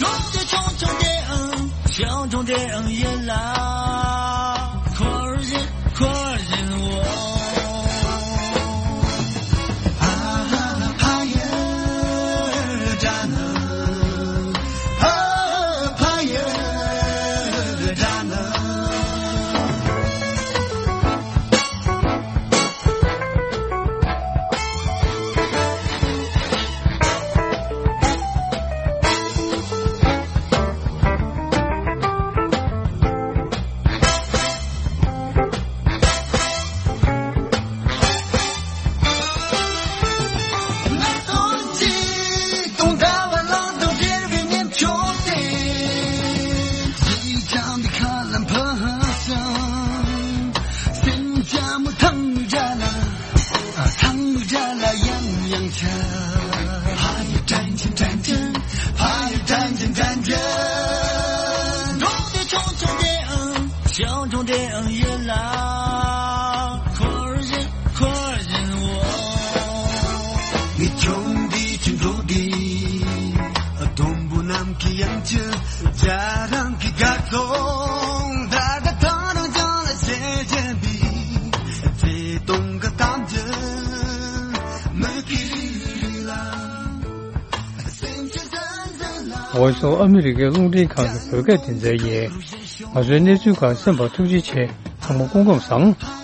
འགྲོ་རྒྱུ་ཆུང་ཆུང་དེའང་ཆུང་ཆུང་དེའང་ཡིན་ལ། འཁོར་བཞིན་འཁོར་བཞིན་འོང་། ཨ་ཧ་ཕ་ཡི་དྲན། ཨ་ཕ་ཡི་དྲན། ཐང་རྒྱ་ལ་ཡང་ཡང་ཆ། ཕ་ཡི་དྲན་གྱིན་དྲན་གྱིན། ཕ་ཡི་དྲན་གྱིན་དྲན་གྱིན། འགྲོ་རྒྱུ་ཆུང་ཆུང་དེའང་ཆུང་ཆུང་དེའང་ཡིན་ལ། འཁོར་བཞིན་འཁོར་བཞིན་འོང་། ངས་ཆུང་དུས་ཀྱི་འགྲོ་དུས། དུམ་བུ་ནམ་མཁའི་དབྱིངས་ཀྱི་རྒྱ་རང་གི་དགའ་སྟོན། ད་ལྟ་ཐང་རང་བྱང་ལ་ཞེ་བྱེད་པའི་བརྩེ་དུང་གི་གཏམ་རྒྱུད། མིག་གི་རིལ་རིལ་ལ། སེམས་ཀྱི་ཟན་ཟན་ལ། འོ་སོ་ཨ་མི་རི་ཀའི་རླུང་འཕྲིན་ཁང་གི་བོད་སྐད་སྡེ་ཚན་ཡིན། ང་ཚོའི་གནས་ཚུལ་ཁག་གསན་པར་ཐུགས་རྗེ་ཆེ། ཚང་མ་སྐུ་ཁམས་བཟང་།